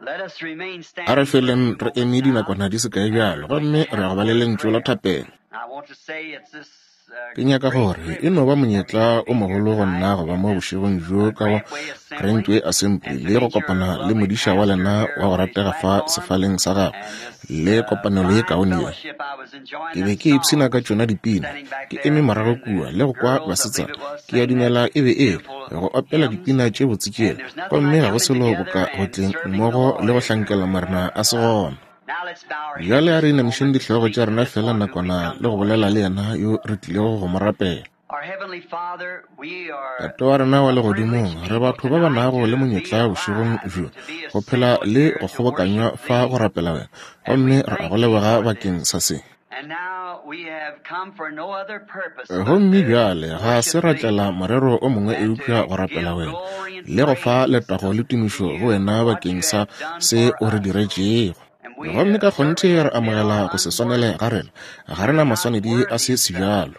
A re feleng re eme dinakwana di se kae bjalo, gomme re ya go ba le lentšu la thapelo. Ke nyaka gore e no ba monyetla o mogolo go nna go ba mo bošegong bjo ka go Grantway Assembly le go kopana le modiša wa lena wa go ratega fa sefaleng sa gagwe le kopanelo ye kaone ye. Ke be ke ipshina ka tšona dipina, ke eme morago kua le go kwa basetsana, ke a dumela e be e le, go opela dipina tše botse tšela, gomme ga go selo boka go tleng mmogo le go hlankela Morena a se gona. Bjale a re inamišeng dihlogo tša rena feela nakwana le go bolela le yena yo re tlilego go mo rapela. Tate wa rena wa legodimong, re batho ba ba nago le monyetla bošegong bjo go phela le go kgobokanywa fa go rapela wena, gomme re a go leboga bakeng sa se. Gomme bjale ga se ra tlela morero o mongwe eupša go rapela wena le go fa letago le tumišo go wena bakeng sa se o re diretšego. Gomme ka kgonthe re amogela go se swanele ga rena, ga re na maswanedi a se sebjalo.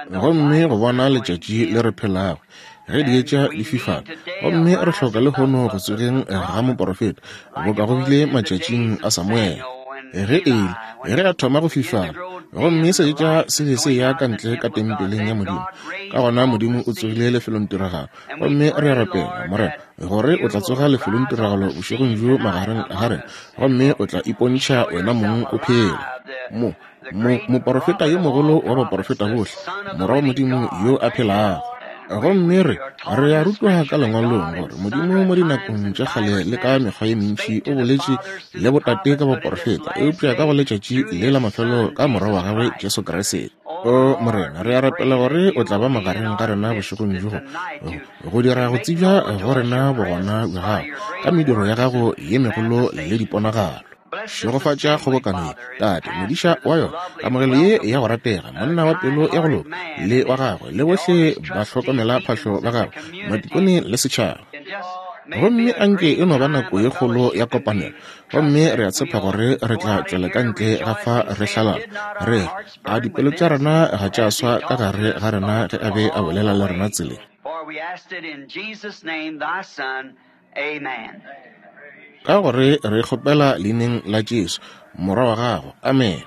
Gomme go bona letšatši le re phelago, ge dietša di fifala, gomme re hloka lehono go tsogeng ga moporofeta, boka go bile matšatšing a Samuele. Ge Eli, ge a thoma go fifala, gomme seetša se be se ya ka ntle ka tempeleng ya Modimo, ka gona Modimo o tsogile lefelongtiragalo. Gomme re a rapela, Morena, gore o tla tsoga lefelongtiragalo bošegong bjo magareng ga rena, gomme o tla ipontšha wena mong o phela. Mo, mo, moporofeta yo mogolo wa baporofeta bohle, Morwa wa Modimo yo a phelago. Gomme re, re a rutwa ka Lengwalong gore Modimo mo dinakong tša kgale le ka mekgwa ye mentši o boletše le botate ka baporofeta, eupša ka go letšatši le la mafelo ka Morwa wa gagwe Jesu Kriste. O Morena, re a rapela gore o tla ba magareng ga rena bošegong bjo, go dira go tsebja go rena bogona bja gago ka mediro ya gago ye megolo le diponagalo. Šegofatša kgobokano ye, Tate, modiša wa yona, kamogelo ye ya go ratega, monna wa pelo ya go loka, le wa gagwe, le bohle ba hlokomela phahlo ba gagwe, matikone le setšhaba. Gomme anke e no ba nako ye kgolo ya kopanelo, gomme re a tshepa gore re tla tšwela ka ntle ga fa re hlalala, re re, A dipelo tša rena ga tša swa ka gare ga rena ge a be a bolela le rena tseleng? Ka gore re kgopela leineng la Jesu, Morwa wa Gago. Amene.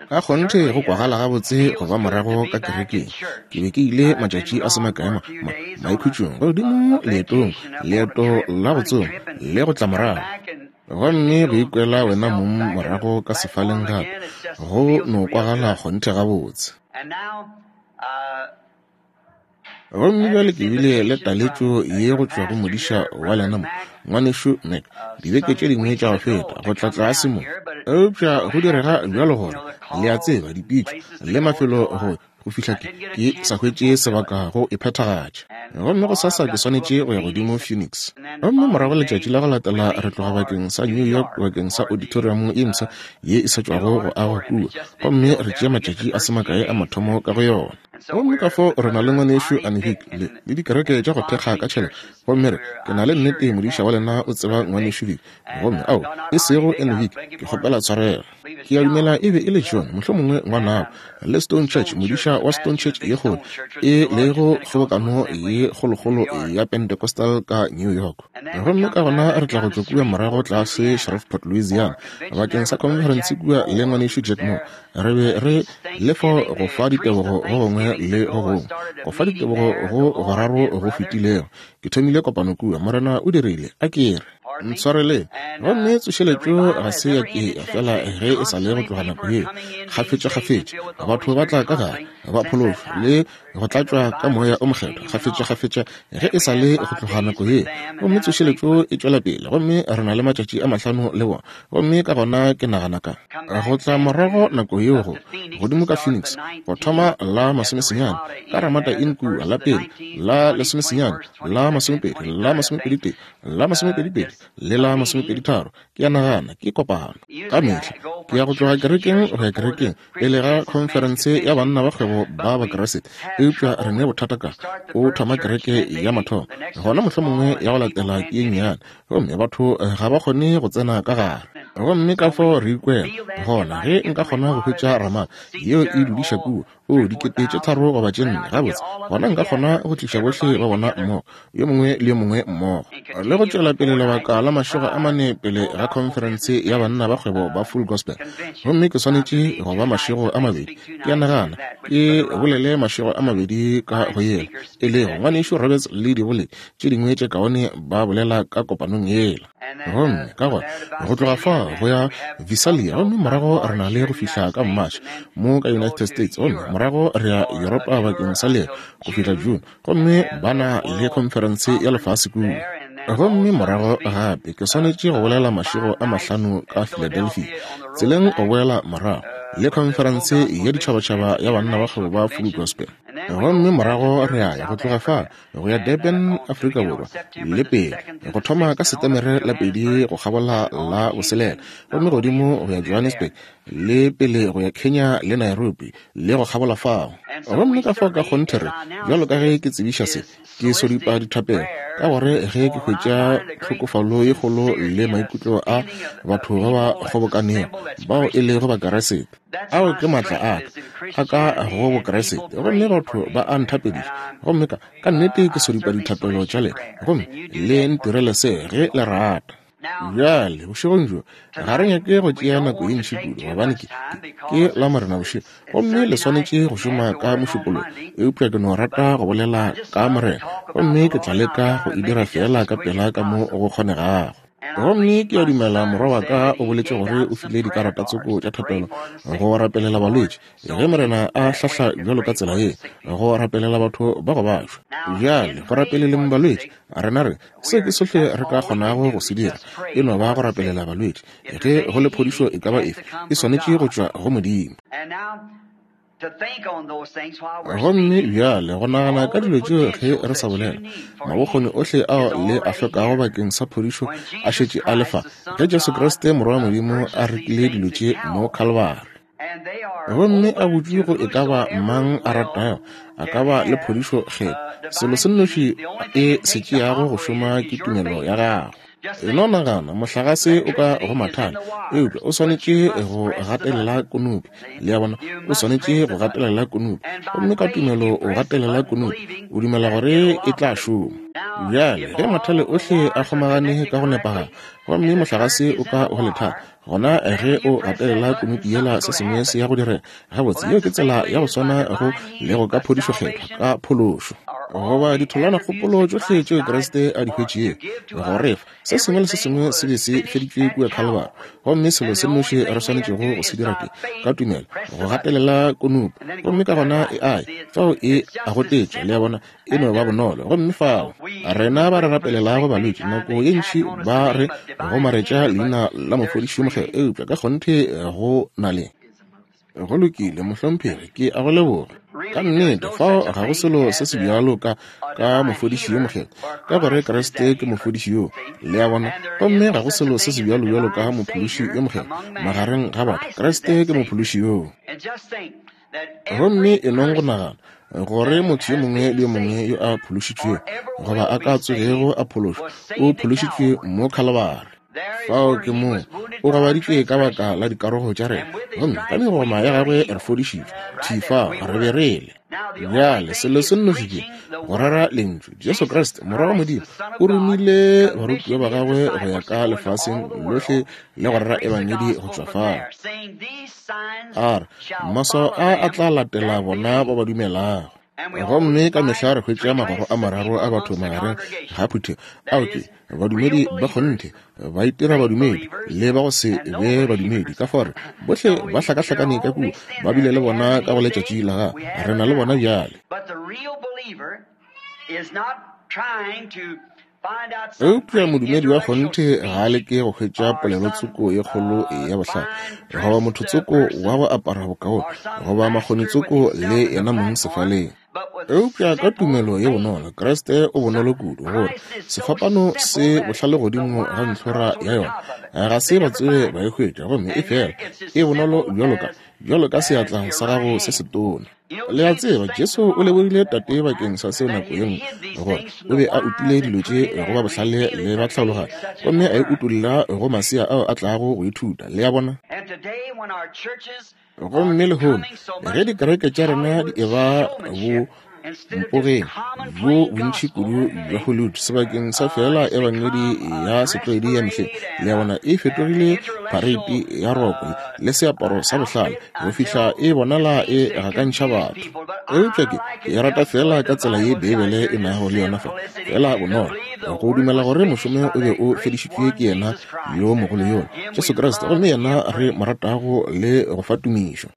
Ka kgonthe go kwagala gabotse go ba morago ka kerekeng. Ke be ke ile matšatši a se makae ma, ma, maikhutšong, godimo leetong, leeto la go tsoma le go tla morago. Gomme go ikwela wena mong morago ka sefaleng gape, go no kwagala kgonthe gabotse. Gomme bjale ke bile le taletšo ye go tšwa go modiša wa lena mo, Ngwanešu Mac, dibeke tše dingwe tša go feta, go tla tlase mo. Eupša go direga bjalo gore, le a tseba, dipitšo le mafelo go, go fihla ke, ke sa hwetše sebaka go e phethagatša. Gomme gosasa ke swanetše go ya godimo Phoenix. Gomme morago letšatši la go latela re tloga bakeng sa New York bakeng sa auditorium ye mpsha ye e sa tšwago go agwa kua, gomme re tšea matšatši a se makae a mathomo ka go yona. Gomme ka fao re na le Ngwanešu Anhik le, le dikereke tša go thekga ka tšhelete. Gomme re, ke na le nnete modiša wa lena o tseba Ngwanešu Vick. Gomme, ao, e sego Anhik, ke kgopela tshwarelo. Ke a dumela e be e le John, mohlomongwe ngwanabo, le Stone Church, modiša wa Stone Church ye kgolo, e lego kgobokano ye kgolokgolo ya Pentecostal ka New York. Gomme ka gona re tla go tšwa kua morago tlase Shreveport, Louisiana, bakeng sa khonferense kua le Ngwanešu Jack Moore. Re be re le fo go fa ditebogo go gongwe le go gongwe, go fa ditebogo go goraro go fetilego. Ke thomile kopano kua, Morena o dirile, a ke re, ntshwareleng. Gomme tsošeletšo ga se ya ke ya fela ge e sa le go tloga nako yeo. Kgafetšakgafetša batho ba tla ka gare, ba phološwa le go tlatšwa ka Moya o Mokgethwa kgafetšakgafetša ge e sa le go tloga nako yeo. Gomme tsošeletšo e tšwela pele, gomme re na le matšatši a mahlano le bona. Gomme ka gona ke nagana ka go tla morago nako yeo go godimo ka Phoenix, go thoma la masomesenyane ka Ramada Inn kua, la pele, la lesomesenyane, la masomepedi, la masomepeditee, la masomepedipedi, le la masomepeditharo, ke a nagana ke kopano. Ka mehla ke ya go tloga kerekeng go ya kerekeng pele ga khonferense ya banna ba kgwebo ba Bakriste, eupša re ne bothata ka o thoma kereke ya mathomo, gona mohlomongwe ya go latela ke ye nnyane, gomme batho ga ba kgone go tsena ka gare. Gomme ka fao re ikwela gona ge nka kgona go hwetša Ramada yeo e dudiša kua, o dikete tše tharo goba tše nne, gabotse, gona nka kgona go tliša bohle ba bona mmogo, yo mongwe le yo mongwe mmogo. Le go tšwela pele lebaka la mašego a mane pele ga khonferense ya banna ba kgwebo ba Full Gospel. Gomme ke swanetše go ba mašego a mabedi, ke a nagana, ke bolele mašego a mabedi ka go yela, e lego Ngwanešu Roberts le diboledi tše dingwe tše kaone ba bolela ka kopanong yela. Gomme ka gona go tloga fa go ya Visalia, gomme morago re na le go fihla ka March mo ka United States, gomme morago re ya Yuropa bakeng sa leeto go fihla June, gomme ba na le khonferense ya lefase kua. Gomme morago gape ke swanetše go bolela mašego a mahlano ka Philadelphia, tseleng go boela morago, le khonferense ya ditšhabatšhaba ya banna ba kgwebo ba Full Gospel. Gomme morago re a ya go tloga fa go ya Durban, Afrika Borwa, le pele, go thoma ka Setemere la pedi go kgabola la boselela, gomme godimo go ya Johannesburg, le pele go ya Kenya le Nairobi, le go kgabola fao. Gomme ka fao ka kgonthe re, bjalo ka ge ke tsebiša se, ke sodipa dithapelo, ka gore ge ke hwetša tlhokofalo ye kgolo le maikutlo a batho ba ba kgobokanego bao e lego Bakeresete, ao ke maatla a ka a ka go Bokeresete, gomme batho ba a nthapediša, gomme ka, ka nnete ke sodipa dithapelo tša lena, gomme le ntirele se ge le rata. Bjale, bošegong bjo, ga re nyake go tšea nako ye ntši kudu, gobane ke, ke, ke Lamorena bošego, gomme le swanetše go šoma ka Mošupologo. Eupša ke no rata go bolela ka Morena, gomme ke tla leka go e dira feela ka pela ka mo go kgonegago. Gomme ke a dumela morwa wa ka o boletše gore o file dikarata tsoko tša thapelo go rapelela balwetši, ge Morena a hlahla bjalo ka tsela ye, go rapelela batho ba go bašwa. Bjale, go rapeleleng balwetši, rena re, Se ke sohle re ka kgonago go se dira, e no ba go rapelela balwetši. Ge go le phodišo e ka ba efe, e swanetše go tšwa go Modimo. Gomme bjale go nagana ka dilo tšeo ge re sa bolela, mabokgoni ohle ao le a hlokago bakeng sa phodišo a šetše a le fa, ge Jesu Kriste Morwa wa Modimo a rekile dilo tše mo Khalibari. Gomme a butšwe go e ka ba mang a ratago, a ka ba le phodišo kgetho. Selo se nnoši e se tšeago go šoma ke tumelo ya gago. E no nagana, mohlagase o ka go mathale, eupša o swanetše go gatelela konopi. Le a bona, o swanetše go gatelela konopi. Gomme ka tumelo o gatelela konopi, o dumela gore e tla šoma. Bjale, ge mathale ohle a kgomagane ka go nepagala, gomme mohlagase o ka go lethale, Gona ge o gatelela kunupi yela, se sengwe se ya go direga. Gabotse, yeo ke tsela ya go swana go lego ka phodišo Kgethwa, ka phološo. Goba ditholwanakgopolo tšohle tšeo Kriste a di hwetšego go re fa, se sengwe le se sengwe se be se feditšwe kua Khalibari. Gomme selo se nnoši re swanetšego go se dira ke, ka tumelo, go gatelela kunupi, gomme ka gona e a ya. Fao e a gotetšwa, le a bona, e no ba bonolo. Gomme fao rena ba re rapelelago balwetši nako ye ntši ba re gomaretša leina la mofodiši yo mokgethwa, eupša ka kgonthe go na le. Go lokile, mohlomphegi, ke a go leboga. Ka nnete, fao ga go selo se se bjalo ka, ka mofodiši yo mokgethwa, ka gore Kriste ke mofodiši yo, le a bona. Gomme ga go selo se se bjalo bjalo ka mophološi yo mokgethwa magareng ga batho. Kriste ke mophološi yoo. Gomme e nong go nagana gore motho yo mongwe le yo mongwe yo a phološitšwego goba a ka tsogego a phološwa o phološitšwe mo Khalibari. Fao ke moo o gobaditšwe ka baka la dikarogo tša rena, gomme ka megoma ya gagwe re fodišitšwe. Thwi fao re be re le. Bjale selo se nnoši ke go rera Lentšu. Jesu Kriste, Morwa wa Modimo, o romile barutiwa ba gagwe go ya ka lefaseng lohle le go rera Ebangedi go tšwa fao. A re, Maswao a a tla latela bona ba ba dumelago. Gomme ka mehla re hwetša magoro a mararo a batho magareng ga phuthego. Ao ke badumedi ba kgonthe, ba itira badumedi, le ba go se be badumedi. Ka fao re bohle ba hlakahlakane ka kua, ba bile le bona ka go letšatši la ga re na le bona bjale. Eupša modumedi wa kgonthe ga a leke go hwetša polelotsoko ye kgolo ya bohlale, goba mothotsoko wa go apara bokaone, goba makgonitsoko le yena mong sefaleng. Eupša ka tumelo ye bonolo, Kriste o bonolo kudu, gore sefapano se bohlale godimo ga ntlhora ya yona, ga se ba tsoge ba e hwetša, gomme e fela e bonolo bjalo ka, bjalo ka seatla sa gago se setona. Le a tseba, Jesu o lebogile Tate bakeng sa seo nako ye nngwe, gore o be a utile dilo tše go ba bohlale le ba tlhaologanyo, gomme a e utolla go masea ao a tlago go ithuta. Le a bona? Gomme lehono, ge dikereke tša rena di eba bo Mpogeng bjo bontši kudu bja Hollywood sebakeng sa feela ebangedi ya setlwaedi ya mehleng, le a bona, e fetogile phareiti ya roko le seaparo sa bohlale go fihla e bonala e gakantšha batho. Eupša ke, ke e rata feela ka tsela ye Beibele e nago le yona fa, feela bonolo, go dumela gore mošomo o be o fedišitšwe ke yena yo mogolo yola, Jesu Kriste, gomme yena re mo ratago le go fa tumišo.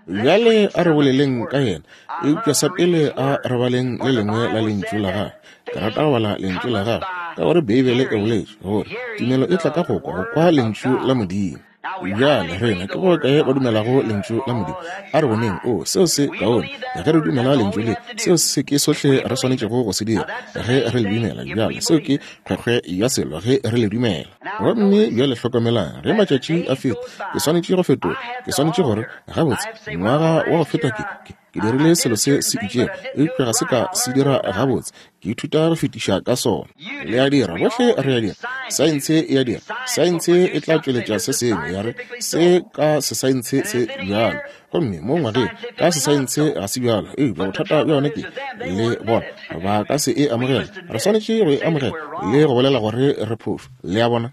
Bjale a re boleleng ka yena, eupša sa pele a re baleng le lengwe la Lentšu la Gagwe. Ke rata go bala Lentšu la Gagwe, ka gore Beibele e boletše gore tumelo e tla ka go kwa, go kwa Lentšu la Modimo. Bjale rena ke bokae ba dumelago Lentšu la Modimo? A re boneng. O, seo se kaone. Ge re dumela Lentšu le, seo se ke sohle re swanetšego go se dira, ge re le dumela. Bjale seo ke kgwekgwe ya selo, ge re le dumela. Gomme bjale hlokomelang, ge matšatši a feta, ke swanetše go fetola. Ke swanetše gore, Gabotse, ngwaga wa go feta ke, ke, ke dirile selo se se itšego, eupša ga se ka se dira gabotse. Ke ithuta go fetiša ka sona. Le a dira, bohle re a dira. Saense e a dira. Saense e tla tšweletša se sengwe, ya re, Se ka sesaense se bjalo. Gomme mo ngwageng, ka sesaense ga se bjalo. Eupša bothata bja yona ke, le bona, ba ka se e amogele. Re swanetše go e amogela le go bolela gore re phošo. Le a bona?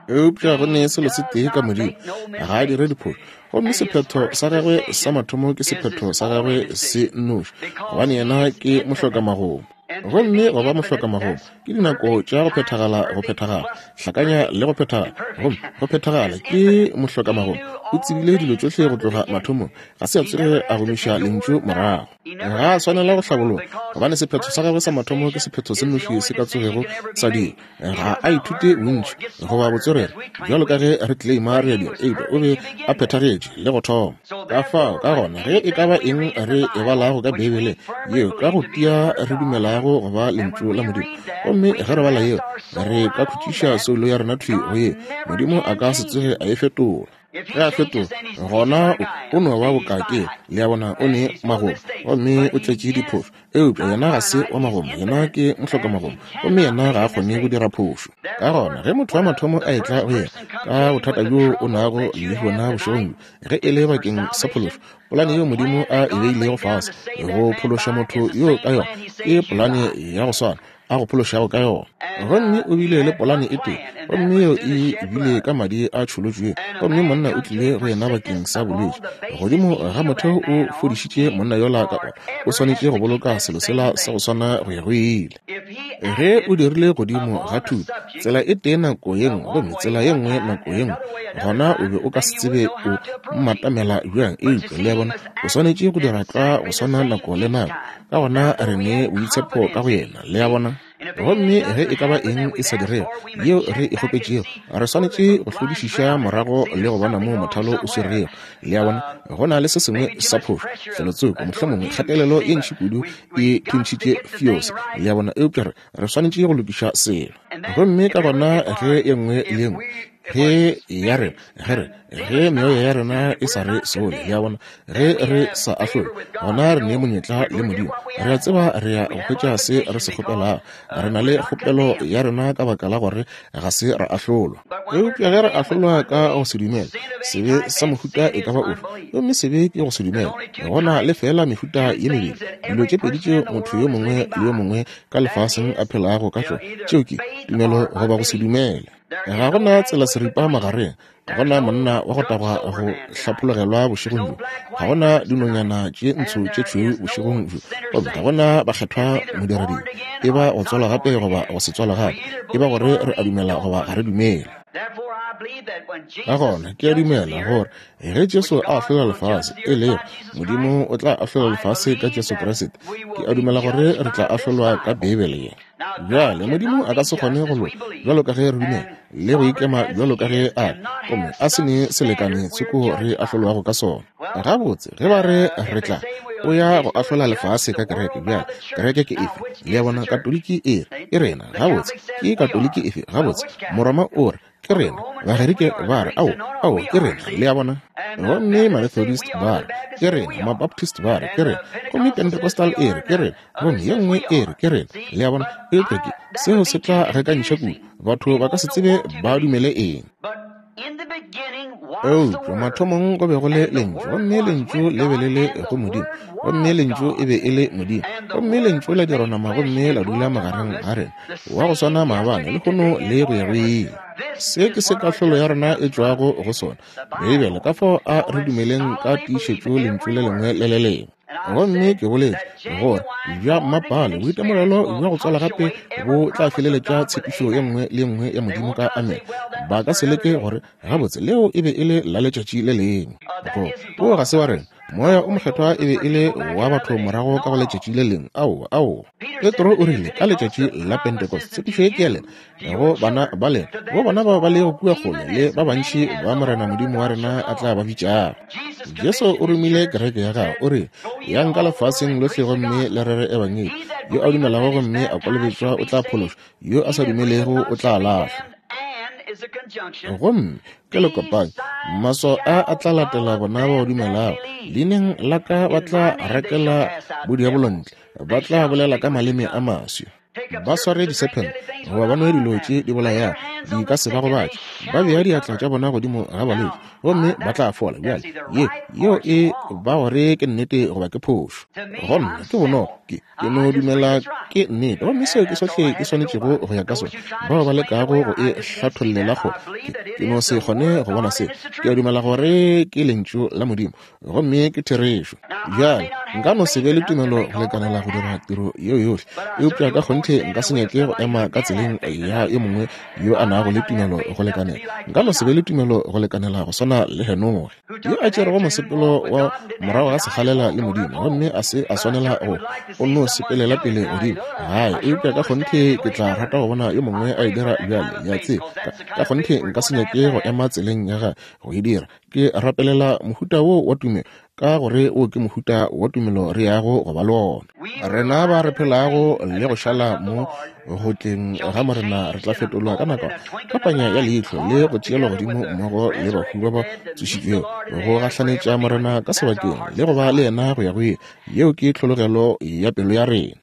Eupša go ne selo se tee ka Modimo, ga a dire diphošo. Gomme sephetho sa gagwe sa mathomo ke sephetho sa gagwe se nnoši, gobane yena ke mohlokamagomo. Gomme go ba mohlokamagomo ke dinako tša go phethagala, go phethagala, hlakanya le go phethagala. Gomme go phethagala ke mohlokamagomo. O tsebile dilo tšohle go tloga mathomong. Ga se a tsoge a gomiša lentšu morago. Ga a swanela go hlabologa, gobane sephetho sa gagwe sa mathomo ke sephetho se nnoši se ka tsogego sa dira. Ga a ithute bontši goba botswerere bjalo ka ge re claima re a dira, eupša o be a phethagetše le go thoma. Ka fao, ka gona, ge e ka ba eng re e balago ka Beibeleng, yeo ka go tia re dumelago go ba Lentšu la Modimo, gomme ge re bala yeo, re ka khutšiša soulo ya rena thwi go yeo. Modimo a ka se tsoge a e fetola. Ge a fetoga, gona o, o no ba bokake, le a bona, o ne magomo, gomme o tletše diphošo. Eupša yena ga se wa magomo, yena ke mohlokamagomo, gomme yena ga a kgone go dira phošo. Ka gona, ge motho wa mathomo a etla go yena ka bothata bjo o nago le bjona bošegong bjo, ge e le bakeng sa phološo, polane yeo Modimo a e beilego fase go phološa motho yo ka yona ke polane ya go swana a go phološago ka yona. Gomme o bile le polane e tee, gomme yeo e bile ka madi a tšholotšwego. Gomme monna o tlile go yena bakeng sa bolwetši. Godimo ga motheo o fodišitše monna yola ka ona. O swanetše go boloka selo sela sa go swana go ya go ile. Ge o dirile godimo ga thuto, tsela e tee nako ye nngwe gomme tsela ye nngwe nako ye nngwe, gona o be o ka se tsebe o mmatamela bjang. Eupša, le a bona, o swanetše go dira tlwa go swana nako le nako. Ka gona re ne boitshepo ka go yena, le a bona. Gomme ge e ka ba eng e sa dirego yeo re e kgopetšego, re swanetše go hlodišiša morago le go bona moo mothalo o swerego. Le a bona, go na le se sengwe sa phošo felotsoko, mohlomongwe kgatelelo ye ntši kudu e thuntšhitše fiose, le a bona, eupša re, re swanetše go lokiša selo. Gomme ka gona ge ye nngwe le ye nngwe ge ya rena, ge re, ge meoya ya rena e sa re sole, le a bona, ge re sa ahlolwe, gona re ne monyetla le Modimo. Re a tseba re ya go hwetša se re se kgopelago. Re na le kgopelo ya rena ka baka la gore ga se ra ahlolwa. Eupša ge re ahlolwa ka go se dumele, sebe sa mohuta e ka ba ofe, gomme sebe ke go se dumele, go na le feela mehuta ye mebedi, dilo tše pedi tšeo motho yo mongwe le yo mongwe ka lefaseng a phelago ka tšona, tšeo ke, tumelo goba go se dumele. Ga go na tsela seripa magareng. Ga go na monna wa go tagwa go hlapologelwa bošegong bjo. Ga go na dinonyana tše ntsho tše tšhweu bošegong bjo. Gomme ga go na bakgethwa modirading. E ba go tswalwa gape goba go se tswalwe gape. E ba gore re a dumela goba ga re dumele. Ka gona ke a dumela gore ge Jesu a ahlola lefase, e lego Modimo o tla ahlola lefase ka Jesu Kriste, ke a dumela gore re tla ahlolwa ka Beibele ye. Bjale, Modimo a ka se kgone go loka bjalo ka ge re dumela le go ikema bjalo ka ge a re, gomme a se ne selekane tsoko re ahlolwago ka sona. Gabotse, ge ba re re tla, o ya go ahlola lefase ka kereke. Bjale, kereke ke efe? Le a bona, Katoliki e re, ke rena. Gabotse, ke Katoliki efe? Gabotse, Moroma o re, Ke rena. Bagerike ba re, Ao, ao, ke rena. Le a bona? Gomme Mamethodist ba re, Ke rena. Mabaptist ba re, Ke rena. Gomme Pentecostal e re, Ke rena. Gomme ye nngwe e re, Ke rena. Le a bona? Eupša ke, seo se tla gakantšha kudu. Batho ba ka se tsebe ba dumele eng. Eupša mathomong go be go le Lentšu, gomme Lentšu le be le le go Modimo, gomme Lentšu e be e le Modimo. Gomme Lentšu la dirwa nama gomme la dula magareng ga rena, wa go swana maabane, lehono le go ya go ile. Se ke se kahlolo ya rena e tšwago go sona, Beibele, ka fao a re dumeleng ka tiišetšo Lentšu le lengwe le le lengwe. Gomme ke boletše gore bja mmapale boitemogelo bja go tswala gape bo tla feleletša tshepišo ye nngwe le ye nngwe ya Modimo ka amene. Ba ka se leke gore gabotse leo e be e le la letšatši le lengwe. Go o ga se wa rena. Moya o Mokgethwa e be e le wa batho morago ka go letšatši le lengwe. Aowa, aowa. Petro o rile ka letšatši la Pentecost, tshepišo ye ke ya lena, go bana ba lena, go bona bao ba lego kua kgole, le ba bantši ba Morena Modimo wa rena a tla ba bitšago. Jesu o romile kereke ya gagwe, o re, Yang ka lefaseng lohle gomme le rere ebangedi. Yo a dumelago gomme a kolobetšwa o tla phološwa, yo a sa dumelego o tla lahlwa. Gomme ke lekopanyi, maswao a a tla latela bona ba ba dumelago. Leineng la ka ba tla rakela bodiabolo ntle, ba tla bolela ka maleme a maswi. Ba sware disephente goba ba nwe dilo tše di bolayago, di ka se ba gobatše. Ba bea diatla tša bona godimo ga balwetši gomme ba tla fola. Bjale, ye, yeo e ba gore ke nnete goba ke phošo. Go nna, ke bonolo. Ke, ke no dumela ke nnete, gomme seo ke sohle ke swanetšego go ya ka sona. Bao ba lekago go e hlathollela kgole, ke, ke no se kgone go bona seo. Ke a dumela gore ke Lentšu la Modimo, gomme ke therešo. Bjale, nka no se be le tumelo go lekanela go dira tiro yeo yohle, eupša ka kgonthe nka se nyake go ema ka tseleng ya yo mongwe yo a nago le tumelo go lekanela. Nka no se be le tumelo go lekanela go swana le Henoge, yo a tšerego mosepelo wa morago ga sekgalela le Modimo, gomme a se a swanela go o no sepelela pele godimo gae, eupša ka kgonthe ke tla rata go bona yo mongwe a e dira bjale. Le a tseba, ka kgonthe nka se nyake go ema tseleng ya gagwe go e dira. Ke rapelela mohuta wo wa tumelo, ka gore wo ke mohuta wa tumelo re yago go ba le ona. Rena ba re phelago le go šala mo go tleng ga Morena re tla fetolwa ka nako ka panya ya leihlo le go tšeelwa godimo mmogo le bahu ba ba tsošitšwego, go gahlanetša Morena ka sebakeng le go ba le yena go ya go ile. Yeo ke tlhologelo ya pelo ya rena.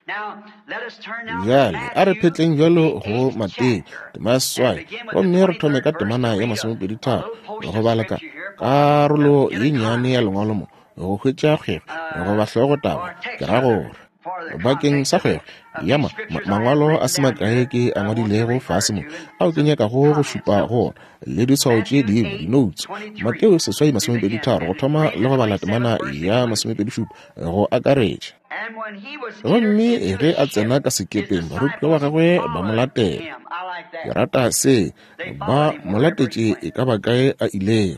Bjale a re phetleng bjalo go Mateo tema ya seswai, gomme re thome ka temana ya masomepeditharo go bala ka karolo ye nnyane ya lengwalo mo go hwetša kgwego goba hlogotaba, ke ra gore bakeng sa kgwego ya ma, ma, mangwalo a se makae ke a ngwadilego fase mo ao ke nyakago go šupa go ona le ditshwao tše dingwe dinoutse. Mateo seswai masomepeditharo go thoma le go bala temana ya masomepedishupa go akaretša. Gomme ge a tsena ka sekepeng, barutiwa ba gagwe ba mo latela. Ke rata se, ba mo latetše e ka ba kae a ilego.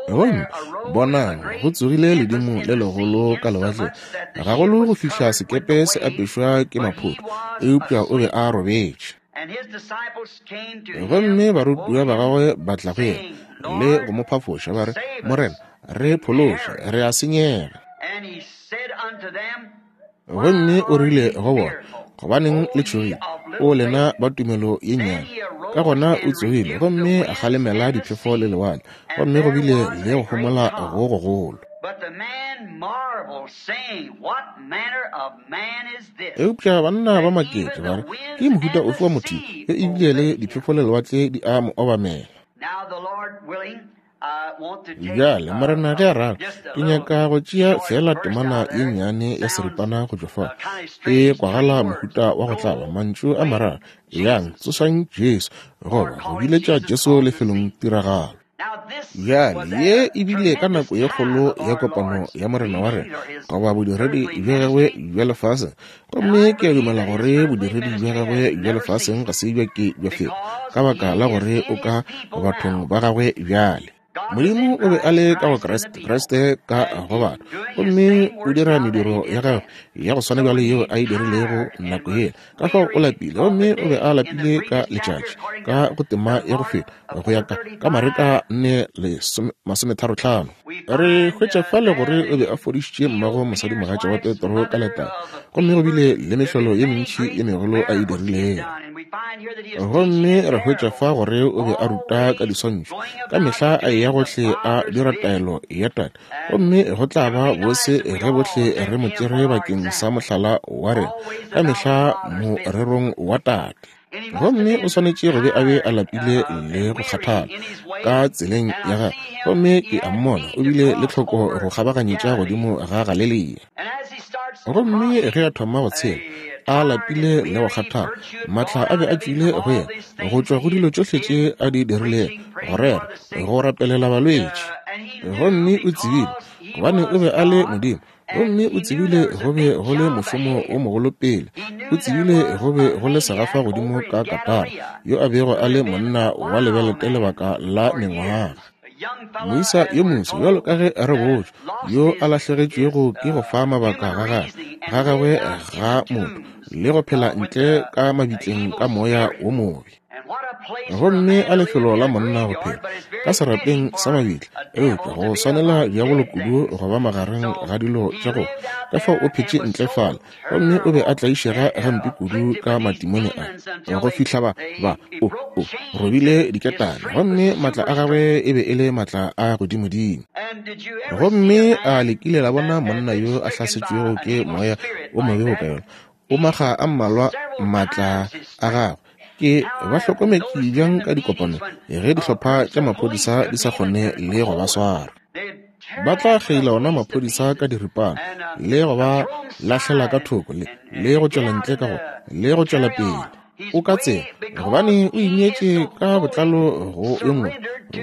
Gomme bonang, go tsogile ledimo le legolo ka lewatleng, gagolo go fihla sekepe se apešwa ke maphoto, eupša o be a robetše. Gomme barutiwa ba gagwe ba tla go yena le go mo phafoša, ba re, Morena, re phološe, re a senyega. Gomme o rile go bona, Gobaneng le tšhogile, O lena ba tumelo ye nnyane? Ka gona o tsogile gomme a kgalemela diphefo le lewatle, gomme go bile le go homola go gogolo. Eupša banna ba maketše, ba re, Ke mohuta ofe wa motho yo ebile le diphefo le lewatle di a mo obamela? Bjale, Morena ge a rata, ke nyaka go tšea feela temana ye nnyane ya seripana go tšwa fa. E kwagala mohuta wa go tlaba, mantšu a mararo, Eyang, tsošang Jesu, goba go biletša Jesu lefelong tiragalo. Bjale, ye e bile ka nako ye kgolo ya kopano ya Morena wa rena, goba bodiredi bja gagwe bja lefaseng. Gomme ke a dumela gore bodiredi bja gagwe bja lefaseng ga se bja ke bja feta, ka baka la gore o ka bathong ba gagwe bjale. Modimo o be a le ka go Kriste, Kriste ka go batho, gomme o dira mediro ya gagwe ya go swana bjalo yeo a e dirilego nako yela. Ka fao o lapile, gomme o be a lapile ka letšatši, ka go tema ya go feta, go ya ka, ka Mareka 4 masometharotlhano. Re hwetša fale gore o be a fodišitše mmago mosadimogatša wa Petro ka letala, gomme go bile le mehlolo ye mentši ye megolo a e dirilego. Gomme re hwetša fa gore o be a ruta ka diswantšho, ka mehla a eya gohle a dira taelo ya Tate. Gomme go tla ba bose ge bohle re mo tšere bakeng sa mohlala wa rena, ka mehla morerong wa Tate. Gomme o swanetše go be a be a lapile le go kgathala ka tseleng ya gagwe. Gomme ke a mmona o bile le tlhoko go kgabaganyetša godimo ga Galelia. Gomme ge a thoma go tshela, a lapile le go kgathala, maatla a be a tšwile go yena, go tšwa go dilo tšohle tše a di dirilego, go rera, go rapelela balwetši. Gomme o tsebile, gobane o be a le Modimo, Gomme o tsebile go be go le mošomo wo mogolo pele. O tsebile go be go le segafa godimo ka Katara, yo a bego a le monna wa lebelete lebaka la mengwaga. Moisa yo moso, bjalo ka ge re botšwa, yo a lahlegetšwego ke go fa mabaka ga gagwe, ga gagwe ga motho, le go phela ntle ka mabitleng ka moya wo mobe. Gomme a lefelo la monna go phela ka serapeng sa mabitla, eupša go swanela diabolo kudu go ba magareng ga dilo tša go ka fao o phetše ntle fale, gomme o be a tlaišega gampe kudu ka matimone a go fihla ba, ba, o, o robile diketane, gomme maatla a gagwe e be e le maatla a godimodimo. Gomme a le kile la bona monna yo a hlasetšwego ke moya o mobe boka yola? O makga a mmalwa maatla a gagwe ke ba hlokometše bjang ka dikopanong ge dihlopha tša maphodisa di sa kgone le go ba swara. Ba tla kgeila ona maphodisa ka diripana le go ba lahlela ka thoko le, le go tšwela ntle ka go, le go tšwela pele. O ka tsela gobane o ineetše ka botlalo go yo mongwe,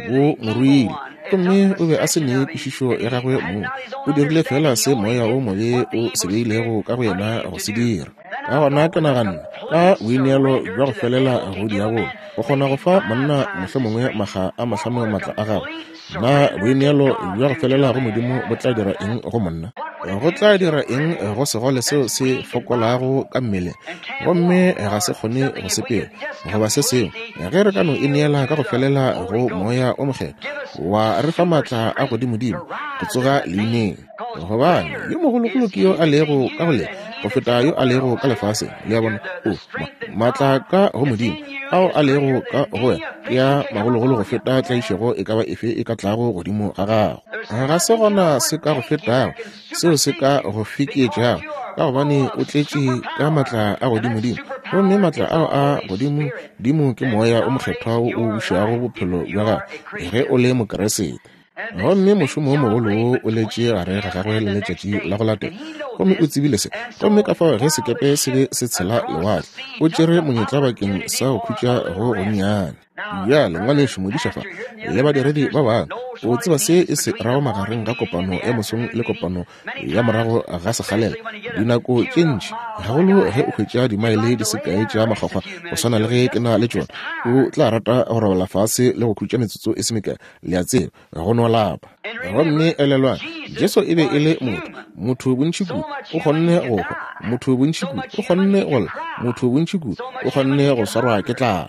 bo mo ruile, gomme o be a se ne kwešišo ya gagwe mong. O dirile feela se moya wo mobe o se beilego ka go yena go se dira. Ka gona ke naganne, ka boineelo bja go felela go diabolo, o kgona go fa monna mohlomongwe makga a mahlano maatla a gagwe. Na boineelo bja go felela go Modimo bo tla dira eng go monna? Go tla dira eng go segole seo se fokolago ka mmeleng gomme ga se kgone go sepela goba se sengwe? Ge re ka no ineela ka go felela go Moya o Mokgethwa, wa re fa maatla a godimodimo go tsoga leineng. Gobane yo mogologolo ke yo a lego ka go lena go feta yo a lego ka lefaseng. Le a bona? O, ma, maatla ka go Modimo ao a lego ka go wena ke a magologolo go feta tlaišego e ka ba efe e ka tlago godimo ga gago. Ga se gona se ka go fetago seo se ka go fekeetšago, ka gobane o tletše ka maatla a godimodimo, gomme maatla ao a godimodimo ke Moya o Mokgethwa wo o bušago bophelo bja gago ge o le Mokriste. Gomme mošomo wo mogolo wo o letše gare ga gagwe le letšatši la go latela, gomme o tsebile se. Gomme ka fao ge sekepe se be se tshela lewatle, o tšere monyetla bakeng sa go khutša go gonnyane. Bjale, ngwanešu modiša fa, le badiredi ba bangwe, o tseba se e se rago magareng ga kopano ya mosong le kopano ya morago ga sekgalela. Dinako tše ntši, gagolo ge o hwetša dimaele di se kae tša makgwakgwa go swana le ge ke na le tšona, o tla rata go robala fase le go khutša metsotso e se mekae. Le a tseba, go no lapa. Gomme elelwang, Jesu e be e le motho. Motho bontši kudu o kgonne go hwa, motho bontši kudu o kgonne go lla, motho bontši kudu o kgonne go swarwa ke tlala.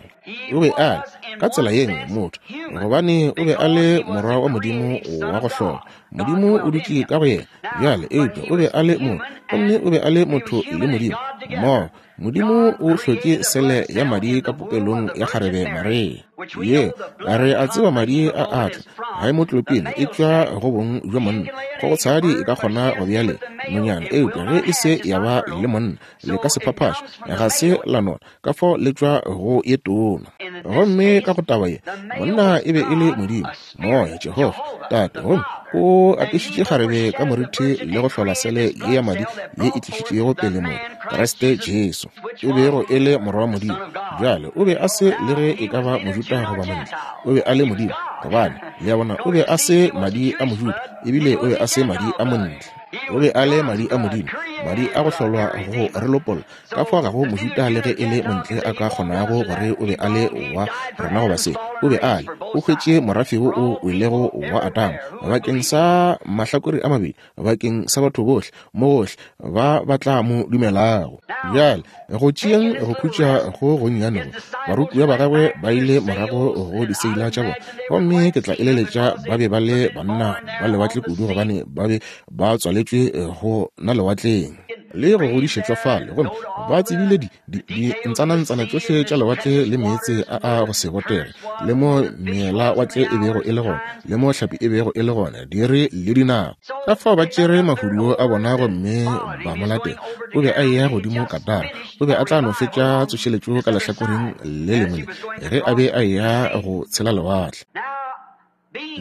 O be a le, ka tsela ye nngwe, motho, gobane o be a le Morwa wa Modimo wa go hlola. Modimo o dutše ka go yena bjale, eupša o be a le motho, gomme o be a le motho le Modimo mmogo. Modimo o hlotše sele ya madi ka popelong ya kgarebe Maria. Ye, re a tseba madi a a tla, haemoklopini e tšwa go bong bja monna. Kgogotshadi e ka kgona go bea le nonyana, eupša ge e se ya ba le monna, le ka se phaphaše, ga se la nona, ka fao le tšwa go ye tona. Gomme ka go taba ye, monna e be e le Modimo, Moya, Jehofa, Tate, gomme o apešitše kgarebe ka morithi le go hlola sele ye ya madi ye e tlišitšego pele motho, Kriste Jesu, e bego e le Morwa wa Modimo. Bjale, o be a se le ge e ka ba Mojuda goba Montle, o be a le Modimo, gobane, le a bona, o be a se madi a Mojuda, ebile o be a se madi a Montle. O be a le madi a Modimo, madi a go hlolwa go re lopolla. Ka fao ga go Mojuda le ge e le Montle a ka kgonago gore o be a le wa rena goba se. O be a le. O hwetše morafe wo o welego wa Adama, bakeng sa mahlakore a mabedi, bakeng sa batho bohle, mo gohle, ba ba tla mo dumelago. Bjale, go tšeeng go khutša go gonnyane go, barutiwa ba gagwe ba ile morago go diseila tša bona. Gomme ke tla eleletša ba be ba le banna ba lewatle kudu, gobane ba be ba tswaletšwe go na lewatleng. le go godišetšwa fale, gomme ba tsebile di, di, dintsanantsana tšohle tša lewatle le meetse a a go se botege, le mo meela watle e bego e le gona, le mo hlapi e bego e le gona, dire le dinako. Ka fao ba tšere mahuduo a bona gomme ba mo latela. O be a eya godimo Katara. O be a tla no fetša tsošeletšo ka lehlakoreng le lengwe le, ge a be a eya go tshela lewatle.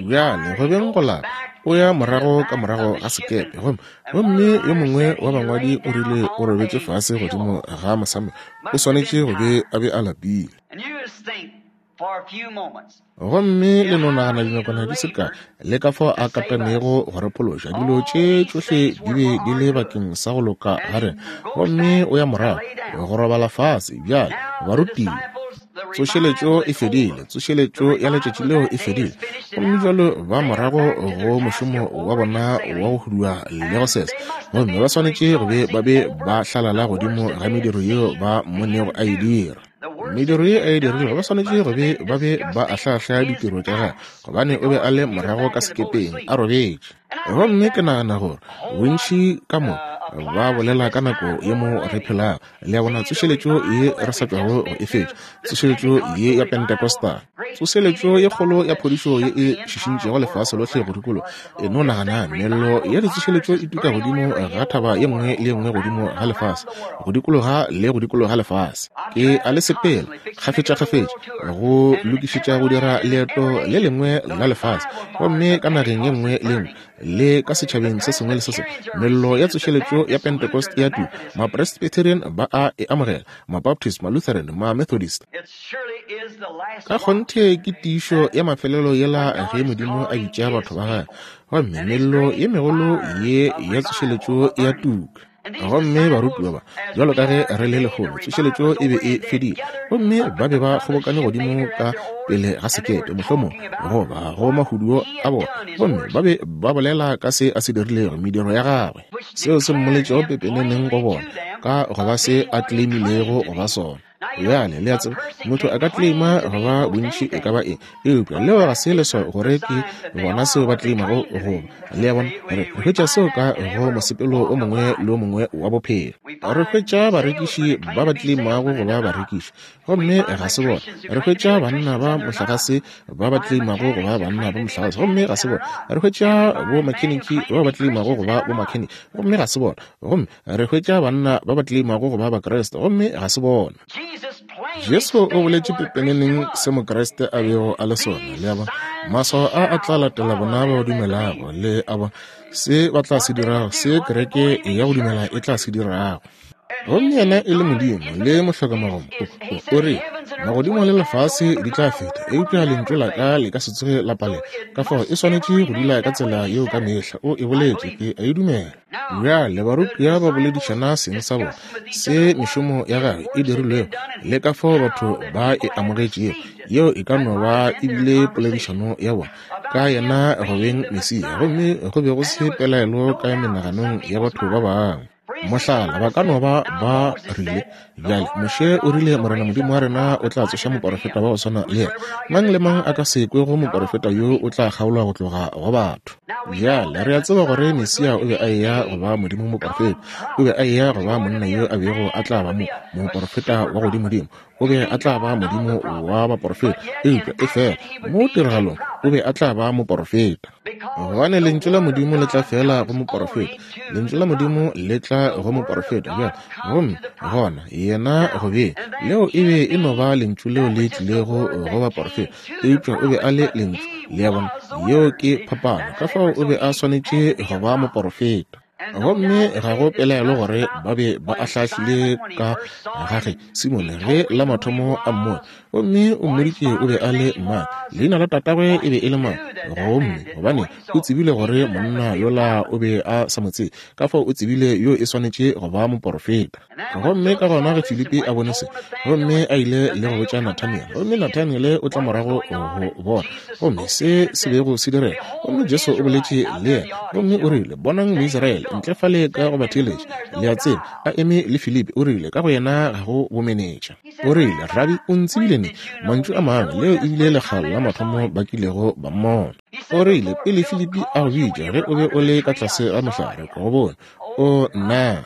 Bjale, go beng go lapa, o ya morago ka morago ga sekepe, gomme, gomme yo mongwe wa bangwadi o rile o robetše fase godimo ga mosamo, o swanetše go be a be a lapile. Gomme le no nagana dinakwana di se kae, le ka fao a katanego go re phološa. Dilo tše tšohle di be di le bakeng sa go loka ga rena. Gomme o ya morago go robala fase. Bjale, barutiwa, tsošeletšo e fedile, tsošeletšo ya letšatši leo e fedile. Gomme bjalo ba morago go mošomo wa bona wa go hudua le go sesa. Gomme ba swanetše go be ba be ba hlalala godimo ga mediro yeo ba mmonego a e dira. Mediro ye a e dirilego, ba swanetše go be ba be ba ahlaahla ditiro tša gagwe, gobane o be a le morago ka sekepeng a robetše. Gomme ke nagana gore bontši ka mo ba bolela ka nako ye mo re phelago, le a bona, tsošeletšo ye re sa tšwago go e fetša, tsošeletšo ye ya Pentecostal, tsošeletšo ye kgolo ya phodišo ye e šišintšego lefase lohle go dikologa. E no nagana, mello ya ditsošeletšo e tuka godimo ga thaba ye nngwe le ye nngwe godimo ga lefase, go dikologa le go dikologa lefase. Ke a le sepela kgafetšakgafetša go lokišetša go dira leeto le lengwe la lefase, gomme ka nageng ye nngwe le ye nngwe le ka setšhabeng se sengwe le se sengwe, mello ya tsošeletšo ya Pentecost e a tuka. Mapresbyterian ba a e amogela, Mabaptist, Malutheran, Mamethodist. Ka kgonthe ke tiišo ya mafelelo yela ge Modimo a bitša batho ba gagwe, gomme mello ye megolo ye ya tsošeletšo e a tuka. Gomme barutiwa ba, bjalo ka ge re le lehono, tsošeletšo e be e fedile, gomme ba be ba kgobokane godimo ka pele ga sekepe, mohlomong goba go mahuduo a bona, gomme ba be ba bolela ka se a se dirilego, mediro ya gagwe, seo se mmoletšego pepeneneng go bona, ka go ba se a claimilego go ba sona. Bjale, le a tseba, motho a ka claima go ba bontši e ka ba eng, eupša leo ga se leswao gore ke bona seo ba claimago go ba. Le a bona, re hwetša seo ka go mosepelo o mongwe le o mongwe wa bophelo. Re hwetša barekiši ba ba claimago go ba barekiši, gomme ga se bona. Re hwetša banna ba mohlagase ba ba claimago go ba banna ba mohlagase, gomme ga se bona. Re hwetša bomakheniki ba ba claimago go ba bomakheniki, gomme ga se bona. Gomme Re hwetša banna ba ba tleimago go ba Bakriste, gomme ga se bona. Jesu o boletše pepeneneng se Mokriste a bego a le sona. Le a bona? Maswao a a tla latela bona ba ba dumelago. Le a bona? Se ba tla se dirago, se kereke ya go dumela e tla se dirago. Gomme yena e le Modimo le mohlokamagomo, o, o, o re, Magodimo le lefase di tla feta, eupša lentšu la ka le ka se tsoge la palela. Ka fao e swanetše go dula ka tsela yeo ka mehla. O e boletše, ke a e dumela. Bjale barutiwa ba boledišana seng sa bona se mešomo ya gagwe e dirilwego le ka fao batho ba e amogetšego. Yeo e ka no ba e bile poledišano ya bona ka yena go beng Mesia, gomme go be go se pelaelo ka menaganong ya batho ba bangwe. Mohlala, ba ka no ba ba rile, Bjale, Moshe o rile Morena Modimo wa rena o tla tsoša moporofeta wa go swana le yena. Mang le mang a ka se kwego moporofeta yo o tla kgaolwa go tloga go batho. Bjale, re a tseba gore Mesia o be a eya go ba Modimo moporofeta. O be a eya go ba monna yo a bego a tla ba mo, moporofeta wa godimodimo. O be a tla ba Modimo wa baporofeta. Eupša, efela, mo tiragalong, o be a tla ba moporofeta. Gobane Lentšu la Modimo le tla feela go moporofeta. Lentšu la Modimo le tla go moporofeta. Bjale, gomme gona yena go be leo e be e no ba Lentšu leo le tlilego go baporofeta, eupša o be a le Lentšu. Le a bona? Yeo ke phapano. Ka fao o be a swanetše go ba moporofeta. Gomme ga go pelaelo gore ba be ba ahlaahlile ka ga ge Simone ge la mathomo a mmone, gomme o mmoditše o be a le mang, leina la tatagwe e be e le mang, gomme gobane o tsebile gore monna yola o be a sa mo tsebe, ka fao o tsebile yo e swanetše go ba moporofeta. Gomme ka gona ge Filipi a bone se, gomme a ile le go botša Nathaniele, gomme Nathaniele o tla morago go bona, gomme se se bego se direga, gomme Jesu o boletše le yena, gomme o rile, Bonang Moisraele, ntle fale ka go batheeletša, le a tseba, a eme le Filipi, o rile, ka go yena ga go bomenetša. O rile, Rabi, o ntsebile neng? Mantšu a mangwe, leo e bile lekga la mathomo ba kilego ba mmona. O rile, Pele Filipi a go bitša, ge o be o le ka tlase ga mohlare, ke go bone. O, nna!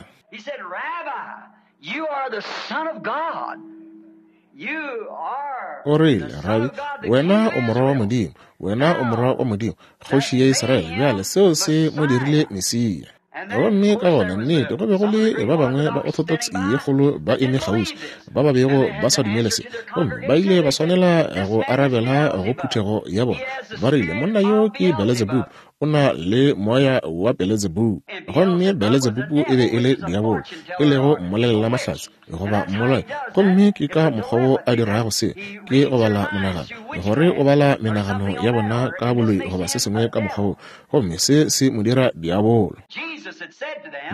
O rile, Rabi, wena o Morwa wa Modimo. Wena o Morwa wa Modimo, Kgoši ya Israele. Bjale, seo se mo dirile Mesia. Gomme ka gona, nnete, go be go le ba bangwe ba Orthodox ye kgolo ba eme kgauswi, ba ba bego ba sa dumele se. Gomme ba ile ba swanela go arabela go phuthego ya bona. Ba rile, Monna yo ke Beelzebub, o na le moya wa Beelzebub. Gomme Beelzebub e be e le diabolo, e lego mmolelelamahlatse, goba mmolai. Gomme ke ka mokgwa wo a dirago se, ke go bala monagano, gore o bala menagano ya bona ka boloi goba se sengwe ka mokgwa wo, gomme se se mo dira diabolo.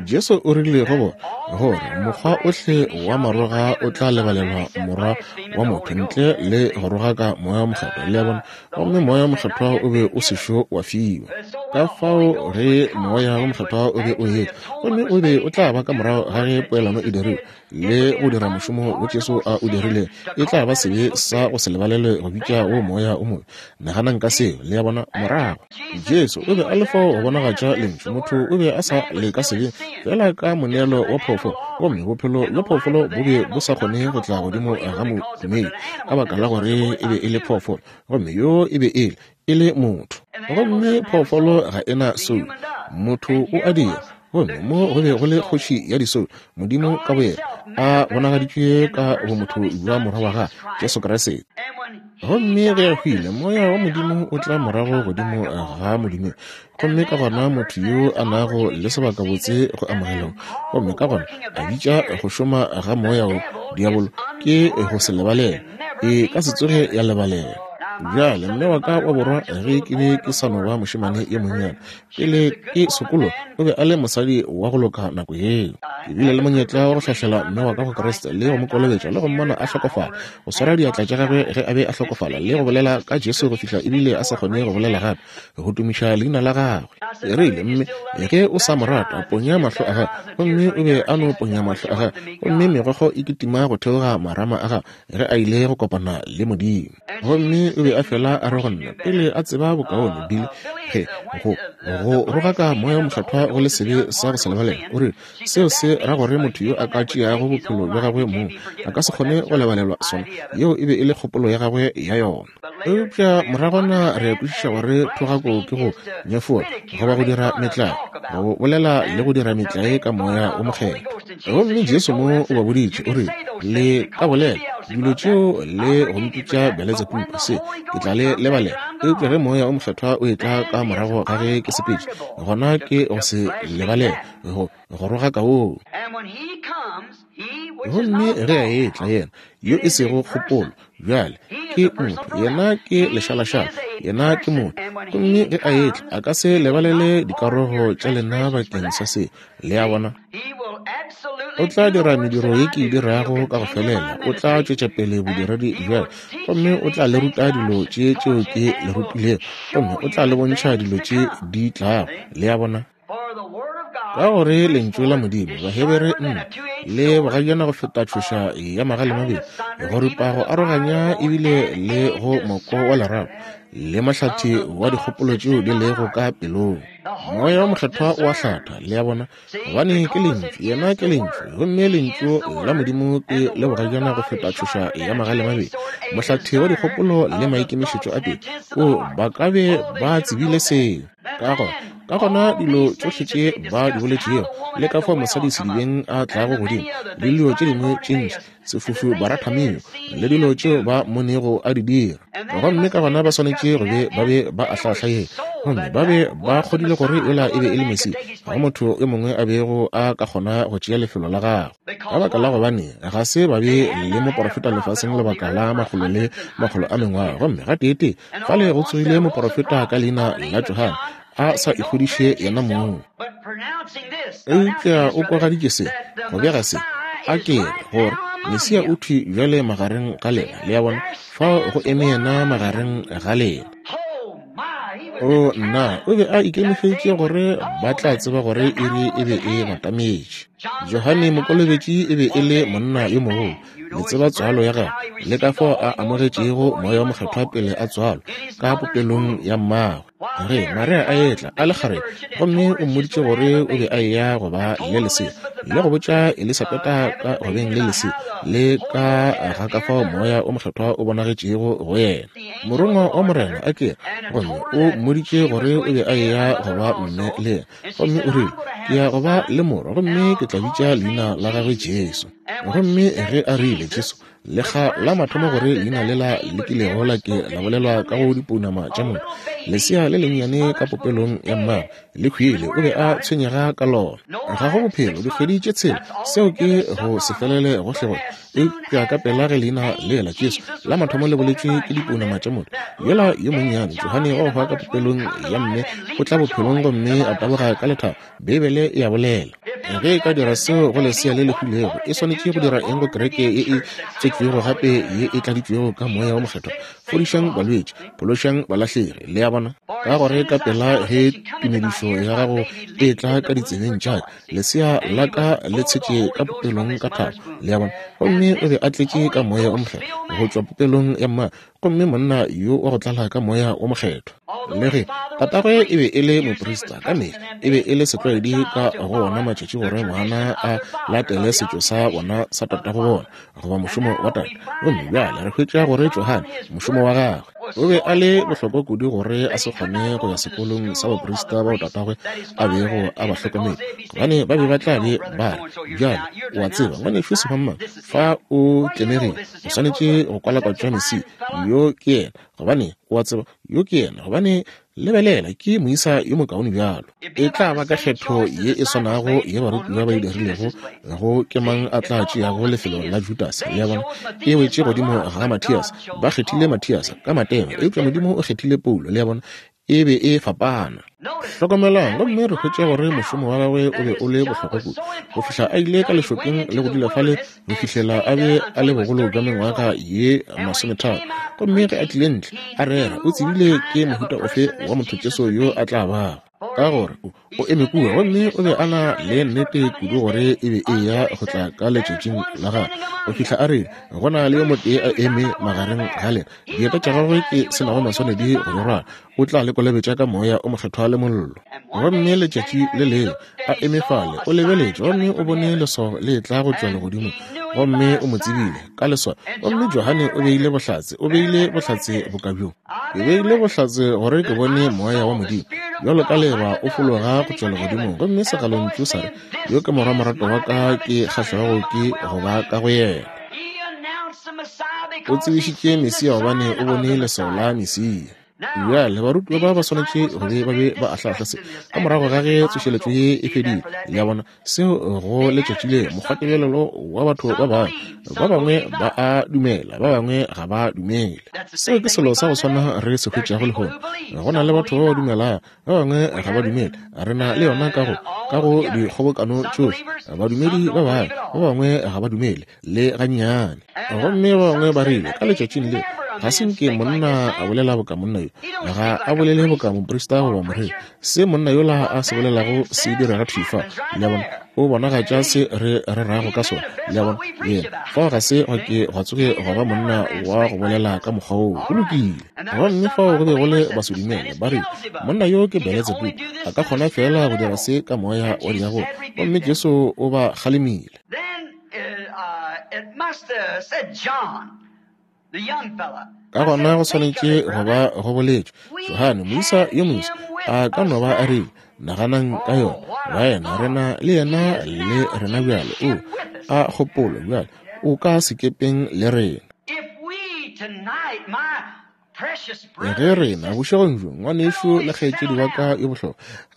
Jesu o rile go bona, gore mokgwa ohle wa maroga o tla lebalelwa Morwa wa motho ntle le go rogaka Moya wo Mokgethwa. Le a bona? Gomme Moya wo Mokgethwa o be o sešo wa fiwa. Ka fao ge Moya wo Mokgethwa o be o etla, gomme o be o tla ba ka morago ga ge poelano e dirilwe le go dira mošomo wo Jesu a o dirile, e tla ba sebe sa go se lebalelwe go bitša wo moya o mobe. Naganang ka seo, le a bona, morago. Jesu o be a le fao go bonagatša Lentšu. Motho o be a sa le ka sebeng, feela ka moneelo wa phoofolo, gomme bophelo bja phoofolo bo be bo sa kgone go tla godimo ga modumedi, ka baka la gore e be e le phoofolo, gomme yo e be e le, e le motho. Gomme phoofolo ga e na soulo, motho o a dira. Gomme mo go be go le Kgoši ya disoulo, Modimo ka boyena, a bonagaditšwe ka bomotho bja Morwa wa Gagwe, Jesu Kriste. Gomme ge a hwile, Moya wa Modimo o tla morago godimo ga modumedi, gomme ka gona motho yo a nago le sebakabotse go amogelong, gomme ka gona a bitša go šoma ga moya wo diabolo, ke go se lebalele. E ka se tsoge ya lebalela. Bjale, mme wa ka wa borwa, ge ke be ke sa no ba mošemane yo monnyane, Pele ke sokologa, o be a le mosadi wa go loka nako yeo. Ke bile le monyetla wa go hlahlela mme wa ka go Kriste le go mo kolobetša le go mmona a hlokofala, go swara diatla tša gagwe ge a be a hlokofala le go bolela ka Jesu go fihla ebile a sa kgone go bolela gape, go tumiša leina la gagwe. Ke rile, Mme, ge o sa mo rata, ponya mahlo a gago. Gomme o be a no ponya mahlo a gagwe, gomme megokgo e kitima go theoga marama a gagwe ge a ile go kopana le Modimo. Gomme o be a fela a re go nna, pele a tseba bokaone, Billy, ge go, go rogaka Moya wo Mokgethwa go le sebe sa go se lebalelwe, o rile, seo se ra gore motho yo a ka tšeago bophelo bja gagwe mong a ka se kgone go lebalelwa sona. Yeo e be e le kgopolo ya gagwe ya yona. Eupša moragwana re a kwešiša gore thogako ke go nyefola goba go dira metlae, go bolela le go dira metlae ka Moya wo Mokgethwa. Gomme Jesu mo o ba boditše, o rile, Le ka bolela dilo tšeo le go mpitša Beletsebubu, se ke tla le lebalela. Eupša ge Moya o Mokgethwa o etla ka morago ga ge ke sepetše, gona ke go se lebalele, go go rogaka woo. Gomme ge a etla, yena yo e sego kgopolo, bjale ke motho, yena ke lešalašala, yena ke motho. Gomme ge a etla, a ka se lebalele dikarogo tša lena bakeng sa se. Le a bona? O tla dira mediro ye ke e dirago ka go felela. O tla tšwetša pele bodiredi bja ka, gomme o tla le ruta dilo tše tšeo ke le rutilego, gomme o tla le bontšha dilo tše di tlago. Le a bona? Ka gore Lentšu la Modimo, Bahebere nne, le bogajana go feta tšhoša ya magalemabedi, go ripa go aroganya ebile le go moko wa lerato le mohlathi wa dikgopolo tšeo di lego ka pelong. Moya wo Mokgethwa o a hlatha, le a bona, gobane ke Lentšu. Yena ke Lentšu, gomme Lentšu la Modimo ke le bogajana go feta tšhoša ya magalemabedi, mohlathi wa dikgopolo le maikemišetšo a pelo. O, ba ka be ba tsebile seo. Ka gona, ka gona dilo tšohle tše ba di boletšego, le ka fao mosadi sedibeng a tlago godimo, le dilo tše dingwe tše ntši, sefofu Baratameo, le dilo tšeo ba mmonego a di dira. Gomme ka gona ba swanetše go be ba be ba ahlaahla yena, gomme ba be ba kgodile gore yola e be e le Mesia, ga go motho yo mongwe a bego a ka kgona go tšea lefelo la gagwe. Ka baka la gobane ga se ba be le moporofeta lefaseng lebaka la makgolo le makgolo a mengwaga, gomme gateetee fale go tsogile moporofeta ka leina la Johane, a sa ikgodiše yena mong. Eupša o kwagaditše se, go bega se, a ke re, gore Mesia o thwi bjale magareng ga lena. Le a bona? Fao go eme yena magareng ga lena. O, nna, o be a ikemišeditše gore ba tla tseba gore iri e be e batametše. Johane Mokolobetši e be e le monna yo mogolo. Le tseba tswalo ya gagwe le ka fao a amogetšego Moya wo Mokgethwa pele a tswalwa ka popelong ya mmagwe. Ge Maria a etla a le kgarebe, gomme o mmoditše gore o be a eya go ba le lesea, Le go botša Elisabeta ka go beng le lesea, le ka ga ka fao Moya o Mokgethwa o bonagetšego go yena. Morongwa wa Morena a ke, gomme o mmoditše gore o be a eya go ba mme le yena. Gomme o rile, Ke ya go ba le morwa, gomme ke tla bitša leina la gagwe Jesu. Gomme ge a rile Jesu, lekga la mathomo gore leina lela le kilego la ke la bolelwa ka go dipounama tša motho, lesea le lennyane ka popelong ya mmagwe le hwile, o be a tshwenyega ka lona. Ga go bophelo dikgwedi tše tshela, seo ke go se felele gohlegohle. Eupša ka pela ge leina lela Jesu la mathomo le boletšwe ke dipounama tša motho, yola yo monnyane Johane wa go hwa ka popelong ya mme o tla bophelong gomme a taboga ka lethabo. Beibele e a bolela. Ge e ka dira seo go lesea le le hwilego, e swanetše go dira eng go kereke ye e tswetšwego gape ye e tladitšwego ka Moya wo Mokgethwa? Fodišang balwetši, phološang balahlegi. Le a bona? Ka gore ka pela ge tumedišo ya gago e tla ka ditsebeng tša ka, lesea la ka le tshetše ka popelong ka thabo. Le a bona? Gomme o be a tletše ka Moya wo Mokgethwa go tšwa popelong ya mmagwe, gomme monna yo wa go tlala ka Moya wo Mokgethwa. Le ge tatagwe e be e le moprista, ka mehla e be e le setlwaedi ka go ona matšatši gore ngwana a latele setšo sa bona sa tatago bona, goba mošomo wa tate. Gomme bjale re hwetša gore Johane, mošomo wa gagwe o be a le bohlokwa kudu gore a se kgone go ya sekolong sa baprista bao tatagwe a bego a ba hlokometse, gobane ba be ba tla be ba re, Bjale, o a tseba, ngwanešu Semangmang, fa o tlemegile, o swanetše go kwalakwatšwa Mesia. Yo ke yena, gobane o a tseba, yo ke yena, gobane lebelela, ke moisa yo mokaone bjalo. E tla ba ka kgetho ye e swanago ye barutiwa ba e dirilego go ke mang a tla tšeago lefelo la Judase. Le a bona? E wetše godimo ga Mathiase. Ba kgethile Mathiase ka matema, eupša Modimo o kgethile Paulo. Le a bona? E be e fapana. Hlokomelang, gomme re hwetša gore mošomo wa gagwe o be o le bohlokwa kudu go fihla a ile ka lešokeng le go dula fale go fihlela a be a le bogolo bja mengwaga ye masometharo. Gomme ge a tlile ntle a rera, o tsebile ke mohuta ofe wa motho Jesu yo a tla bago, ka gore o, o eme kua gomme o be a na le nnete kudu gore e be e ya go tla ka letšatšing la gagwe, go fihla a re, Go na le yo motee a eme magareng ga lena, dieta tša gagwe ke se nago maswanedi go di rwala, o tla le kolobetša ka Moya o Mokgethwa le mollo. Gomme letšatši le lengwe a eme fale, o lebeletše gomme o bone leswao le etla go tšwa legodimong, gomme o mo tsebile ka leswao. Gomme Johane o beile bohlatse, o beile bohlatse boka bjo. Ke beile bohlatse gore ke bone Moya wa Modimo bjalo ka leeba o fologa go tšwa legodimong, gomme segalontšu sa re, Yo ke Morwa moratwa wa ka, ke kgahlwago ke go ba ka go yena. O tsebišitše Mesia gobane o bone leswao la Mesia. Bjale barutiwa ba ba swanetše go be ba be ba ahlaahla se ka morago ga ge tsošeletšo ye e fedile. Le a bona, seo go letšatši le mokgwatebelelo wa batho ba bangwe. Ba bangwe ba a dumela, ba bangwe ga ba dumele. Seo ke selo sa go swana re se hwetšago lehono. Go na le batho ba ba dumelago, ba bangwe ga ba dumele. Re na le yona ka go, ka go dikgobokano tšohle. Badumedi ba bangwe, ba bangwe ga ba dumele le gannyane. Gomme ba bangwe ba rile ka letšatšing le, Ga se nke monna a bolela boka monna yo. Ga a bolele boka moprista goba moreri. Se monna yola a se bolelago se direga thwi fa. Le a bona? O bonagatša se re rerago ka sona. Le a bona? Yena, fao ga se gwa ke gwa tsoge gwa ba monna wa go bolela ka mokgwa woo. Go lokile. Gomme fao go be go le basodumele, ba rile, Monna yo ke Beletsebubu. A ka kgona feela go dira se ka moya wa diabolo. Gomme Jesu o ba kgalemile. Ka gona go swanetše go ba go boletšwe Johane, moisa yo moswa, a ka no ba a rile, Naganang ka yona, baena, re na le yena le rena bjale. O a kgopolo bjale, o ka sekepeng le rena. Ge rena, bošegong bjo, ngwanešu le kgaetšedi wa ka yo bohlokwa,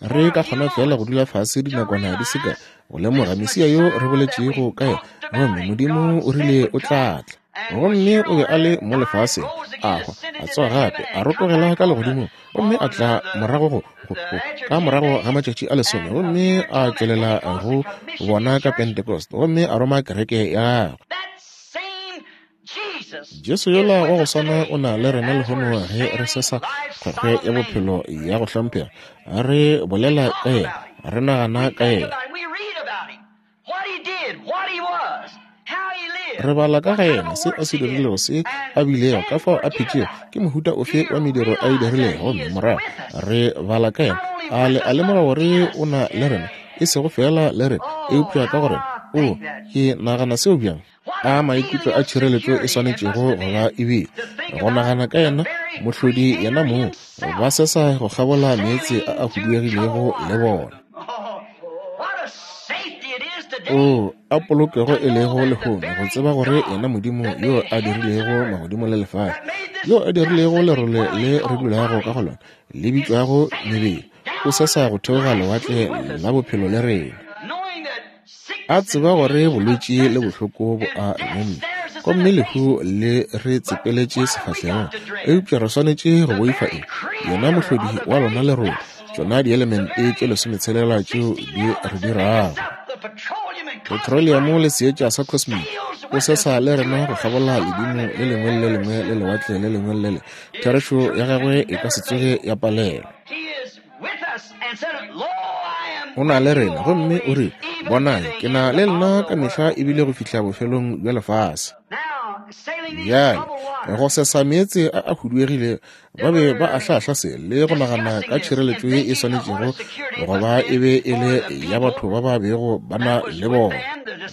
re ka kgona feela go dula fase dinakwana di se kae go lemoga Mesia yo re boletšego ka yena, gomme Modimo o rile o tla tla. Gomme o be a le mo lefaseng, a hwa, a tsoga gape, a rotogela ka legodimong, gomme a tla morago go, go, go, ka morago ga matšatši a lesome, gomme a tšwelela go bona ka Pentecost, gomme a roma kereke ya gagwe. Jesu yola wa go swana o na le rena lehono ge re sesa kgwekgwe ya bophelo ya go hlomphega. Re bolela ka yena, re nagana ka yena. Re bala ka ga yena, se a se dirilego, se a bilego, ka fao a phetšego, ke mohuta ofe wa mediro a e dirilego, gomme morago re bala ka yena. A le a lemoga gore o na le rena? e sego feela le rena, eupša ka go rena. Oo, ke nagana seo bjang! A maikutlo a tšhireletšo e swanetšego go ba e bile, go nagana ka yena Mohlodi yena mong, ba sesa go kgabola meetse a a huduegilego le bona. Oo, a polokego e lego lehono, go tseba gore yena Modimo yo a dirilego magodimo le lefase, yo a dirilego lerole le re dulago ka go lona, le bitšwago mebele, o sesa go theoga lewatle la bophelo le rena. A tseba gore bolwetši le bohloko bo a re gomme lehu le re tsepeletše sefahlegong, eupša re swanetše go boifa eng? Yena Mohlodi wa lona lerole, tšona dielemente tše lesometshela tšeo di re dirago. Petroleamo le seetša sa cosmic, o sesa le rena go kgabola ledimo le lengwe le le lengwe le lewatle le lengwe le le. Therešo ya gagwe e ka se tsoge ya palelwa. O na le rena gomme o re, Bonang, ke na le lena ka mehla ebile go fihla bofelong bja lefase. Bjale, go sesa meetse a a huduegile, ba be ba ahlaahla se le go nagana ka tšhireletšo ye e swanetšego go ba e be e le ya batho ba ba bego ba na le bona.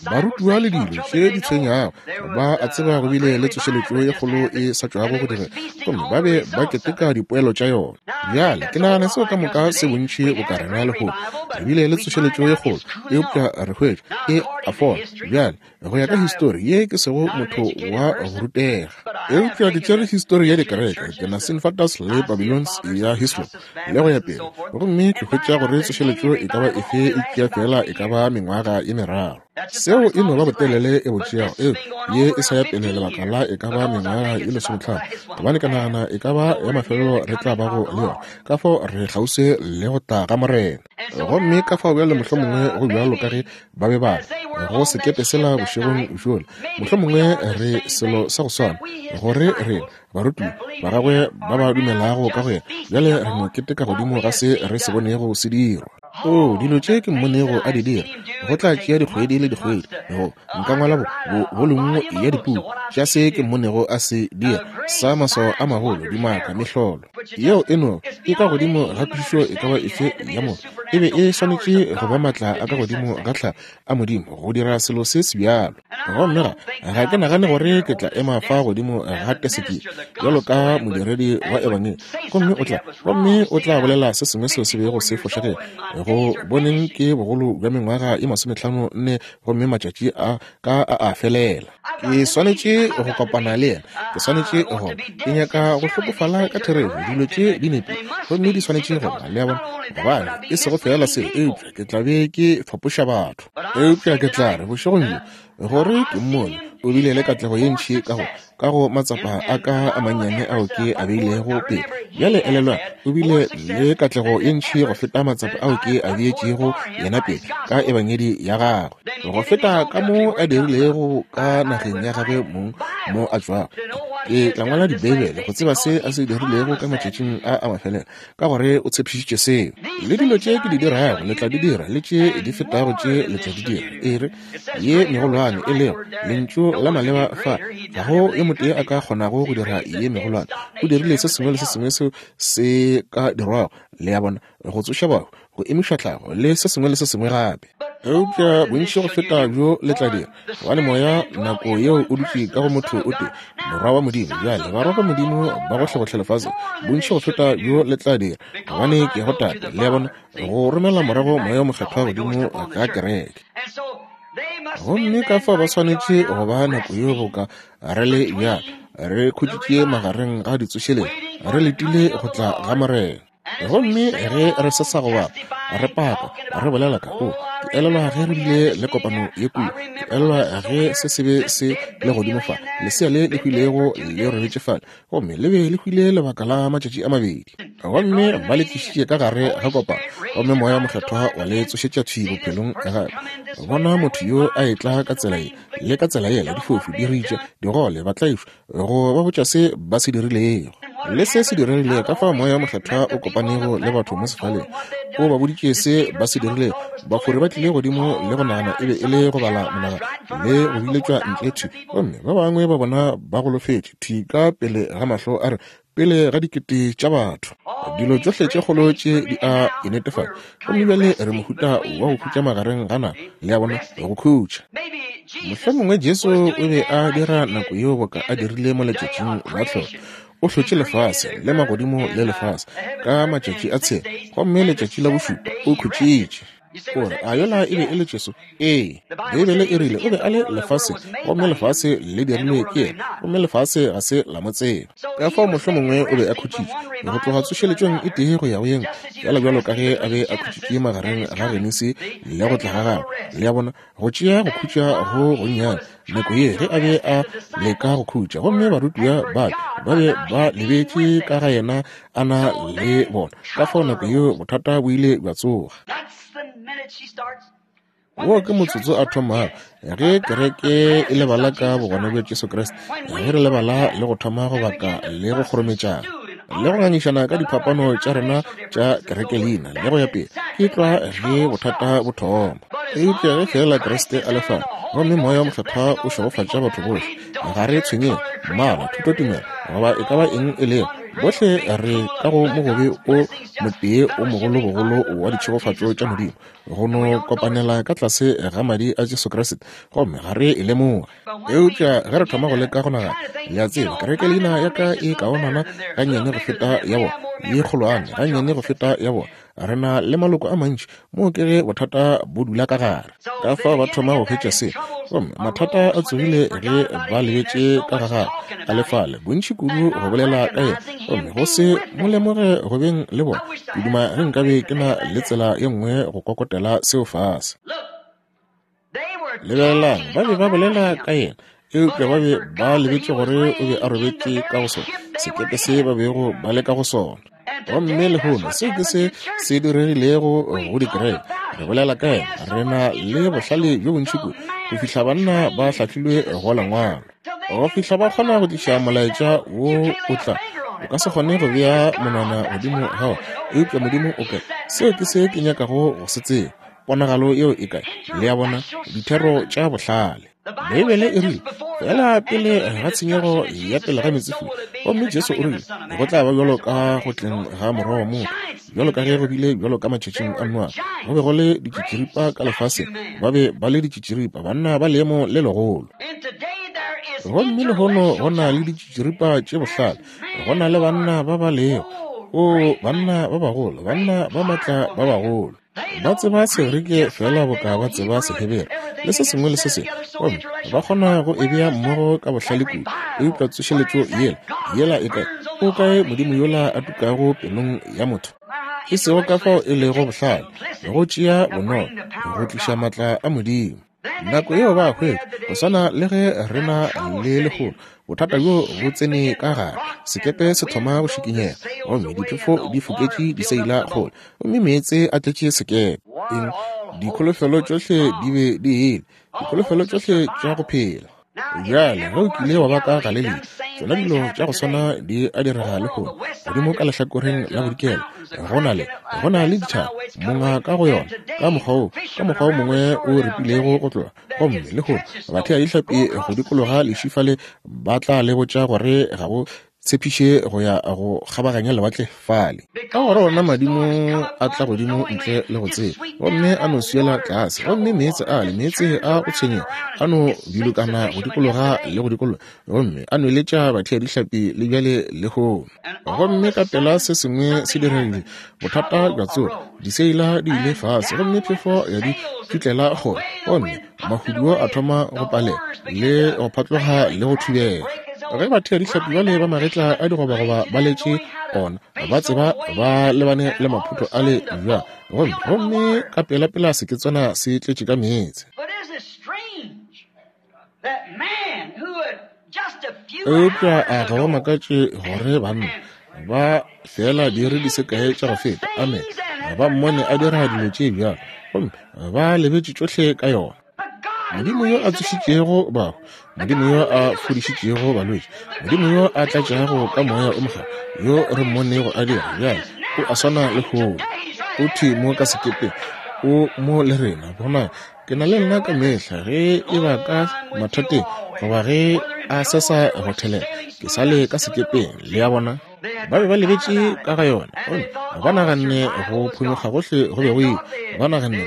Barutiwa le dilo tše di tshwenyago ba a tseba go bile le tsošeletšo ye kgolo e sa tšwago go direga, gomme ba be ba keteka dipoelo tša yona. Bjale ke nagana seo ka moka se bontši boka rena lehono. Re bile le tsošeletšo ye kgolo, eupša re hwetša e a fola. Bjale go ya ka histori ye, ke sego motho wa go rutega, eupša ke tšere histori ya dikereke, ke na Sinfatas le Babylons ya Hislop le go ya pele, gomme ke hwetša gore tsošeletšo e ka ba efe e tšea feela e ka ba mengwaga ye meraro. Seo e no ba botelele e bo tšeago, eupša ye e sa ya pele lebaka la e ka ba mengwaga ye lesometlhano, gobane ke nagana e ka ba ya mafelelo re tla bago le yona. Ka fao re kgauswi le go tla ga Morena. Gomme ka fao bjale mohlomongwe go bjalo ka ge ba be ba re go sekepe sela bošegong bjola, mohlomongwe re selo sa go swana, gore re barutiwa ba gagwe ba ba dumelago ka go yena, bjale re no keteka godimo ga se re se bonego se dirwa. Oo, dilo tše ke mmonego a di dira, go tla tšea dikgwedi le dikgwedi go nka ngwala bo, bo, bolumo ya dipuku tša se ke mmonego a se dira, sa maswao a magolo, dimaka, mehlolo. Yeo e no e ka godimo ga kwešišo e ka ba efe ya motho. E be e swanetše go ba matla a ka godimo ga tlhago a Modimo go dira selo se se bjalo. Gomme ga, ga ke nagane gore ke tla ema fa godimo ga teseke bjalo ka modiredi wa ebangedi, gomme o tla, gomme o tla bolela se sengwe seo se bego se fošagele. Go boneng ke bogolo bja mengwaga ye masometlhano nne, gomme matšatši a ka a a felela. Ke swanetše go kopana le yena. Ke swanetše go. Ke nyaka go hlokofala ka therešo. Dilo tše di nepile, gomme di swanetše go ba, le a bona. Gobane, e sego feela seo, eupša ke tla be ke fapoša batho. Eupša ke tla re, bošegong bjo, gore ke mmone o bile le katlego ye ntši ka go, ka go matsapa a ka a mannyane ao ke a beilego pele. Bjale elelwang, o bile le katlego ye ntši go feta matsapa ao ke a beetšego yena pele ka ebangedi ya gagwe, go feta ka mo a dirilego ka nageng ya gagwe mong mo a tšwago. Ke tla ngwala Dibeibele go tseba se a se dirilego ka matšatšing a a mafelelo, ka gore o tshepišitše seo. Le dilo tše ke di dirago le tla di dira, le tše di fetago tše le tla di dira. E re, ye megolwane e lego lentšu la maleba fa, ga go yo motee a ka kgonago go dira ye megolwane. O dirile se sengwe le se sengwe seo se ka dirwago, le a bona, go tsoša bahu, go emiša tlhago, le se sengwe le se sengwe gape. Eupša bontši go feta bjo le tla dira, gobane Moya nako yeo o dutše ka go motho o tee, Morwa wa Modimo. Bjale, barwa ba Modimo ba gohlegohle lefaseng, bontši go feta bjo le tla dira, gobane ke go Tate, le a bona, go romela morago Moya wo Mokgethwa godimo ga kereke. Gomme ka fao ba swanetše go ba nako yeo boka re le bjalo, re khutšitše magareng ga ditsošeletšo, re letile go tla ga Morena. Gomme ge re se sa go bapa, re paka, re bolela ka, o, ke elelwa ge re bile le kopano ye kua, ke elelwa ge se se be se le godimo fa, lesea le le hwilego le robetše fale, gomme le be le hwile lebaka la matšatši a mabedi. Gomme ba le tlišitše ka gare ga kopano, gomme Moya wo Mokgethwa wa le tsošetša thwi bophelong gape. Bona motho yo a etla ka tsela ye le ka tsela yela, difofu, diritša, digole, batlaišwa, go ba botša se ba se dirilego le se se diregilego, ka fao Moya wo Mokgethwa o kopanego le batho mo sefaleng, o ba boditše se ba se dirilego. Bafori ba tlile godimo le go nagana e be e le go bala monagano le go biletšwa ntle thwi, gomme ba bangwe ba bona ba golofetše thwi ka pele ga mahlo a re. pele ga dikete tša batho. Dilo tšohle tše kgolo tše di a e netefatša. Gomme bjale re mohuta wa go khutša magareng ga nako, le a bona, go khutša. Mohlomongwe Jesu o be a dira nako yeo boka a dirile mo letšatšing la tlholo. O hlotše lefase le magodimo le lefase ka matšatši a tshela, gomme letšatši la bošupa o khutšitše. O re, a yola e be e le Jesu? Ee. Beibele e rile o be a le lefaseng, gomme lefase le dirilwe ke yena, gomme lefase ga se la mo tseba. Ka fao mohlomongwe o be a khutšitše go tloga tsošeletšong e tee go ya go ye nngwe, feela bjalo ka ge a be a khutšitše magareng ga Genesi le go tla ga gagwe. Le a bona, go tšea go khutša go gonnyane nako ye ge a be a leka go khutša, gomme barutiwa ba ba be ba lebetše ka ga yena a na le bona. Ka fao nako yeo bothata bo ile bja tsoga. Wo ke motsotso a thomago ge kereke e lebala ka bogona bja Jesu Kriste, ge re lebala le go thoma go baka le go kgorometšana le go ngangišana ka diphapano tša rena tša kereke leina le go ya pele, ke tlwa ge bothata bo thoma. Eupša ge feela Kriste a le fao, gomme Moya wo Mokgethwa o šegofatša batho bohle, ga re tshwenyege mmala, thutotumelo, goba e ka ba eng e lego, bohle re ka go mogobe o motee o mogolobogolo wa ditšhegofatšo tša Modimo, go no kopanela ka tlase ga madi a Jesu Kriste, gomme ga re e lemoge. Eupša ge re thoma go leka go nagana, le a tseba, kereke leina ya ka e kaonana gannyane go feta ya bona, ye kgolwane gannyane go feta ya bona, re na le maloko a mantši, moo ke ge bothata bo dula ka gare. Ka fao ba thoma go hwetša se, gomme mathata a tsogile ge ba lebetše ka ga gagwe a le fale, bontši kudu go bolela ka yena, gomme go se mo lemoge go beng le bona. Ke duma ge nkabe ke na le tsela ye nngwe go kokotela seo fase. Lebelelang, ba be ba bolela ka yena, eupša ba be ba lebetše gore o be a robetše ka go sona sekepe se ba bego ba le ka go sona. Gomme lehono seo ke se se diregilego go dikereke. Re bolela ka yena, re na le bohlale bjo bontši kudu go fihla banna ba hlahlilwe go lengwalo, go fihla ba kgona go tliša molaetša wo o tla. O ka se kgone go bea monwana godimo ga ona, eupša Modimo o kae? Seo ke se ke nyakago go se tseba. Ponagalo yeo e kae? Le a bona, dithero tša bohlale. Beibele e rile, feela pele ga tshenyego ya pele ga meetsefula, gomme Jesu o rile, go tla ba bjalo ka go tleng ga Morwa wa motho, bjalo ka ge go bile bjalo ka matšatšing a Noa, go be go le ditšitširipa ka lefaseng, ba be ba le ditšitširipa, banna ba leemo le legolo. Gomme lehono go na le ditšitširipa tše bohlale, go na le banna ba ba lego, oo, banna ba bagolo, banna ba maatla ba bagolo. Ba tseba Segerike feela boka ba tseba Sehebere, le se sengwe le se sengwe, gomme ba kgona go e bea mmogo ka bohlale kudu. Eupša tsošeletšo yela, yela e kae? O kae Modimo yola a tukago pelong ya motho? E sego ka fao e lego bohlale, go tšea bonolo, go tliša maatla a Modimo. Nako yeo ba hwetša, go swana le ge re na le lehono, bothata bjo bo tsene ka gare, sekepe se thoma go šikinyega, gomme diphefo di foketše diseila kgole, gomme meetse a tletše sekepe. Eng? Dikholofelo tšohle di be di ile, dikholofelo tšohle tša go phela. Bjale, ge o kile wa ba ka Galelia, tšona dilo tša go swana di a direga lehono. Godimo ka lehlakoreng la bodikela, go na le, go na le dithaba, monga ka go yona, ka mokgwa wo, ka mokgwa wo mongwe o repilego go tloga. Gomme lehono, batheadihlapi go dikologa leši fale ba tla le botša gore ga go tshepiše go ya go kgabaganya lewatle fale. Ka gore ona madimo a tla godimo ntle le go tseba, gomme a no swiela tlase, gomme meetse a le meetse a go tshwenyega a no bilokana go dikologa le go dikologa, gomme a nweletša batheadihlapi le bjale lehono. Gomme ka pela se sengwe se diregile, bothata bja tsoga, diseila di ile fase, gomme phefo ya di tšutlela kgole, gomme mahuduo a thoma go palela le go phatloga le go thubega. Ge batheadihlapi bale ba magetla a digobagoba ba letše ona, ba tseba ba lebane le maphutho ale bjang, gomme, gomme ka pelapela seketswana se tletše ka meetse. Eupša a ga go makatše gore banna ba feela diiri di se kae tša go feta, amen, ba mmone a dira dilo tše bjalo, gomme ba lebetše tšohle ka yona. Modimo yo a tsošitšego bahu, Modimo yo a fodišitšego balwetši, Modimo yo a tlatšago ka Moya o Mokgethwa, yo re mmonego a dira bjale, o a swana lehono. O thwi mo ka sekepeng, o mo le rena. Bonang, Ke na le nna ka mehla ge e ba ka mathateng goba ge a sesa go thelela, ke sa le ka sekepeng, le a bona. Ba be ba lebetše ka ga yona, gomme ba naganne go phonyokga gohle go be go ile. Ba naganne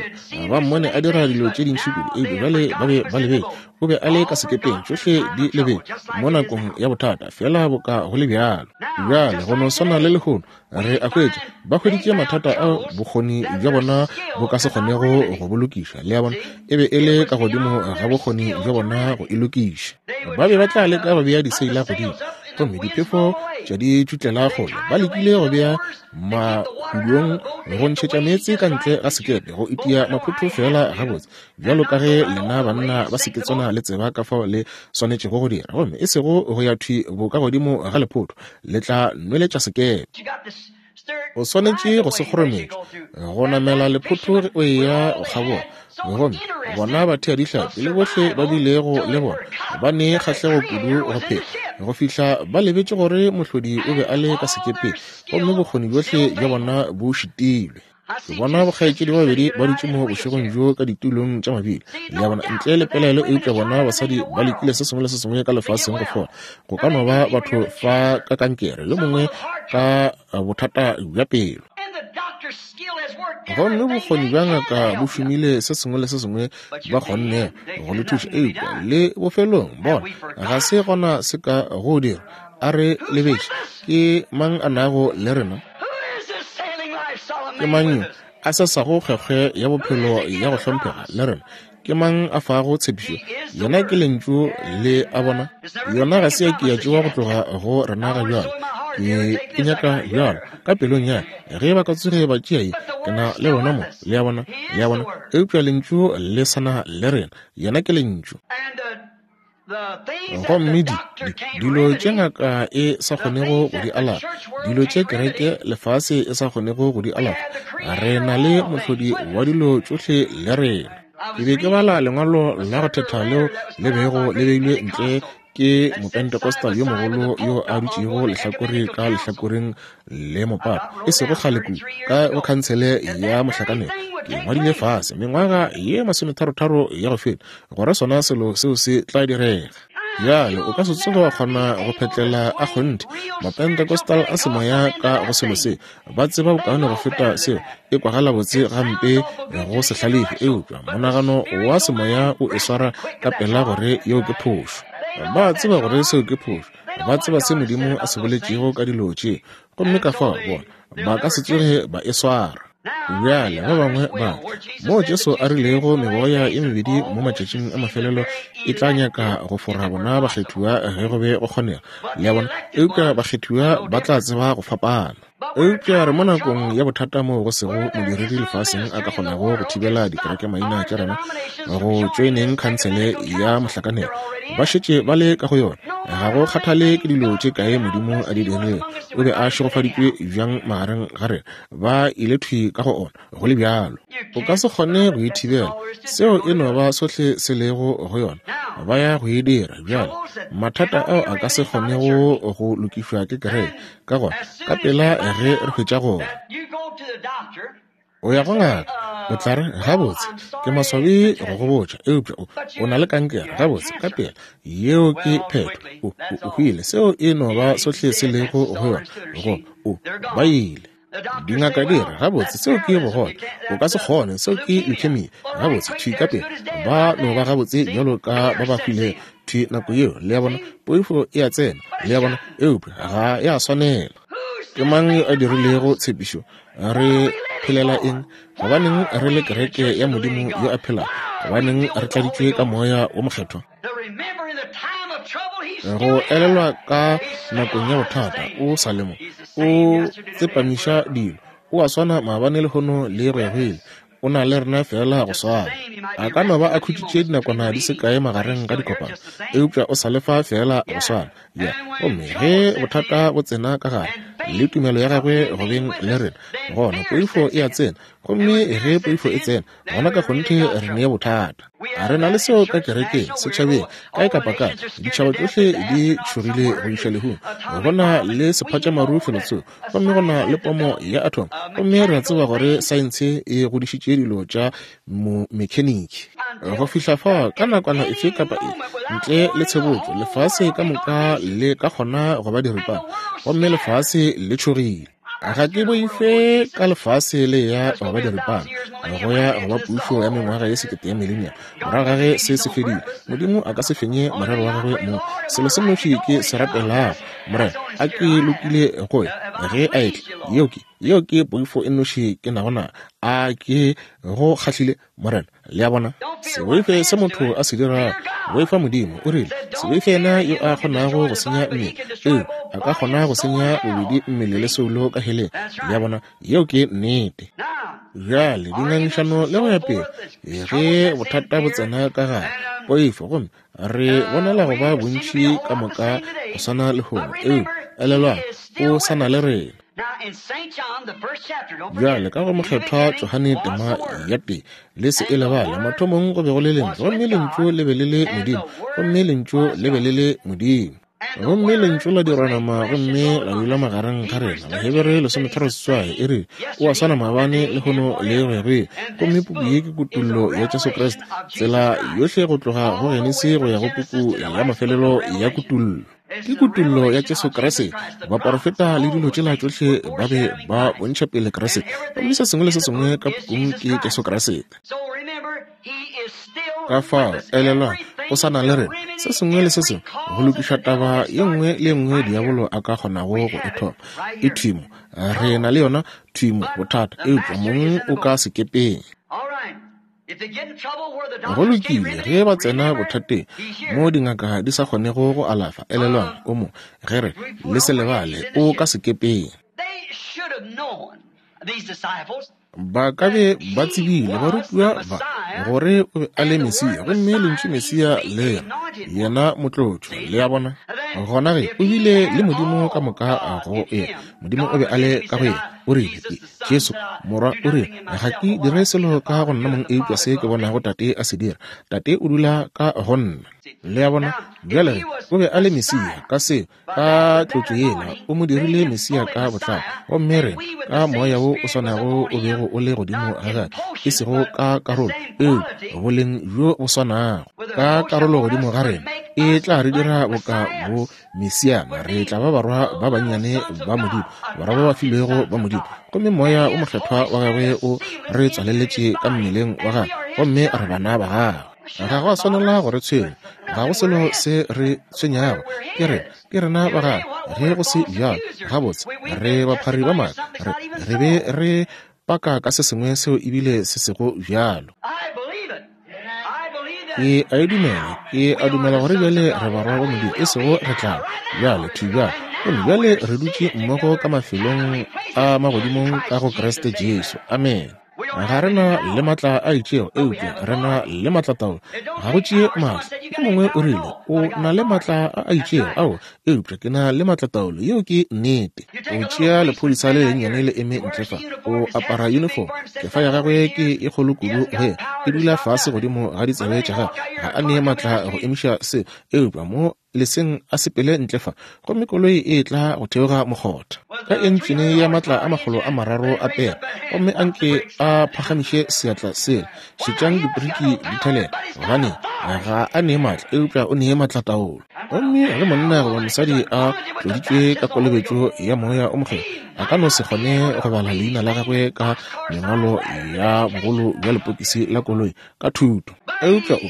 ba mmone a dira dilo tše dintši kudu, eupša bjale ba be ba lebetše. O be a le ka sekepeng, tšohle di lebetše mo nakong ya bothata, feela boka go le bjalo. Bjale go no swana le lehono, re a hwetša, ba hweditše mathata ao bokgoni bja bona bo ka se kgonego go bo lokiša. Le a bona, e be e le ka godimo ga bokgoni bja bona go e lokiša. Ba be ba tla leka go bea diseila godimo, gomme diphefo tša di tšutlela kgole. Ba lekile go bea mahulong go ntšhetša meetse ka ntle ga sekepe, go itia maphotho feela gabotse, bjalo ka ge lena banna ba seketswana le tseba ka fao le swanetšego go dira, gomme e sego go ya thwi bo ka godimo ga lephotho, le tla nweletša sekepe. O swanetše go se kgorometša go namela lephotho ge o eya go kgabola. Gomme bona batheadihlapi le bohle ba bilego le bona ba ne kgahlego kudu go phela go fihla ba lebetše gore mohlodi o be a le ka sekepeng, gomme bokgoni bjohle bja bona bo šitilwe. Ke bona bokgaetšedi ba babedi ba dutše mo bošegong bjo ka ditulong tša mabili. Le a bona, ntle le pelaelo, eupša bona basadi ba lekile se sengwe le se sengwe ka lefaseng go fola. Go ka no ba batho fa ka kankere, yo mongwe ka bothata bja pelo. Gomme bokgoni bja ngaka bo šomile se sengwe le se sengwe ba kgonnego go le thuša, eupša le bofelong bona ga se gona se ka go dira. A re lebetše, ke mang a nago le rena? Ke mang yo a sesago kgwekgwe ya bophelo ya go hlomphega le rena? Ke mang a fago tshepišo? Yena ke Lentšu, le a bona. Yona ga se ya ke ya tšewa go tloga go rena ga bjalo. Ke e nyaka bjalo ka pelong ya ka. Ge ba ka tsoge ba tšea ye, ke na le bona mo, le a bona, le a bona. Eupša Lentšu le sa na le rena. Yena ke Lentšu. Gomme di, di, dilo tše ngaka e sa kgonego go di alafa, dilo tše kereke lefase e sa kgonego go di alafa, re na le mohlodi wa dilo tšohle le rena. Ke be ke bala lengwalo la go thetha leo le bego le beilwe ntle ke Mopentecostal yo mogolo yo a dutšego lehlakore ka lehlakoreng le mopapa e sego kgale kudu ka go khansele ya mohlakanelo. Ke ngwadile fase mengwaga ye masometharotharo ya go feta gore sona selo seo se tla direga. Bjale o ka se tsoge wa kgona go phetlela a kgonthe Mapentecostal a semoya ka go selo se. Ba tseba bokaone go feta seo. E kwagala botse gampe go se hlalefe, eupša monagano wa semoya o e swara ka pela gore yeo ke phošo. Ba tseba gore seo ke phošo. Ba tseba se Modimo a se boletšego ka dilo tše, gomme ka fao bona ba ka se tsoge ba e swara. Bjale ba bangwe ba re, Moo Jesu a rilego meboya ye mebedi mo matšatšing a mafelelo e tla nyaka go fora bona bakgethiwa ge go be go kgonega. Le a bona? Eupša bakgethiwa ba tla tseba go fapana. Eupša re mo nakong ya bothata moo go sego modiredi lefaseng a ka kgonago go thibela dikerekemaina tša rena go tšoeneng khansele ya mohlakanelo. Ba šetše ba le ka go yona. Ga go kgathale ke dilo tše kae Modimo a di dirilego, o be a šegofaditšwe bjang magareng ga rena, ba ile thwi ka go ona, go le bjalo. O ka se kgone go e thibela. Seo e no ba sohle se lego go yona. Ba ya go e dira. Bjale, mathata ao a ka se kgonego go lokišwa ke kereke. Ka gona, ka pela ge re hwetša gore o ya go ngaka, o tla re, Gabotse, ke maswabi go go botša, eupša o, o na le kankere. Gabotse, ka pela, yeo ke phetho. O, o, o hwile. Seo e no ba sohle se lego go yona. Go, o, ba ile. Dingaka di re, Gabotse, seo ke bogole. O ka se kgone. Seo ke leukemia. Gabotse, thwi ka pela. Ba no ba gabotse bjalo ka ba ba hwilego, thwi nako yeo. Le a bona? Poifo e a tsena. Le a bona? Eupša ga ya swanela. Ke mang yo a dirilego tshepišo? Re phelela eng? Gobaneng re le kereke ya Modimo yo a phelago? Gobaneng re tladitšwe ka Moya wo Mokgethwa? Go elelwa ka nakong ya bothata, o sa le mo, o tsepamiša dilo. O a swana maabane, lehono le go ya go ile. O na le rena feela go swana. A ka no ba a khutšitše dinakwana di se kae magareng ga dikopano, eupša o sa le fa feela go swana. Ya, gomme ge bothata bo tsena ka gare, le tumelo ya gagwe go beng le rena, gona poifo e a tsena. Gomme ge poifo e tsena, gona ka kgonthe re ne bothata. A re na le seo ka kerekeng, setšhabeng, kae kapa kae. Ditšhaba tšohle di tšhogile go iša lehung. Go na le sephatšamaru felotsoko, gomme go na le pomo ya atom, gomme re a tseba gore saense e godišitše dilo tša mekheniki go fihla fa ka nakwana efe kapa efe ntle le tshebotso lefase ka moka le ka kgona go ba diripana, gomme lefase le tšhogile. Ga ke boife ka lefase le ya go ba diripana, go ya go ba pušo ya mengwaga ye sekete ya millennium. Morago ga ge se se fedile, Modimo a ka se fenye morero wa gagwe mo. Selo se nnoši ke se rapelago, Morena, a ke lokile go ya ge a etla. Yeo ke, yeo ke poifo e nnoši ke nago na. A ke go kgahlile, Morena? Le a bona? Se boife se motho a se dirago, boifa Modimo. O rile, Se boife yena yo a kgonago go senya mmele, ee, a ka kgona go senya bobedi mmele le soulo ka heleng. Le a bona? Yeo ke nnete. Bjale, dingangišano le go ya pele, ge bothata bo tsena ka gare, poifo, gomme re bonala go ba bontši ka moka go swana lehono, eupša elelwang, o sa na le rena. Bjale ka go Mokgethwa Johane tema ya tee, le se e lebale, mathomong go be go le Lentšu, gomme Lentšu le be le le Modimo, gomme Lentšu le be le le Modimo. Gomme Lentšu la dirwa nama gomme la dula magareng ga rena. Bahebere 13 e re, O a swana maabane, lehono le go ya go ile. Gomme puku ye ke kutollo ya Jesu Kriste, tsela yohle go tloga go Genesi go ya go puku ya mafelelo ya Kutollo. Ke kutollo ya Jesu Kriste. Baporofeta le dilo tšela tšohle ba be ba bontšha pele Kriste. Gomme se sengwe le se sengwe ka pukung ke Jesu Kriste. Ka fao, elelwang, o sa na le rena. Se sengwe le se sengwe, go lokiša taba ye nngwe le ye nngwe diabolo a ka kgonago go e thoma. E thwi mo. Re na le yona thwi mo, bothata, eupša mong o ka sekepeng. Go lokile, ge ba tsena bothateng mo dingaka di sa kgonego go alafa, elelwang, o mo, ge re, le se lebale, o ka sekepeng. Ba ka be ba tsebile, barutiwa ba, gore o be a le Mesia, gomme lentšu Mesia le re, yena motlotšwa. Le a bona? Gona ge, o bile le Modimo ka moka go yena. Modimo o be a le ka go yena. O rile, Ke Jesu, Morwa, o rile, ga ke dire selo ka go nna mong eupša se ke bonago Tate a se dira. Tate o dula ka go nna. Le a bona? Bjale ge, o be a le Mesia, ka seo, ka tlotšo yela, o mo dirile Mesia ka botlalo. Gomme rena, ka Moya wo o swanago o bego o le godimo ga gagwe, e sego ka karolo, eupša boleng bjo bo swanago, ka karolo godimo ga rena, e tla re dira boka bo Mesiana, re tla ba barwa ba bannyane ba Modimo, barwa ba ba filwego ba Modimo. Gomme Moya o Mokgethwa wa Gagwe o re tswaleletše ka mmeleng wa Gagwe, gomme re bana ba Gagwe. Ga go a swanela go re tshwenya, ga go selo se re tshwenyago. Ke re, ke rena ba Gagwe. Ge go se bjalo, gabotse, re baphari ba maaka. Re, re be re paka ka se sengwe seo ebile se sego bjalo. Ke a e dumela, ke a dumela gore bjale re barwa ba Modimo, e sego re tla bjale, thwi bjale. Gomme bjale re dutše mmogo ka mafelong a magodimong ka go Kriste Jesu. Amene. Ga re na le matla a itšego, eupša re na le matlataolo. Ga go tšee matla. Yo mongwe o rile, O na le matla a a itšego. Ao, eupša ke na le maatlataolo. Yeo ke nnete. O tšea lephodisa le lennyane le eme ntle fa, o apara uniform, kefa ya gagwe ke e kgolo kudu go yena, e dula fase godimo ga ditsebe tša gagwe. Ga a ne maatla go emiša se, eupša mo leseng a sepele ntle fa, gomme koloi e etla go theoga mokgotha ka entšene ya maatla a 300 a pere, gomme a nke a phagamiše seatla sela, šetšang dipriki di thelela, gobane ga a ne maatla, eupša o ne maatlataolo. Gomme ge monna goba mosadi a tloditšwe ka kolobetšo ya Moya o Mokgethwa, a ka no se kgone go bala leina la gagwe ka mengwalo ya bogolo bja lepokisi la koloi ka thuto. Eupša o,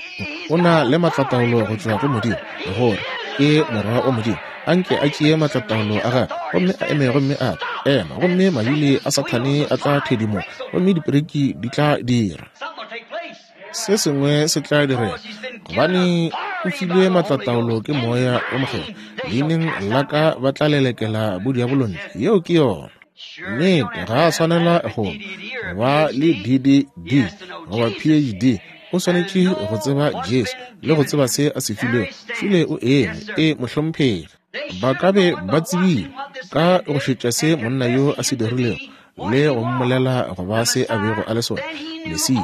o na le maatlataolo go tšwa go Modimo, gore ke morwa wa Modimo. A nke a tšee maatlataolo a gagwe gomme a eme gomme a re, Ema, gomme mabili a Sathane a tla thedimoga, gomme dipereki di tla dira. Se sengwe se tla direga, gobane o filwe maatlataolo ke Moya wo Mokgethwa. Leineng la ka ba tla lelekela bodiabolo ntle. Yeo ke yona. Nnete, ga a swanela go ba le DDD goba PhD. O swanetše go tseba Jesu le go tseba se a se filwego. Šule o eme. E, mohlomphegi. Ba ka be ba tsebile ka go šetša se monna yo a se dirilego le go mmolela go ba se a bego a le sona, Mesia.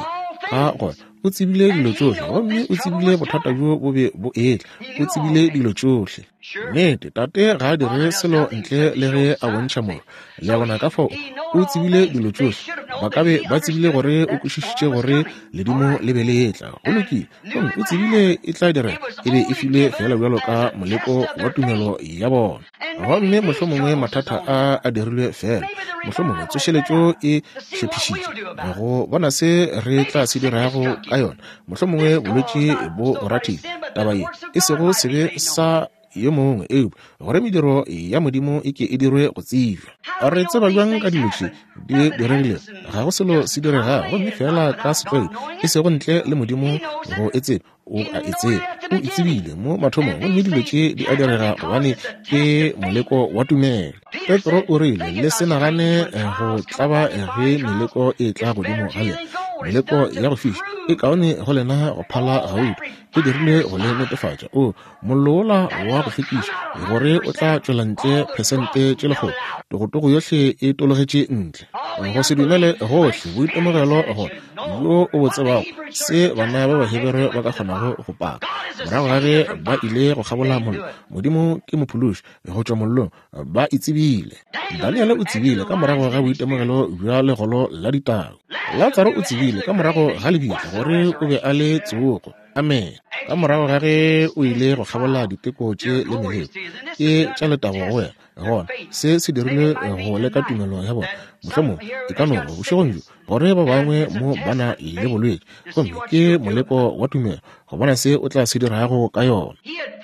Ka gona o tsebile dilo tšohle, gomme o tsebile bothata bjo bo be bo etla. O tsebile dilo tšohle. Nnete, Tate ga a dire selo ntle le ge a bontšha Morwa. Le a bona? Ka fao o tsebile dilo tšohle. Ba ka be ba tsebile gore o kwešišitše gore ledimo le be le etla. Go lokile. Gomme o tsebile e tla direga. E be e filwe feela bjalo ka moleko wa tumelo ya bona. Gomme mohlomongwe mathata a a dirilwe feela, mohlomongwe tsošeletšo e hlephišitše go bona se re tla se dirago ka yona. Mohlomongwe bolwetši bo go rathile, taba ye e sego sebe sa yo mongwe, eupša gore mediro ya Modimo e ke e dirwe go tsebja. Re tseba bjang ka dilo tše di diregilego? Ga go selo se diregago, gomme feela ka setlwaedi, e sego ntle le Modimo go e tseba. O a e tseba, o e tsebile mo mathomong, gomme dilo tše di a direga gobane ke moleko wa tumelo. Petro o rile, Le se nagane go tlaba ge meleko e tla godimo ga lena, meleko ya go fiša e kaone go lena go phala gauta. E dirilwe go le netefatša. O mollo wola wa go hlwekiša, gore o tla tšwela ntle phesente tše lekgolo, togotogo yohle e tologetše ntle. Go se dumele gohle, boitemogelo gore bjo o bo tsebago, se bana ba Bahebere ba ka kgonago go paka morago ga ge ba ile go kgabola mollo. Modimo ke mophološi go tšwa mollong, ba e tsebile. Daniele o tsebile ka morago ga boitemogelo bja legolo la ditau. Latsaro o tsebile ka morago ga lebitla gore o be a le tsogo. Amene. Ka morago ga ge o ile go kgabola diteko tše le meleko, ke tša letago go wena. Gona se se dirilwe go leka tumelo ya bona. Mohlomongwe e ka no ba bošegong bjo gore ba bangwe mo ba na le bolwetši, gomme ke moleko wa tumelo go bona se o tla se dirago ka yona.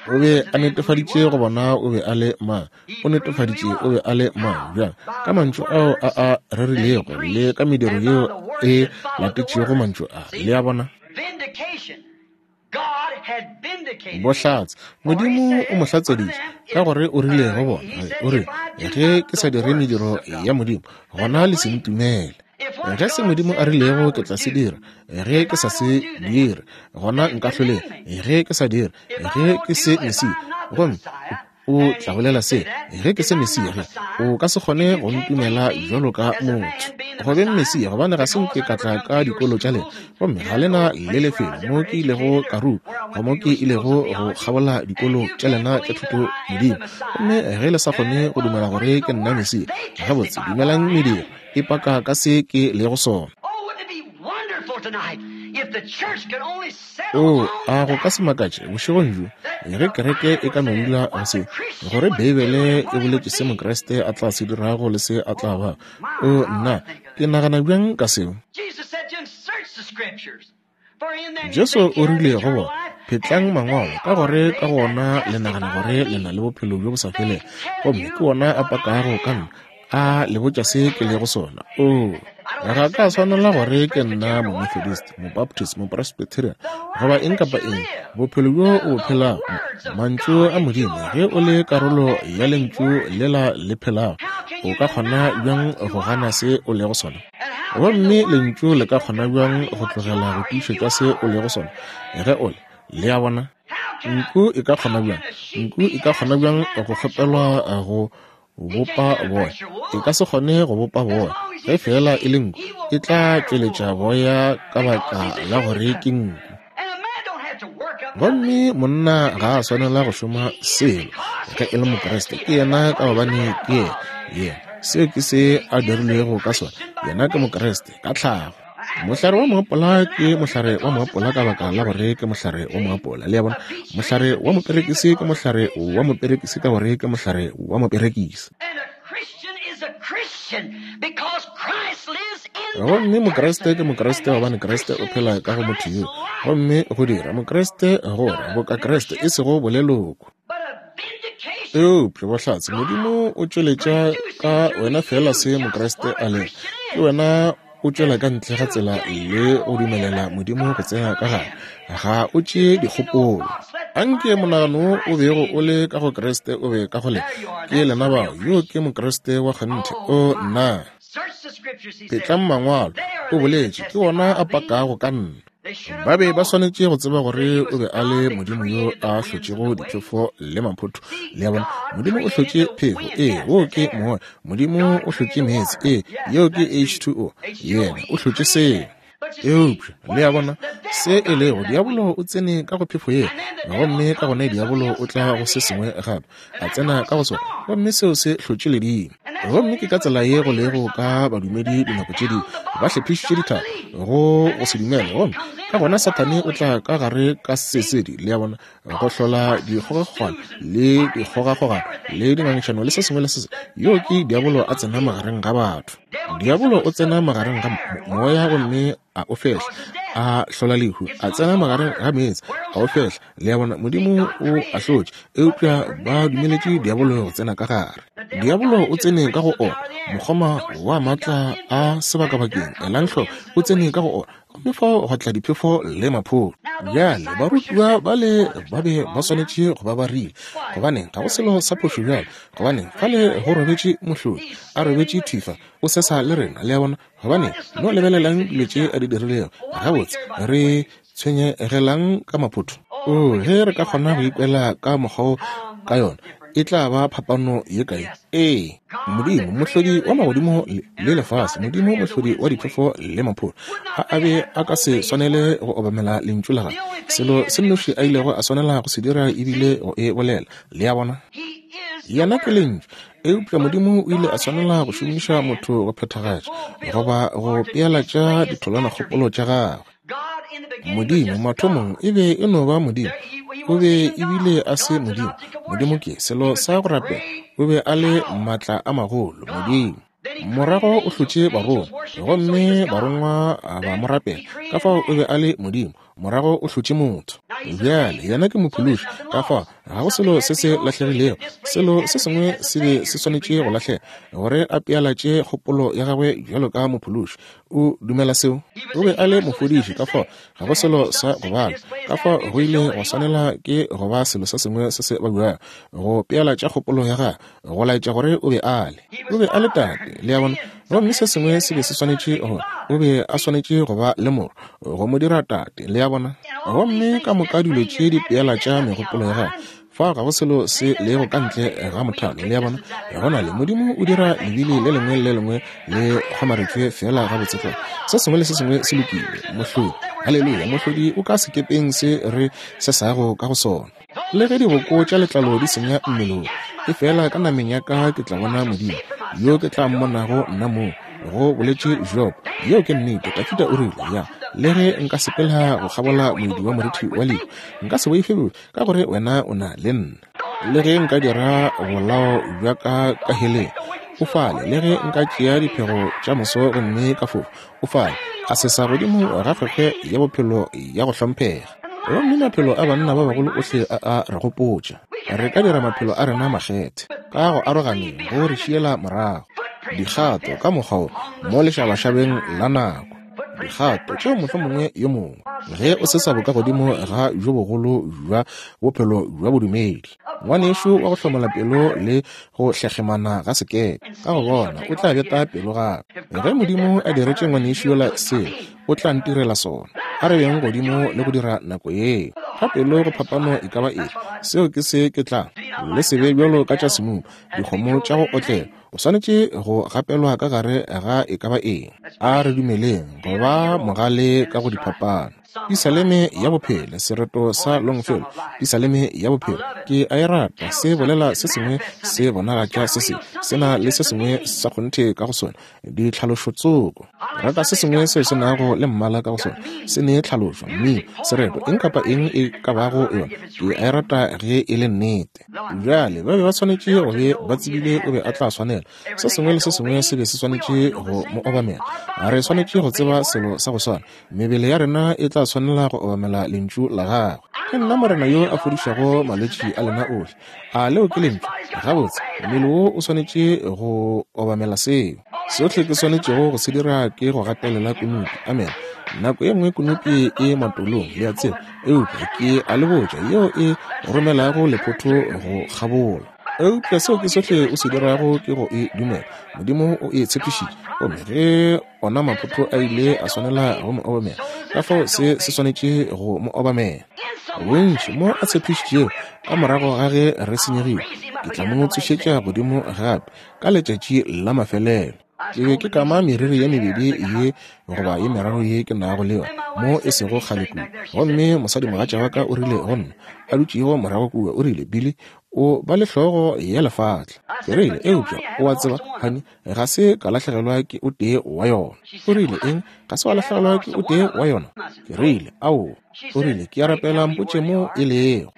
O be a netefaditše go bona o be a le mang. O netefaditše o be a le mang bjang ka mantšu ao a a rerilego le ka mediro yeo e latetšego mantšu a. Le a bona? Bohlatse. Modimo o mo hlatseditše ka gore o rile go bona, o rile, Ge ke sa dire mediro ya Modimo, gona le se ntumele. Ge se Modimo a rilego ke tla se dira, ge ke sa se dire, gona nka hloleng. Ge ke sa dire, ge ke se Mesia, gomme o tla bolela se, ge ke se Mesia, ge o ka se kgone go ntumela bjalo ka motho go beng Mesia, gobane ga se nke ka tla ka dikolo tša lena, gomme ga lena le lefelo mo ke ilego ka ruta, go mo ke ilego go kgabola dikolo tša lena tša thuto Modimo. Gomme ge le sa kgone go dumela gore ke nna Mesia, gabotse dumelang mediro e paka ka se ke lego sona. Oo, a go ka se makatše bošegong bjo ge kereke e ka no dula go se, gore Beibele e boletše se Mokriste a tla se dirago le se a tla ba. Oo, nna, ke nagana bjang ka seo? Jesu o rile go bona, Phetlang Mangwalo, ka gore ka go ona le nagana gore le na le bophelo bjo bo sa felego, gomme ke ona a pakago ka nna. A le botša se ke lego sona. Oo, ga ka swanela gore ke nna Momethodist, Mobaptist, Mopresbyterian, goba eng kapa eng. Bophelo bjo o bo phelago, mantšu a Modimo, ge o le karolo ya Lentšu lela le phelago, o ka kgona bjang go gana se o lego sona? Gomme Lentšu le ka kgona bjang go tlogela go tiišetša se o lego sona ge o le? Le a bona? Nku e ka kgona bjang, nku e ka kgona bjang go kgopelwa go bopa boya? E ka se kgone go bopa boya. Ge feela e le nku, e tla tšweletša boya ka baka la gore ke nku. Gomme monna ga a swanela go šoma selo ge e le Mokriste. Ke yena ka gobane ke yena. Yena, seo ke se a dirilwego ka sona. Yena ke Mokriste, ka tlhago. Mohlare wa moapola ke mohlare wa moapola ka baka la gore ke mohlare wa moapola. Le a bona? Mohlare wa moperekisi ke mohlare wa moperekisi ka gore ke mohlare wa moperekisi. Gomme Mokriste ke Mokriste gobane Kriste o phela ka go motho yo. Gomme go dira Mokriste gore boka Kriste, e sego boleloko. Eupša bohlatse, Modimo o tšweletša ka wena feela se Mokriste a lego. Ke wena o tšwela ka ntle ga tsela le go dumelela Modimo go tsena ka gare. Ga o tšee dikgopolo. Anke monagano o bego o le ka go Kriste o be ka go lena. Ke lena bao. Yo ke Mokriste wa kgonthe. O nna. Phetlang Mangwalo, o boletše, ke wona a pakago ka nna. Ba be ba swanetše go tseba gore o be a le Modimo yo a hlotšego diphefo le maphotho. Le a bona? Modimo o hlotše phefo, ee, woo ke moya. Modimo o hlotše meetse, ee, yeo ke H2O. Yena o hlotše seo. Eupša, le a bona, se e lego, diabolo o tsene ka go phefo yela, gomme ka gona diabolo o tla go se sengwe gape, a tsena ka go sona, gomme seo se hlotše ledimo. Gomme ke ka tsela ye go lego ka badumedi dinako tše dingwe, ba hlephišitše dithaba. go go se dumele. Gomme ka gona Sathane o tla ka gare ka sesedi, le a bona, go hlola dikgogakgogano le dikgogakgogano le dingangišano le se sengwe le se sengwe. Yoo ke diabolo a tsena magareng ga batho. Diabolo o tsena magareng ga moya gomme a o fehla, a hlola lehu, a tsena magareng ga meetse, a o fehla. Le a bona, Modimo o ahlotše, eupša ba dumeletše diabolo go tsena ka gare. Diabolo o tsene ka go ona, mokgoma wa maatla a sebakabakeng, elang hloko, o tsene ka go ona, gomme fao gwa tla diphefo le mapholo. Bjale, barutiwa bale ba be ba swanetše go ba ba rile, Gobaneng, ga go selo sa phošo bjale. Gobaneng, fale go robetše mohlodi, a robetše thifa, o sesa le rena. Le a bona? Gobaneng, no lebelelang dilo tše a di dirilego. Gabotse, re tshwenyegelang ka maphotho? Oo, ge re ka kgona go ikwela ka mokgwa wo ka yona, e tla ba phapano ye kae? Ee, Modimo, Mohlodi wa magodimo le lefase, Modimo, Mohlodi wa diphefo le mapholo, a a be a ka se swanele go obamela Lentšu la Gagwe. Selo se nnoši a ilego a swanela go se dira e bile go e bolela. Le a bona? Yena ke Lentšu. Eupša Modimo o ile a swanela go šomiša motho go phethagatša goba go pealatša ditholwanakgopolo tša gagwe. Modimo mathomong e be e no ba Modimo. O be ebile a se Modimo. Modimo ke selo sa go rapela. O be a le maatla a magolo, Modimo. Morago o hlotše barongwa, gomme barongwa ba mo rapela. Ka fao o be a le Modimo. Morago o hlotše motho. Bjale yena ke Mophološi. Ka fao ga go selo se se lahlegilego. Selo se sengwe se be se swanetše go lahlega gore a pealatše kgopolo ya gagwe bjalo ka Mophološi. O dumela seo? O be a le mofodiši, ka fao ga go selo sa go bala. Ka fao go ile go swanela ke go ba selo se sengwe se se babjago go pealatša kgopolo ya gagwe, go laetša gore o be a le. O be a le Tate, le a bona. Gomme se sengwe se be se swanetše go, o be a swanetše go ba le Morwa, go mo dira Tate, le a bona. Gomme ka moka dilo tše di pealatša megopolo ya gagwe. Fao ga go selo se lego ka ntle ga mothalo, le a bona. Go na le, Modimo o dira lebili le lengwe le le lengwe le kgomaretšwe feela gabotse tlwa. Se sengwe le se sengwe se lokile. Mohlodi, haleluya, Mohlodi o ka sekepeng se re sesago ka go sona. Le ge diboko tša letlalo di senya mmele wo, efela ka nameng ya ka ke tla bona Modimo, yo ke tla mmonago nna mong, go boletše Job. Yeo ke nnete. Dafida o rile, Ya, le ge nka sepela go kgabola moedi wa morithi wa lehu, nka se boife bobe, ka gore wena o na le nna. Le ge nka dira bolao bja ka ka heleng, o fale. Le ge nka tšea diphego tša moso gomme ka fofa, o fale. A sesa godimo ga kgwekgwe ya bophelo ya go hlomphega. Gomme maphelo a banna ba bagolo ohle a a re gopotša. Re ka dira maphelo a rena makgethe ka go aroganeng go re šiela morago dikgato ka mokgwa wo mo lešabašabeng la nako. Dikgato tšeo mohlomongwe yo mongwe ge o sesa bokagodimo ga bjo bogolo bja bophelo bja bodumedi, ngwanešu wa go hlomola pelo le go hlekgemana ga sekepe, ka go bona o tla beta pelo gape. Ge Modimo a diretše ngwanešu yola seo, o tla ntirela sona. A re beng godimo le go dira nako yeo. Ga pelo go phapano e ka ba efe, seo ke se ke tla. Le se be bjalo ka tša semuma, dikgomo tša go otlela. O swanetše go gapelwa ka gare ga e ka ba eng. A re dumeleng go ba mogale ka go diphapano. Pisaleme ya bophelo, sereto sa Longfellow, Pisaleme ya bophelo, ke a e rata. Se bolela se sengwe, se bonagatša se sengwe, se na le se sengwe sa kgonthe ka go sona, ditlhalošo tsoko. Rata se sengwe seo se nago le mmala ka go sona, se ne tlhalošo, mmino, sereto, eng kapa eng e ka bago yona, ke a e rata ge e le nnete. Bjale, ba be ba swanetše go be ba tsebile o be a tla swanela. Se sengwe le se sengwe se be se swanetše go mo obamela. Re swanetše go tseba selo sa go swana. Mebele ya rena e tla swanela go obamela Lentšu la Gagwe. Ke nna Morena yo a fodišago malwetši a lena ohle. A leo ke Lentšu? Gabotse, mmele wo o swanetše go obamela seo. Sohle ke swanetšego go se dira ke go gatelela kunupi. Amene. Nako ye nngwe kunupi e matolong, le a tseba. Eupša ke a le botša, yeo e romelago lephotho go kgabola. Eupša seo ke sohle o se dirago ke go e dumela. Modimo o e tshepišitše. Gomme ge ona maphotho a ile a swanela go mo obamela, ka fao se se swanetše go mo obamela. Bontši mo a tshepišitšego, ka morago ga ge re senyegile, ke tla mo tsošetša godimo gape ka letšatši la mafelelo. Ke be ke kama meriri ye mebedi ye goba ye meraro ye ke nago le yona mo e sego kgale kua. Gomme mosadimogatša wa ka o rile go nna, a dutšego morago kua, o rile, Billy, O ba le hlogo ya lefatla. Ke rile, Eupša, o a tseba, honey, ga se ka lahlegelwa ke o tee wa yona. O rile, Eng? Ga se wa lahlegelwa ke o tee wa yona? Ke rile, Aowa. O rile, Ke a rapela mpotše mo e lego.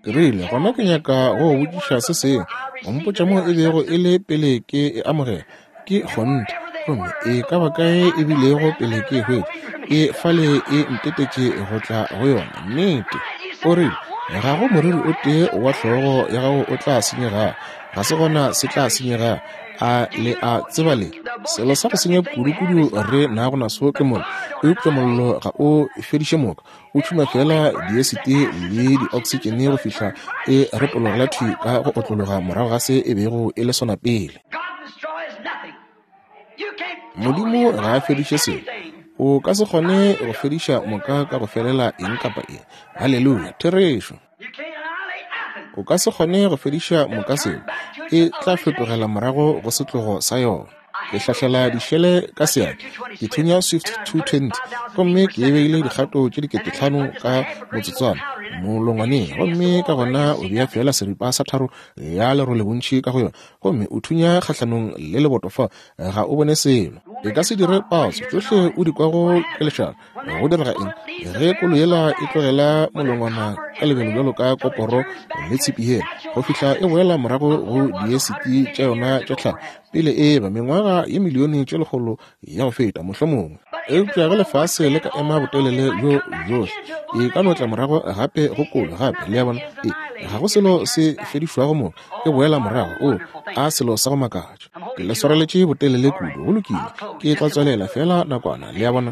Ke rile, Gona ke nyaka go go botšiša se sengwe. O mpotša mo e bego e le pele ke e amogela. Ke kgonthe. Gomme e ka ba kae e bilego pele ke e hwetša, e fale e ntetetše go tla go yona. Nnete. O rile, Ga go moriri o tee wa hlogo ya gago o tla senyegago. Ga se gona se tla senyegago. A le a tseba le? Selo sa go senya kudukudu re nago naso ke mollo. Eupša mollo ga o fediše moka. O tšhuma feela diesite le dioksitšene go fihla e retologela thwi ka go otlologa morago ga se e bego e le sona pele. Modimo ga a fediše selo. O ka se kgone go fediša moka ka go felela eng kapa eng. Haleluya! Therešo. O ka se kgone go fediša moka seo. E tla fetogela morago go setlogo sa yona. Ke hlahlela dišele ka seatla, ke thunya Swift 220, gomme ke e beile dikgato tše 5000 ka motsotswana molongwaneng, gomme ka gona o bea feela seripa sa tharo ya lerole bontši ka go yona, gomme o thunya kgahlanong le leboto fa, ga o bone selo. E ka se dire patso, tšohle o di kwago ke lešata. Go direga eng ge kolo yela e tlogela molongwana ka lebelo bjalo ka koporo le tshipi yela go fihla e boela morago go diesiti tša yona tša tlhago pele e ba mengwaga ye milione tše lekgolo ya go feta mohlomongwe? Eupša ge lefase le ka ema botelele bjo bjohle, e ka no tla morago gape go kolo gape. Le a bona? E, ga go selo se fedišwago mo, e boela morago. O a selo sa go makatša. Ke le swareletše botelele kudu. Go lokile, ke tla tswelela feela nakwana, le a bona.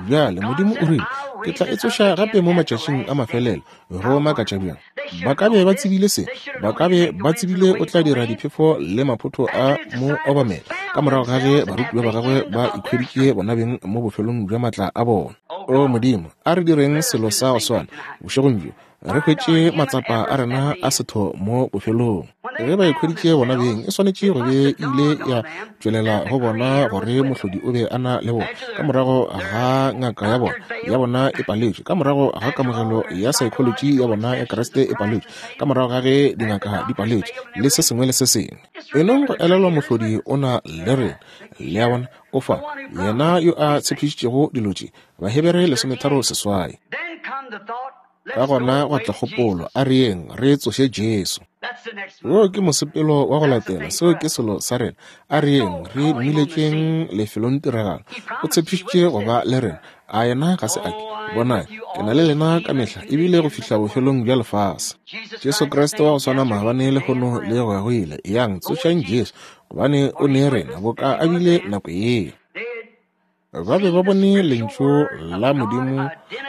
Bjale, Modimo o rile, Ke tla e tsoša gape mo matšatšing a mafelelo. Go makatša bjang! Ba ka be ba tsebile se. Ba ka be ba tsebile o tla dira diphefo le maphotho a mo obamela, ka morago ga ge barutiwa ba gagwe ba ikhweditše bonabeng mo bofelong bja matla a bona. O Modimo, a re direng selo sa go swana bošegong bjo. Re hwetše matsapa a rena a setho mo bofelong. Ge ba ikhweditše bona beng, e swanetše go be e ile ya tšwelela go bona gore Mohlodi o be a na le bona. Ka morago ga ngaka ya bona, ya bona e paletšwe, ka morago ga kamogelo ya saekholotši ya bona ya Kriste e paletšwe, ka morago ga ge dingaka di paletšwe, le se sengwe le se sengwe. Enong go elelwa Mohlodi o na le rena. Le a bona? O fa, Yena yo a tshepišitšego dilo tše. Bahebere 13 seswai. Ka gona gwa tla kgopolo, a re yeng re tsoše Jesu. Wo ke mosepelo wa go latela, seo ke selo sa rena. A re yeng re mmiletšeng lefelongtiragalo. O tshepišitše go ba le rena. A yena ga se a ke? Bonang, ke na le lena ka mehla, ebile go fihla bofelong bja lefase. Jesu Kriste wa go swana maabane, lehono, le go ya go ile. Eyang, tsošang Jesu, gobane o ne rena boka a bile nako yeo. Ba be ba bone Lentšu la Modimo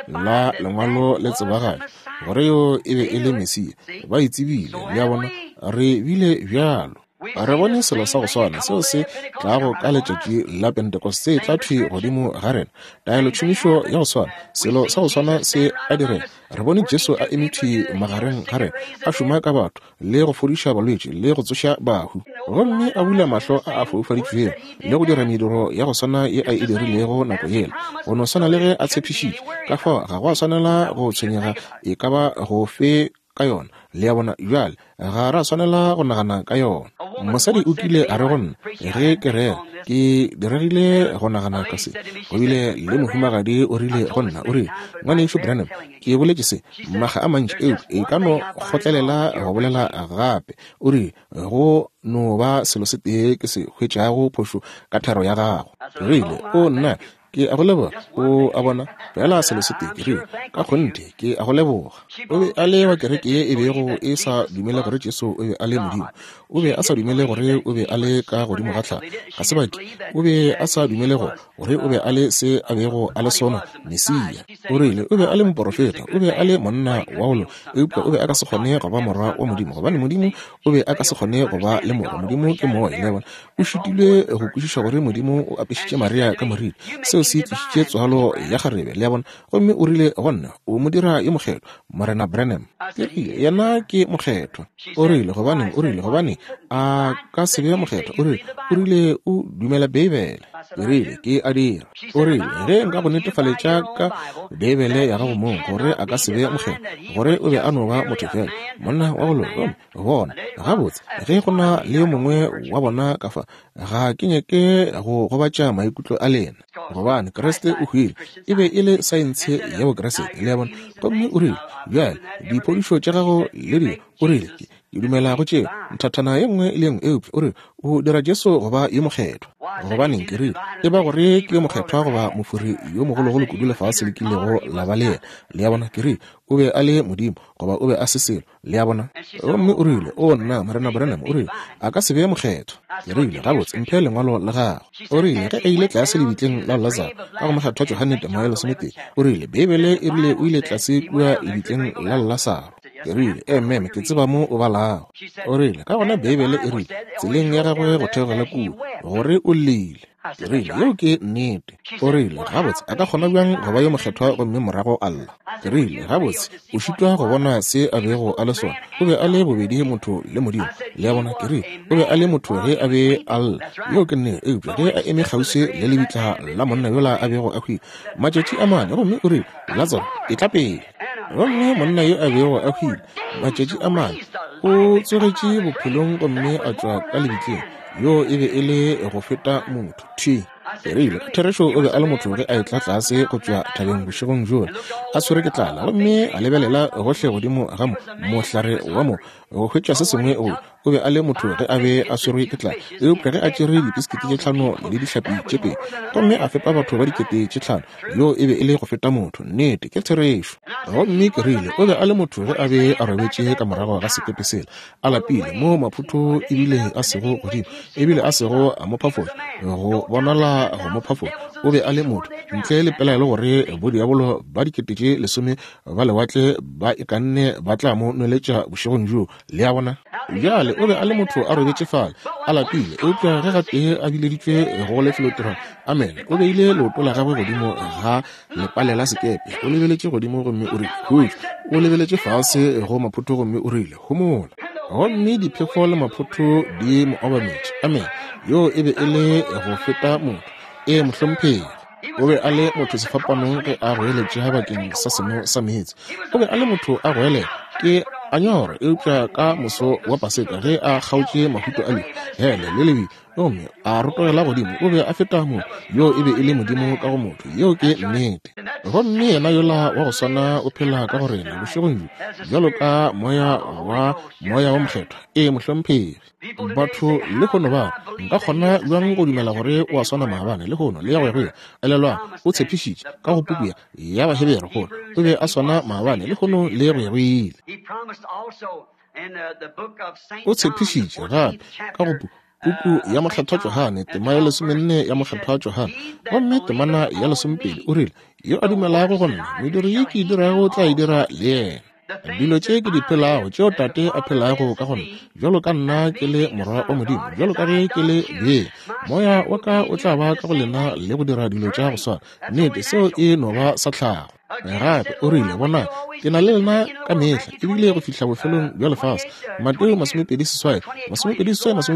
la Lengwalo le tsebagatšwa, gore yo e be e le Mesia. Ba e tsebile, le a bona. Re bile bjalo. Re bone selo sa go swana seo se tlago ka letšatši la Pentecost se tla thwi godimo ga rena. Taelotšhomišo ya go swana, selo sa go swana se a direga. Re bone Jesu a eme thwi magareng ga rena, a šoma ka batho, le go fodiša balwetši le go tsoša bahu, gomme a bula mahlo a a foufaditšwego, le go dira mediro ya go swana ye a e dirilego nako yela, go no swana le ge a tshepišitše. Ka fao ga go a swanela go tshwenyega e ka ba gofe ka yona. Le a bona? Bjale, ga ra swanela go nagana ka yona. Mosadi o kile a re go nna, ge ke rera, ke diregile go nagana ka se. Go bile le mohumagadi o rile go nna, o rile, Ngwanešu Branham, Ke boletše se makga a mantši, eupša e ka no kgotlelela go bolela gape. O rile, Go no ba selo se tee ke se hwetšago phošo ka thero ya gago. Ke rile, O nna, ke a go leboga. O a bona, feela selo se tee. Ke rile, Ka kgonthe ke a go leboga. O be a le wa kereke ye e bego e sa dumele gore Jesu o be a le Modimo. O be a sa dumele gore o be a le ka godimo ga tlhago. Ga se bake. O be a sa dumele go, gore o be a le se a bego a le sona, Mesia. O rile o be a le moporofeta, o be a le monna wa go loka, eupša o be a ka se kgone go ba morwa wa Modimo, gobane Modimo o be a ka se kgone go ba le morwa. Modimo ke moya, le a bona. O šitilwe go kwešiša gore Modimo o apešitše Maria ka moriri. Seo se tlišitše tswalo ya kgarebe, le a bona. Gomme o rile go nna, O mo dira yo mokgethwa, Morena Branham. Ke rile, Yena ke mokgethwa. O rile, Gobaneng, o rile, gobane a ka se be mokgethwa? O rile, o rile o dumela Beibele. Ke rile, Ke a dira. O rile, Ge nka go netefaletša ka Beibele ya gago mong gore a ka se be mokgethwa, gore o be a no ba motho feela, monna wa go loka, gomme bona, gabotse, ge go na le yo mongwe wa bona ka fa, ga ke nyake go gobatša maikutlo a lena, gobane Kriste o hwile, e be e le saentshe ya Bokriste, le a bona. Gomme o rile, Bjale, diphodišo tša gago le dilo, o rile, ke, Ke dumela go tšeo, nthathana ye nngwe le ye nngwe, eupša o re o dira Jesu go ba yo mokgethwa. Gobaneng, ke rile, e ba gore ke yo mokgethwa goba mofori yo mogologolo kudu lefase le kilego la ba le yena. Le a bona? Ke rile, o be a le Modimo, goba o be a se selo. Le a bona? Gomme o rile, O nna, Morena Branham, o rile, a ka se be mokgethwa. Ke rile, Gabotse, mphe lengwalo la gago. O rile, ge a ile tlase lebitleng la Lazaro, ka go Mokgethwa Johane tema ya lesometee, o rile, Beibele e rile o ile tlase kua lebitleng la Lasaro. Ke rile, Ee, meme, ke tseba mo o balago. O rile, Ka gona Beibele e rile, tseleng ya gagwe go theogela kua, gore o llile. Ke rile, Yeo ke nnete. O rile, Gabotse, a ka kgona bjang go ba yo mokgethwa gomme morago a lla? Ke rile, Gabotse, o šitwa go bona se a bego a le sona. O be a le bobedi motho le Modimo. Le a bona? Ke rile, O be a le motho ge a be a lla. Yeo ke nnete. Eupša ge a eme kgauswi le lebitla la monna yola a bego a hwile, matšatši a mane, gomme o rile, Latsaro, etla pele. Gomme monna yo a bego a hwile matšatši a mane o tsogetše bophelong gomme a tšwa ka lebitleng. Yo e be e le go feta motho. Thwi. Ke rile, Therešo o be a le motho ge a etla tlase go tšwa thabeng bošegong bjola, a tshwere ke tlala, gomme a lebelela gohle godimo ga mo, mohlare wa mo, go hwetša se sengwe go O be a le motho ge a be a swerwe ke tlala, eupša ge a tšere dipisikiti tše tlhano le dihlapi tše pedi gomme a fepa batho ba dikete tše tlhano, yoo e be e le go feta motho. Nnete, ke therešo. Gomme ke rile, o be a le motho ge a be a robetše ka morago ga sekepe sela, a lapile, moo maphutho ebile a sego godimo, ebile a sego a mo phafoša, go bonala go mo phafoša. O be a le motho, ntle le pelaelo gore bodiabolo ba dikete tše lesome ba lewatle ba ikanne ba tla mo nweletša bošegong bjoo. Le a bona? Bjale, o be a le motho a robetše fale, a lapile, eupša ge gatee a bileditšwe go lefelotirelo, amene, o beile leoto la gagwe godimo ga lepale la sekepe, o lebeletše godimo gomme o rile, Khutšo. O lebeletše fase go maphotho gomme o rile, Homola. Gomme diphefo le maphotho di mo obametše. Amene. Yoo e be e le go feta motho. Ee, mohlomphegi. O be a le motho sefapanong ge a goeletša bakeng sa seno sa meetse. O be a le motho a goelela, ke a nyorwa, eupša ka moso wa Paseka ge a kgaotše mahuto a lehu, hele le lebi, gomme a rotogela godimo, o be a feta motho. Yoo e be e le Modimo ka go motho. Yeo ke nnete. Gomme yena yola wa go swana o phela ka go rena bošegong bjo, bjalo ka Moya wa Moya wo Mokgethwa. Ee, mohlomphegi. Batho lehono ba re, Nka kgona bjang go dumela gore o a swana maabane, lehono, le ya go ya go ile? Elelwang, o tshepišitše, ka go puku ya, ya Bahebere, gore o be a swana maabane, lehono, le go ya go ile. O tshepišitše gape, ka go pu, puku ya Mokgethwa Johane, tema ya lesomenne ya Mokgethwa Johane, gomme temana ya lesomepedi, o rile, Yo a dumelago go nna, mediro ye ke e dirago o tla e dira le yena. Dilo tše ke di phelago, tšeo Tate a phelago ka go nna, bjalo ka nna ke le Morwa wa Modimo, bjalo ka ge ke le bee, Moya wa ka o tla ba ka go lena le go dira dilo tša go swana. Nnete, seo e no ba sa tlhago. Gape o rile, Bonang, ke na le lena ka mehla, ebile go fihla bofelong bja lefase. Mateo 28, 28,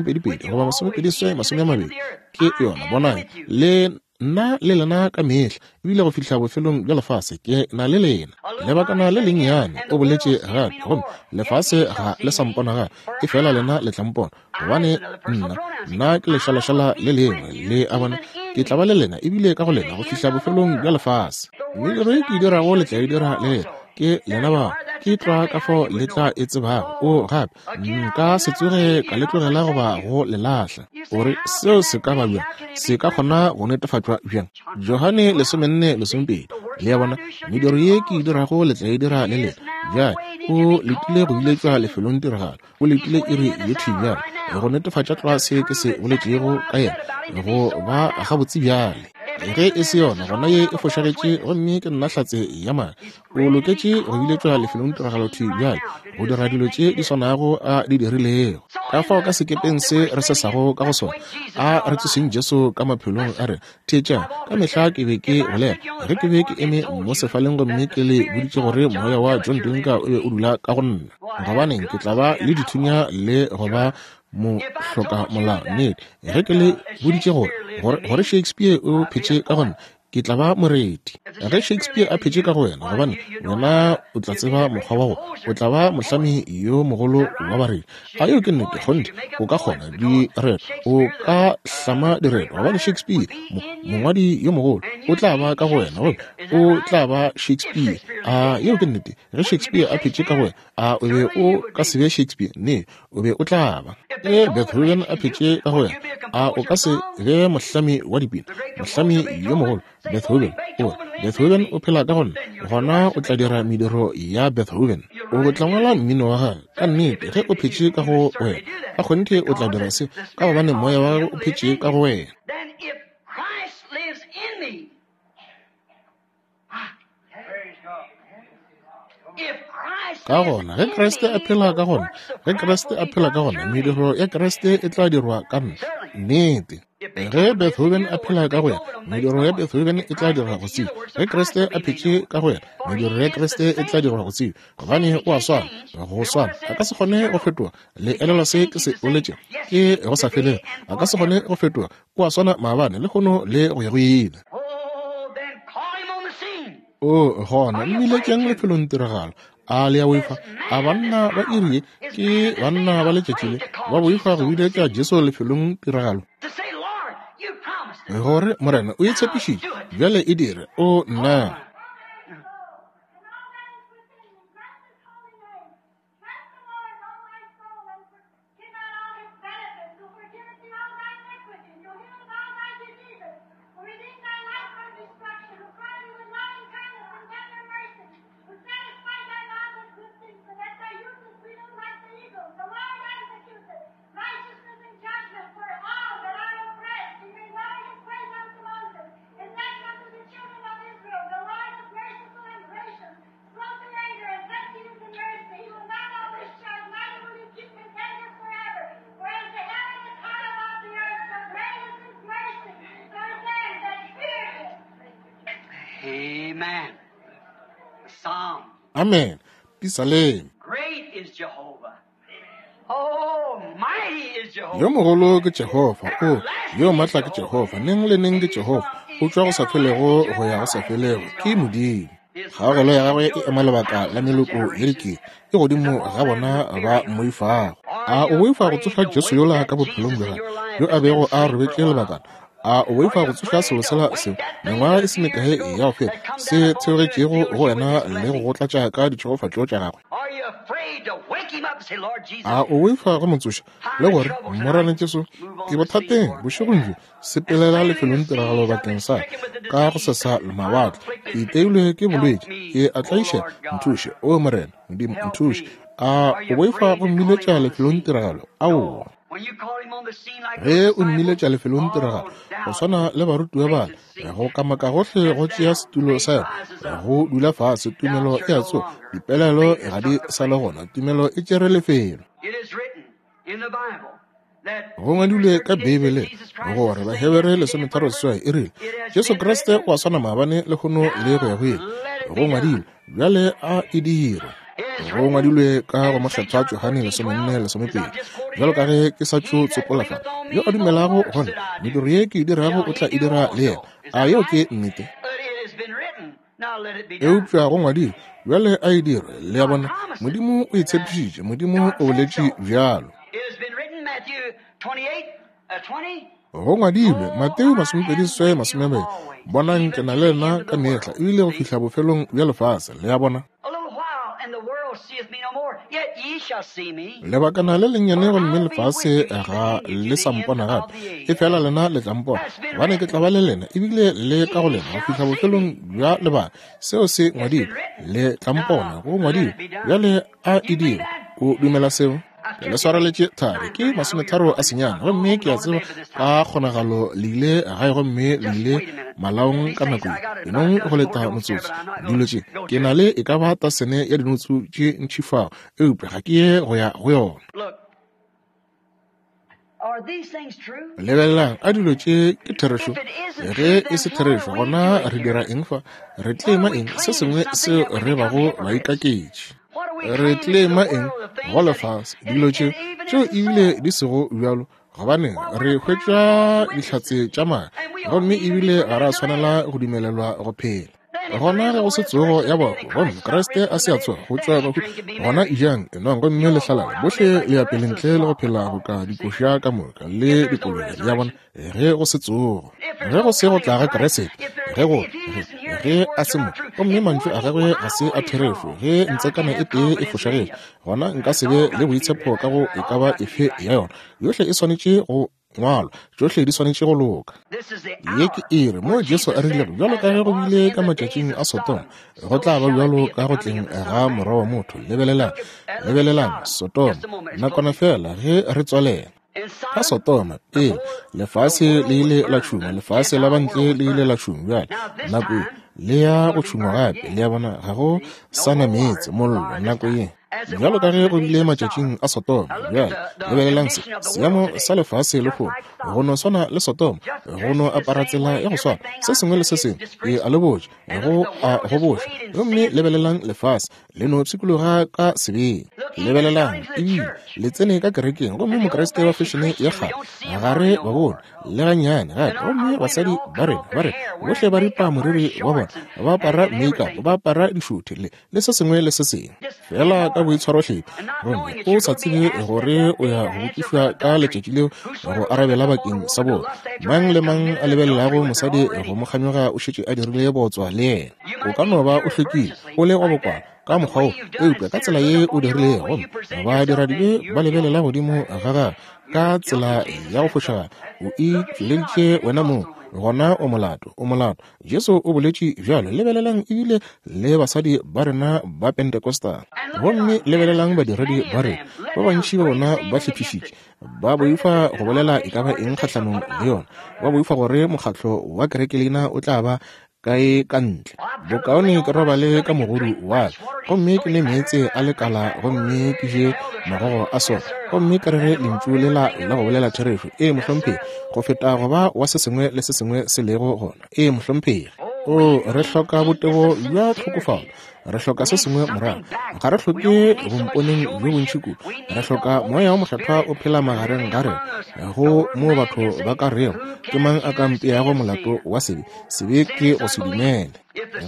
22, goba 28, 20, ke yona. Bonang, le Nna le lena ka mehla, ebile go fihla bofelong bja lefase, ke na le lena. Lebakana le lennyane, o boletše gape, gomme lefase ga le sa mpona gape, efela lena le tla mpona, gobane nna, nna ke lešalašala le lengwe, le a bona, ke tla ba le lena, ebile ka go lena, go fihla bofelong bja lefase. Mediro ye ke e dirago le tla e dira le lena. Ke lena bao, ke tlwa ka fao le tla e tsebago. O gape, Nka se tsoge ka le tlogela goba go le lahla. O re, Seo se ka ba bjang? Se ka kgona go netefatšwa bjang? Johane 14, 20. Le a bona? Mediro ye ke e dirago le tla e dira le lena. Bjale, o letile go biletšwa lefelong tiragalo. O letile iri ye thwi bjale, go netefatša tlwa se ke se boletšego ka yena, go ba gabotse bjale. Ge e se yona, gona ye e fošagetše, gomme ke nna hlatse ya maaka. O loketše go biletšwa lefelongtiragalo thwi bjale, go dira dilo tše di swanago a di dirilego. Ka fao ka sekepeng se re sesago ka go sona, a re tsoseng Jesu ka maphelong a rena. Theetšang, ka mehla ke be ke bolela, ge ke be ke eme mo sefaleng gomme ke le boditše gore moya wa John Dunka o be o dula ka go nna. Gobaneng, ke tla ba le dithunya le go ba. Mohlokamolao. Nnete, ge ke le boditše gore, gore, gore Shakespeare o phetše ka go nna, ke tla ba moreti. Ge Shakespeare a phetše ka go wena, gobane wena o tla tseba mokgwa wa go, o tla ba mohlami yo mogolo wa bareti. A yeo ke nnete? Kgonthe, o ka kgona direto, o ka hlama direto, gobane Shakespeare, mo, mongwadi yo mogolo, o tla ba ka go wena, gomme o tla ba Shakespeare. A yeo ke nnete? Ge Shakespeare a phetše ka go wena, a o be o ka se be Shakespeare? Nnete, o be o tla ba. Ge Beethoven a phetše ka go wena, a o ka se be mohlami wa dipina, mohlami yo mogolo? Beethoven o re, Beethoven o phela ka go nna, gona o tla dira mediro ya Beethoven. O tla ngwala mmino wa gagwe. Ka nnete, ge o phetše ka go wena, ka kgonthe o tla dira se, ka gobane moya wa gagwe o phetše ka go wena. Ka gona, ge Kriste a phela ka gona, ge Kriste a phela ka gona, mediro ya Kriste e tla dirwa ka nna. Nnete. Ge Beethoven a phela ka go yena, mediro ya Beethoven e tla dirwa go tseba. Ge Kriste a phetše ka go yena, mediro ya Kriste e tla dirwa go tseba. Gobane o a swana, go swana. A ka se kgone go fetoga. Le elelwa se ke se boletšego? Ke go sa felego. A ka se kgone go fetoga. O a swana maabane, lehono, le go ya go ile. O gona mmiletšeng lefelong tiragalo. A le a boifa? A banna ba iri ye ke banna ba letšatši le ba boifa go biletša Jesu lefelong tiragalo? Gore Morena o e tshepišitše, bjale e dire. O nna. Amen. Pisalema. Yo mogolo ke Jehofa, o yo matla ke Jehofa, neng le neng ke Jehofa, o tšwa go sa felego go ya go sa felego, ke Modimo. Kgaogelo ya gagwe e ema lebaka la meloko ye dikete, e godimo ga bona ba mmoifago. A o boifa go tsoša Jesu yola ka bophelong bja gago, yo a bego a robetše lebakana? A o boifa go tsoša selo sela seo mengwaga e se mekae ya go feta se theogetšego go wena le go go tlatša ka ditšhegofatšo tša gagwe? A o boifa go mo tsoša le gore, Morena Jesu, ke bothateng bošegong bjo, sepelela lefelong tiragalo bakeng sa ka go sesa mawatle, ke iteilwe ke bolwetši, ke a tlaišega, nthuše, o Morena Modimo, nthuše. A o boifa go mmiletša lefelong tiragalo? Aowa. Ge o mmiletša lefelong tiragalo, go swana le barutiwa bale, go kamaka gohle go tšea setulo sa yona, go dula fase, tumelo e a tsoga, dipelaelo ga di sa le gona, tumelo e tšere lefelo. Go ngwadilwe ka Beibeleng gore Bahebere 13 e rile, Jesu Kriste o a swana maabane, lehono le go ya go ile. Go ngwadilwe, bjale a e dirwe. Go ngwadilwe ka go Mokgethwa Johane 14:12, bjalo ka ge ke sa tšo tsopola fa, yo a dumelago go nna, mediro ye ke e dirago o tla e dira le yena. A yeo ke nnete? Eupša go ngwadilwe, bjale a e dirwe. Le a bona, Modimo o e tshepišitše, Modimo o boletše bjalo. Go ngwadilwe, Mateo 28:20, Bonang, ke na le lena ka mehla, ebile go fihla bofelong bja lefase. Le a bona? Lebakana le lennyane gomme lefase ga le sa mpona gape, efela lena le tla mpona, gobane ke tla ba le lena, ebile le ka go lena go fihla bofelong bja lebaka. Seo se ngwadilwe, le tla mpona, go ngwadilwe, bjale a e dirwe. O dumela seo? Le swareletše thari, ke 39, gomme ke a tseba ka kgonagalo le ile gae gomme le ile malaong ka nako ye. Enong go leta motsotso. Dilo tše, ke na le e ka ba tasene ya dinotsu tše ntši fao, eupša ga ke ye go ya go yona. Lebelelang, a dilo tše ke therešo? Ge e se therešo, gona re dira eng fa? Re tlema eng? Se sengwe seo re bago baikaketši. Re tlema eng go lefase dilo tše tšeo ebile di sego bjalo? Gobane re hwetša dihlatse tša maaka, gomme ebile ga ra swanela go dumelelwa go phela. Gona ge go se tsogo ya bahu, gomme Kriste a se a tsoga go tšwa bahu, gona ejang, enwang gomme le hlalale, bohle le ya pele ntle le go phela boka dikoša ka moka le dikolobe. Le a bona? Ge go se tsogo, ge go se go tla ga Kriste, ge go ge a se mo, gomme mantšu a gagwe ga se a therešo, ge ntsekana e tee e fošagetše, gona nka se be le boitshepo ka go e ka ba efe ya yona. Yohle e swanetše go ngwalwa, tšohle di swanetše go loka. Ye ke iri mo Jesu a rilego, bjalo ka ge go bile ka matšatšing a Sodoma, go tla ba bjalo ka go tleng ga Morwa wa motho. Lebelelang, lebelelang Sodoma, nakwana feela ge re tswalela. Ka Sodoma, pele lefase le ile la tšhungwa, lefase la bantle le ile la tšhungwa. Bjale nako ye le ya go tšhungwa gape, le a bona, ga go sa na meetse, mollo, nako ye. Bjalo ka ge go bile matšatšing a Sodoma. Bjale lebelelang se seemo sa lefase lehono, go no swana le Sodoma, go no apara tsela ya go swana, se sengwe le se sengwe e a le botša, go a goboša. Gomme lebelelang lefase le no pshikologa ka sebeng. Lebelelang, ebile le tsene ka kerekeng, gomme Mokriste wa fešene ya kgale ga re ba bone le gannyane gape. Gomme basadi ba rena ba re bohle ba ripa moriri wa bona, ba apara makeup, ba apara dišuthe le le se sengwe le se sengwe, fela ka boitshwarohlephi, gomme o sa tsebe gore o ya go botšišwa ka letšatši leo go arabela bakeng sa bona. Mang le mang a lebelelago mosadi go mo kganyoga o šetše a dirile bootswa le yena. O ka no ba o hlwekile, o le wa bokwala ka mokgwa wo, eupša ka tsela ye o dirilego, gomme badiradibe ba lebelela godimo ga gago ka tsela ya go fošagala, o itšweleditše wena mong, gona o molato, o molato. Jesu o boletše bjalo. Lebelelang ebile le basadi ba rena ba Pentecostal, gomme lebelelang badiredi ba rena, ba bantši ba bona ba hlephišitše, ba boifa go bolela e ka ba eng kgahlanong le yona, ba boifa gore mokgatlo wa kerekelina o tla ba kae ka ntle. Bokaone ke robale ka mogodu wa ka, gomme ke nwe meetse a lekala, gomme ke je magogo a sona, gomme ke rere lentšu lela la go bolela therešo, ee, mohlomphegi, go feta go ba wa se sengwe le se sengwe se lego gona. Ee, mohlomphegi. Oo, re hloka botebo bja tlhokofalo. Re hloka se sengwe morago. Ga re hloke bomponeng bjo bontši kudu. Re hloka Moya wo Mokgethwa o phela magareng ga rena, go moo batho ba ka rego, Ke mang a ka mpeago molato wa sebe? Sebe ke go se dumele.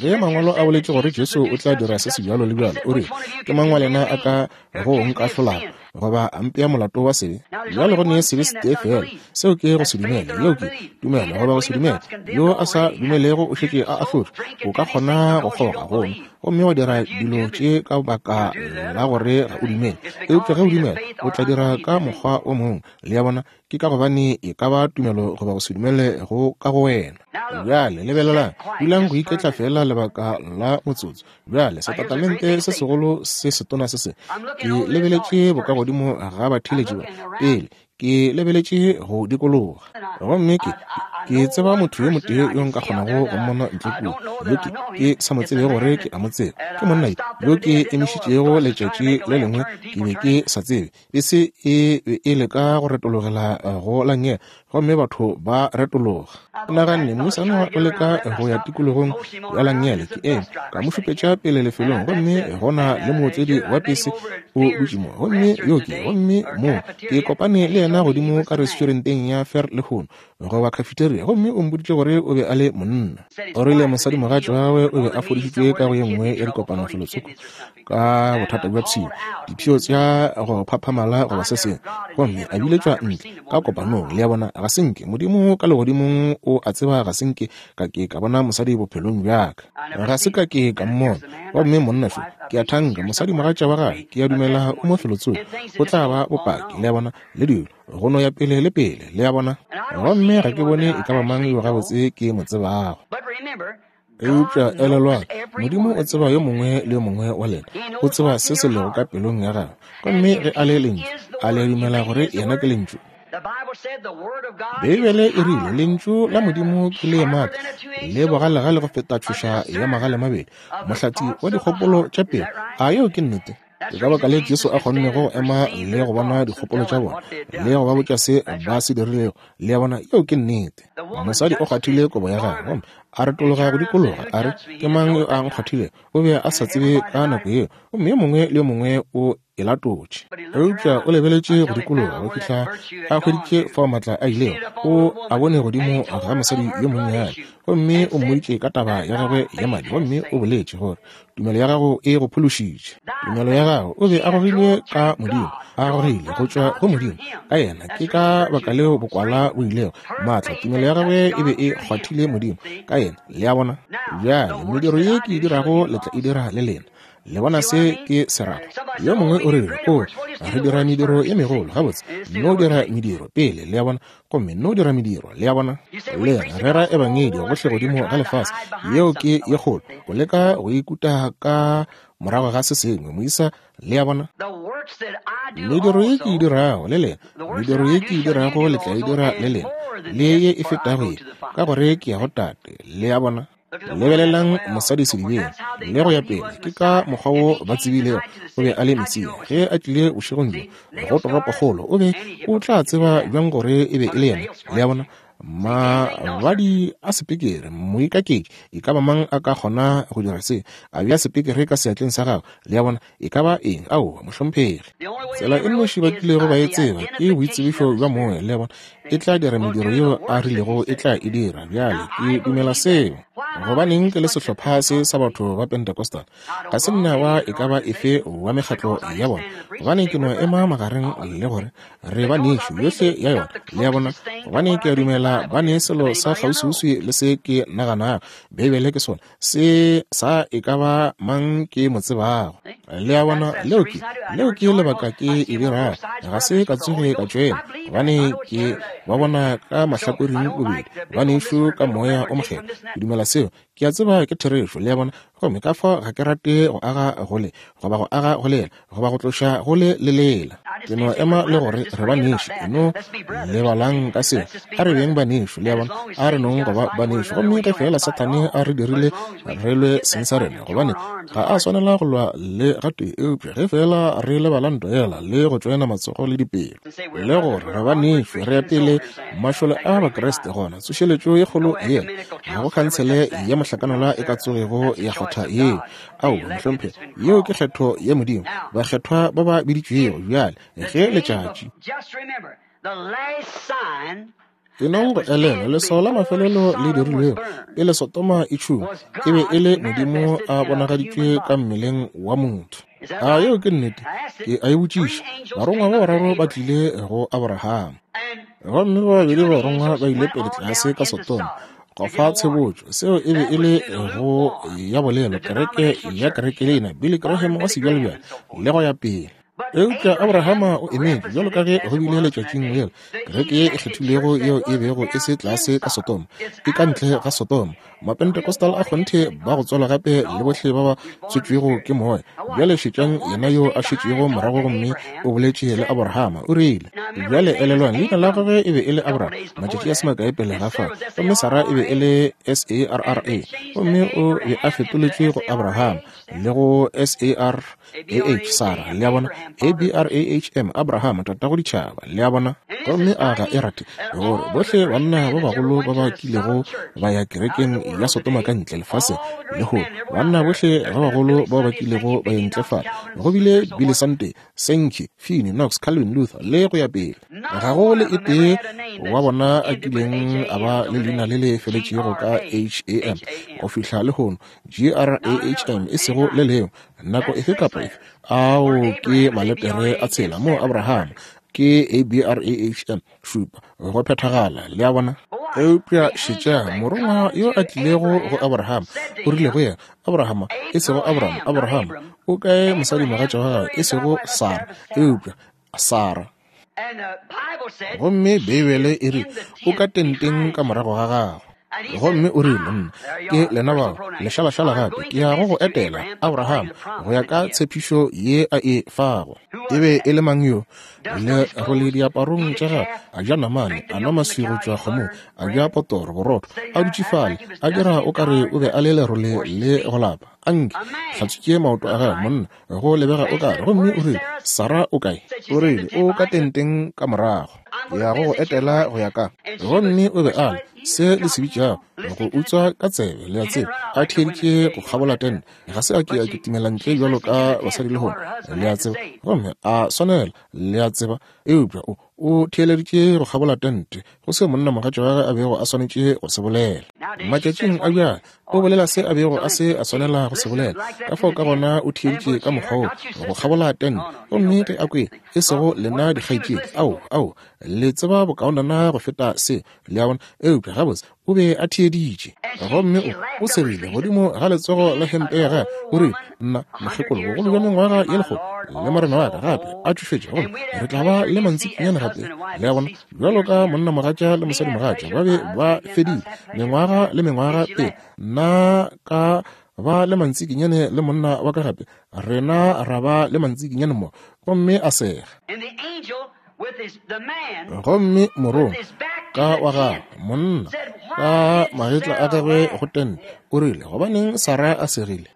Ge Mangwalo a boletše gore Jesu o tla dira se sebjalo le bjalo, o rile, Ke mang wa lena a ka go nkahlolago goba a mpea molato wa sebe? Bjale go ne sebe setee feela, seo ke go se dumele. Yeo ke tumelo goba go se dumele. Yo a sa dumelego o šetše a ahlotšwe. O ka kgona go kgoga gomme gomme wa dira dilo tše ka baka la gore ga o dumele, eupša ge o dumela o tla dira ka mokgwa o mongwe. Le a bona? Ke ka gobane e ka ba tumelo goba go se dumele go ka go wena. Bjale lebelelang, dulang go iketla feela lebaka la motsotso. Bjale setatamente se segolo se setona se se, ke lebeletše bokagodimo ga batheeletši ba pele, ke lebeletše go dikologa, gomme ke ke tseba motho yo motee yo nka kgonago go mmona ntle kua, yo ke ke sa mo tsebe gore ke a mo tseba, ke monna yo ke emišitšego letšatši le lengwe, ke be ke sa tsebe Bese e be e leka go retologela go la nngele, gomme batho ba retologa. Ke naganne, Mosana o leka go ya tikologong ya la nngele. Ke eme, ka mo šupetša pele lefelong, gomme go na le mootledi wa pese o dutše mo. Gomme yo ke, gomme mo, ke kopane le yena godimo ka restauranteng ya Fer lehono, goba cafeteria, gomme o mpoditše gore o be a le monna. O rile mosadimogatša wa gagwe o be a fodišitšwe ka go ye nngwe ya dikopano felotsoko ka bothata bja pshio, dipshio tša go phaphamala goba se sengwe, gomme a biletšwa ntle ka kopanong. Le a bona, ga se nke Modimo ka legodimong o a tseba ga se nke ka ke ka bona mosadi bophelong bja ka. Ga se ka ke ka mmona. Gomme monna šo, ke a thanka, mosadimogatša wa gagwe, ke a dumela o mo felotsoko, o tla ba bopaki, le a bona, le dilo go no ya pele le pele, le a bona. Gomme ga ke bone e ka ba mang yo gabotse ke mo tsebago. Eupša elelwang, Modimo o tseba yo mongwe le yo mongwe wa lena. O tseba se se lego ka pelong ya gagwe. Gomme ge a le Lentšu, a le dumela gore Yena ke Lentšu? Beibele e rile, Lentšu la Modimo ke le maatla le bogalegale go feta tšhoša ya magalemabedi, mohlathi wa dikgopolo tša pelo. A yeo ke nnete? Ke ka baka le Jesu a kgonnego go ema le go bona dikgopolo tša bona, le go ba botša se ba se dirilego. Le a bona, yeo ke nnete. Mosadi o kgwathile kobo ya gagwe, gomme a retologa go dikologa, a re, Ke mang yo a nkgwathilego? O be a sa tsebe ka nako yeo, gomme yo mongwe le yo mongwe o e latotše. Eupša o lebeletše go dikologa go fihla a hweditše fao maatla a ilego. O a bone godimo ga mosadi yo monnyane, gomme o mmoditše ka taba ya gagwe ya madi, gomme o boletše gore tumelo ya gago e go phološitše. Tumelo ya gago, o be a gogilwe ka Modimo, a gogile go tšwa go Modimo ka yena. Ke ka baka leo bokwala bo ilego maatla. Tumelo ya gagwe e be e kgwathile Modimo ka yena. Le a bona? Bjale, mediro ye ke e dirago le tla e dira le lena. Le bona se ke se rago? Yo mongwe o rile, O, re dira mediro ye megolo. Gabotse, nno dira mediro pele, le a bona, gomme nno dira mediro, le a bona. Le rera ebangedi gohle godimo ga lefase, yeo ke ye kgolo, go leka go ikuta ka morago ga se sengwe, moisa, le a bona. Mediro ye ke e dirago le lena, mediro ye ke e dirago le tla e dira le lena, le ye e fetago ye, ka gore ke ya go Tate, le a bona. Lebelelang mosadi sedibeng, le go ya pele. Ke ka mokgwa wo ba tsebilego o be a le Mesia. Ge a tlile bošegong bjo go toropokgolo, o be o tla tseba bjang gore e be e le yena? Le a bona? Mabadi a sepekere, moikaketši, e ka ba mang a ka kgona go dira se? A bea sepekere ka seatleng sa gagwe, le a bona, e ka ba eng? Aowa, mohlomphegi. Tsela e nnoši ba kilego ba e tseba ke boitsebišo bja moya, le a bona, e tla dira mediro yeo a rilego e tla e dira. Bjale, ke dumela seo. Gobaneng ke le sehlopha se sa batho ba Pentecostal? Ga se nna wa e ka ba efe wa mekgatlo ya bona, gobane ke no ema magareng le gore re ba nešo yohle ya yona, le a bona, gobane ke a dumela ba ne selo sa kgauswiuswi le se ke naganago Beibele ke sona. Se sa e ka ba mang ke mo tsebago. Le a bona, leo ke, leo ke lebaka ke e dirago. Ga se ka tsoge ka tšwela, gobane ke ba bona ka mahlakoreng bobedi, banešu ka Moya o Mokgethwa. Ke dumela seo. Ke a tseba ke therešo, le a bona. Gomme ka fao ga ke rate go aga go le, goba go aga go lela, goba go tloša go le le lela. Ke no ema le gore re banešu, e no lebalang ka seo. A re beng banešu, le a bona, a re nong go ba banešu. Gomme ge feela Sathane a re dirile re lwe seng sa rena, gobane ga a swanela go lwa le gatee, eupša ge feela re lebala ntwa yela le go tšoena matsogo le dipelo, le gore re banešu, re ya pele mašole a Bakriste, gona tsošeletšo ye kgolo yela, ga go khansele ya mohlakanelwa e ka tsogego ya kgotha yeo. Aowa, mohlomphegi, yeo ke kgetho ya Modimo, bakgethwa ba ba biditšwego. Bjale, ge letšatši. E nong go elelwa, leswao la mafelelo le dirilwego pele Sodoma e tšhungwa, e be e le Modimo a bonagaditšwe ka mmeleng wa motho. A yeo ke nnete? Ke a e botšiša. Barongwa ba bararo ba tlile go Aborahama. Gomme ba babedi barongwa ba ile pele tlase ka Sodoma go fa tshebotšo. Seo e be e le go ya bolelo kereke ya kerekeleina, Billy Graham wa sebjalebjale, le go ya pele. Eupša Abrahama o emetše, bjalo ka ge go bile letšatšing lela, kereke ye e kgethilwego yeo e bego e se tlase ka Sodoma, e ka ntle ga Sodoma. Mapentecostal a kgonthe ba go tswalwa gape le bohle ba ba tswetšwego ke Moya. Bjale šetšang yena yo a šetšego morago gomme o boletše le Abrahama, o rile, Bjale elelwang, leina la gagwe e be e le Abraham, matšatši a se makae pele ga fa, gomme Sarah e be e le S-A-R-R-A, gomme o be a fetoletšwe go Abraham, le go S-A-R-A-H, Sarah, le a bona, A-B-R-A-H-M, Abraham, tatago ditšhaba, le a bona. Gomme a ga e rate gore bohle banna ba bagolo ba ba kilego ba ya kerekeng ya Sodoma ka ntle lefaseng lehono, banna bohle ba bagolo bao ba kilego ba ya ntle fale, go bile Billy Sunday, Sankey, Finney, Knox, Calvin, Luther, le go ya pele. Ga go le e tee wa bona a kileng a ba le leina le le feletšego ka H-A-M go fihla lehono, G-R-A-H-M, e sego le lengwe, nako efe kapa efe. Ao ke maletere a tshela mo Abraham, ke A-B-R-A-H-M, šupa, go phethagala, le a bona. Eupša šetšang, morongwa yo a tlilego go Abraham, o rile go yena, Abraham, e sego Abraham, Abraham, o kae mosadimogatša wa gagwe, e sego Sara, eupša Sara. Gomme Beibele e re, O ka tenteng ka morago ga gagwe. Gomme o rile, Nna ke lena bao, lešalašala gape, ke ya go go etela, Abraham, go ya ka tshepišo ye a e fago. E be e le mang yo? Le role diaparong tša gagwe, a ja namane, a nwa maswi go tšwa kgomong, a ja potoro, borotho, a dutše fale, a dira o ka re o be a le lerole le go lapa. A nke hlatswitše maoto a gagwe, monna, go lebega o kare. Gomme o rile, Sarah o kae? O rile, O ka tenteng ka morago. Ke ya go go etela go ya ka. Gomme o be a le, se le se bitšago, go utswa ka tsebe, le a tseba, a theeditše go kgabola tente. Ga se a ke a kitimela ntle bjalo ka basadi lehono, le a tseba, gomme a swanela, le a tseba, eupša o, o theeleditše go kgabola tente go seo monnamogatša wa gagwe a bego a swanetše go se bolela. Matšatšing a bjale o bolela se a bego a se a swanela go se bolela, ka fao ka gona o theeditše ka mokgwa wo go kgabola tente. Gomme ge a kwele, e sego lena dikgaetšedi, ao, ao, le tseba bokaonana go feta se, le a bona, eupša gabotse o be a theeditše. Gomme o, o segile godimo ga letsogo la hempe ya gagwe, o rile, Nna, mokgekolo, bogolo bja mengwaga ye lekgolo, le morena wa ka gape a tšofetše, gomme re tla ba le mantsikinyane gape. Le a bona, bjalo ka monnamogatša le mosadimogatša ba be ba fedile mengwaga le mengwaga pele nna ka ba le mantsikinyane le monna wa ka gape, rena ra ba le mantsikinyane mo. Gomme a sega. Gomme morongwa ka wa gagwe, monna ka magetla a gagwe go tente, o rile, Gobaneng Sarah a segile?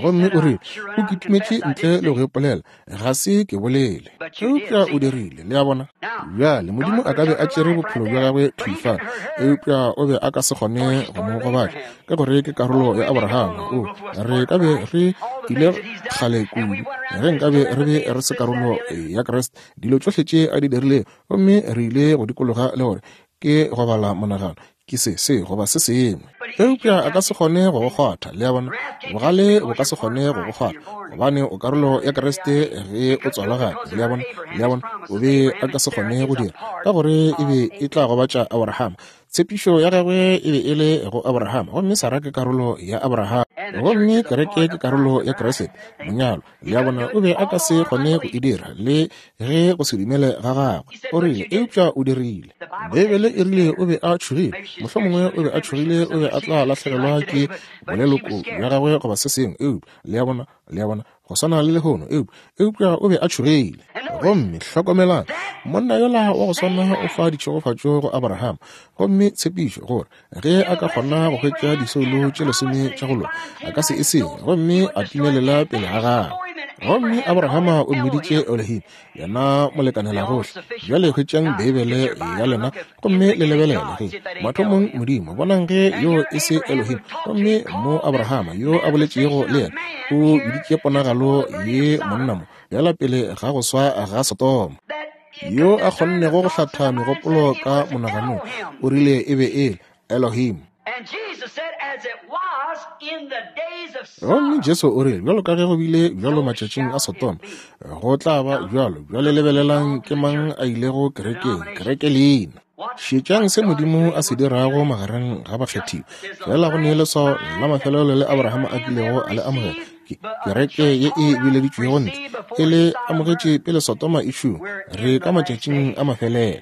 Gomme o rile, O kitimetše ntle le go ipolela. Ga se ke bolele. Eupša o dirile, le a bona. Bjale, Modimo a ka be a tšere bophelo bja gagwe thwi fa, eupša o be a ka se kgone go mo gobatša, ka gore ke karolo ya Abraham. O, re ka be re ile kgale kudu ge nkabe re be re se karolo ya Kriste. Dilo tšohle tše a di dirilego, gomme re ile go dikologa le gore ke go bala monagano, ke se, se, goba se sengwe. Eupša a ka se kgone go go kgwatha, le a bona. Bogale bo ka se kgone go go kgwatha, gobane o karolo ya Kriste ge o tswalwa gape, le a bona. Le a bona, o be a ka se kgone go dira, ka gore e be e tla gobatša Abraham. Tshepišo ya gagwe e be e le go Abraham, gomme Sara ke karolo ya Abraham. Gomme kereke ke karolo ya Kriste, monyalwa. Le a bona, o be a ka se kgone go e dira, le ge go se dumele ga gagwe. O rile, eupša o dirile. Beibele e rile o be a tšhogile. Mohlomongwe o be a tšhogile o be a tla lahlegelwa ke boleloko bja gagwe goba se sengwe, eupša, le a bona, le a bona, go swana le lehono, eupša, eupša o be a tšhogile. Gomme hlokomelang, monna yola wa go swana o fa ditšhegofatšo go Abraham, gomme tshepišo gore ge a ka kgona go hwetša disoulo tše lesome tša go loka, a ka se e senye, gomme a timelela pele ga gagwe. Gomme Abrahama o mmiditše Elohim, yena molekanelagohle. Bjale hwetšang Beibele ya lena gomme le lebelele ge mathomong Modimo, bonang ge yo e se Elohim. Gomme mo Abrahama yo a boletšego le yena o biditše ponagalo ye monna mo bjala pele ga go swa ga Sodoma, yo a kgonnego go hlatha megopolo ka monaganong, o rile e be e le Elohim. Gomme Jesu o rile, bjalo ka ge go bile bjalo matšatšing a Sodoma, go tla ba bjalo. Bjale lebelelang ke mang a ilego kerekeng, kereke leina. Šetšang se Modimo a se dirago magareng ga bakgethiwa. Fela go ne leswao la mafelelo le Abraham a kilego a le amogela. Ke, kereke ye e bileditšwego ntle, e le amogetše pele Sodoma e šuwa. Re ka matšatšing a mafelelo.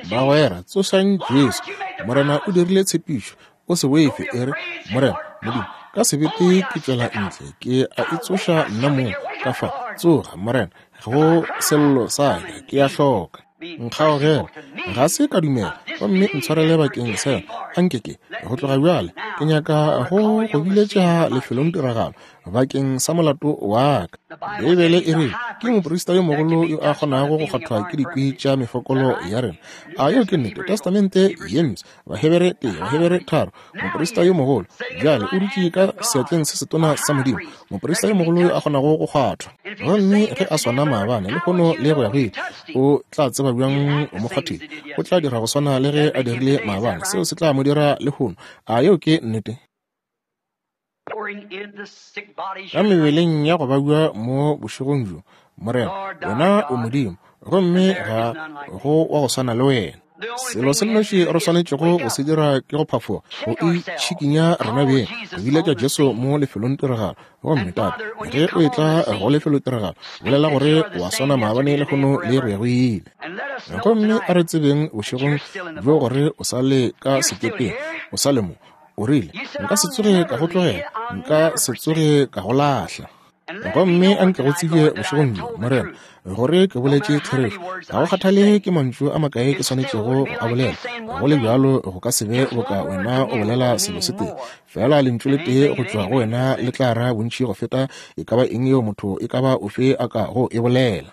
Bagwera, tsošang Jesu. Morena o dirile tshepišo. O se boife, e re, Morena, Modimo, ka sebete ke tšwela ntle, ke a itsoša nna mong ka fa. Tsoga, Morena, go sello sa ka, ke a hloka. Nkgaogela, ga se ka dumela, gomme ntshwarele bakeng sa yona. Anke ke, go tloga bjale, ke nyaka go go biletša lefelong tiragalo bakeng sa molato wa ka. Beibele e re ke moprista yo mogolo yo a kgonago go kgwathwa ke dikwi tša mefokolo ya rena. A yeo ke nnete? Testamente ye Mpsha, Bahebere 1, Bahebere 3. Moprista yo mogolo bjale o dutše ka seatleng se setona sa Modimo, moprista yo mogolo yo a kgonago go kgwathwa. Gomme ge a swana maabane, lehono le go ya go ile, o tla tseba bjang o mo kgwathile? O tla dira go swana le ge a dirile maabane, seo se tla mo dira lehono. A yeo ke nnete? Ka mebeleng ya go babja mo bošegong bjo, Morena, Wena o Modimo, gomme ga go wa go swana le Wena. Selo se nnoši re swanetšego go se dira ke go phafoga, go itšhikinya rena beng, go biletša Jesu mo lefelongtiragalo. Gomme, Tate, ge o etla go lefelotiragalo, bolela gore o a swana maabane, lehono, le go ya go ile. Gomme a re tsebeng bošegong bjo gore o sa le ka sekepeng. O sa le mo. O rile, Nka se tsoge ka go tlogela, nka se tsoge ka go lahla. Gomme a nke go tsebje bošegong bjo, Morena, gore ke boletše therešo. Ga go kgathale ke mantšu a makae ke swanetšego go a bolela, go le bjalo go ka se be boka wena o bolela selo se tee. Feela lentšu le tee go tšwa go wena le tla ra bontši go feta e ka ba eng yeo motho e ka ba ofe a ka go e bolela.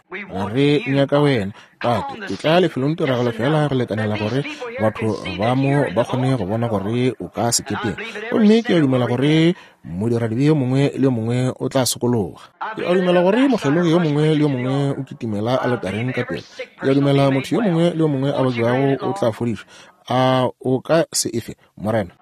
Re nyaka wena, Tate. Etla lefelong tiragalo feela go lekanela gore batho ba mo ba kgone go bona gore o ka sekepeng. Gomme ke a dumela gore modiradibe yo mongwe le yo mongwe o tla sokologa. Ke a dumela gore mokgelogi yo mongwe le yo mongwe o kitimela aletareng ka pela. Ke a dumela motho yo mongwe le yo mongwe a babjago o tla fodišwa. A o ka se efe, Morena?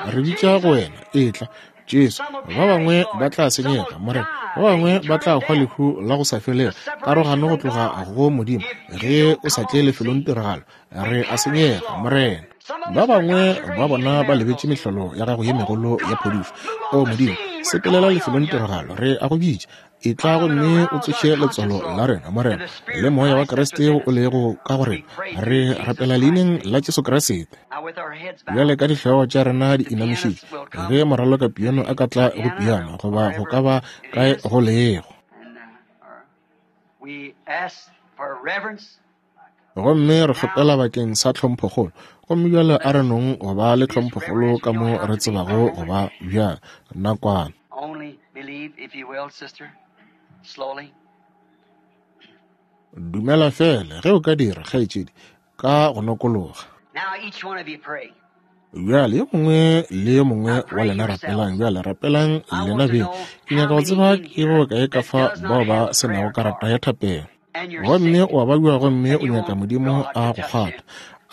Re bitša go wena, etla, Jesu. Ba bangwe ba tla senyega, Morena. Ba bangwe ba tla hwa lehu la go sa felego, karogano go tloga go Modimo, ge o sa tle lefelong tiragalo. Re a senyega, Morena. Ba bangwe ba bona ba lebetše mehlolo ya gago ye megolo ya phodišo. O Modimo, sepelela lefelong tiragalo, re a go bitša. Etla gomme o tsoše letswalo la rena, Morena, le Moya wa Kriste o lego ka go rena. Re rapela Leineng la Jesu Kriste. Bjale ka dihlogo tša rena di inamišitšwe, ge moraloka piano a ka tla go piano, goba go ka ba kae go lego. Gomme re kgopela bakeng sa tlhomphokgolo. Gomme bjale a re nong go ba le tlhomphokgolo ka mo re tsebago go ba bjang, nakwana. Dumela feela, ge o ka dira, kgaetšedi, ka go nokologa. Bjale yo mongwe le yo mongwe wa lena rapelang. Bjale rapelang lena beng. Ke nyaka go tseba ke ba bakae ka fa bao ba se nago karata ya thapelo. Gomme o a babja gomme o nyaka Modimo a go kgwatha.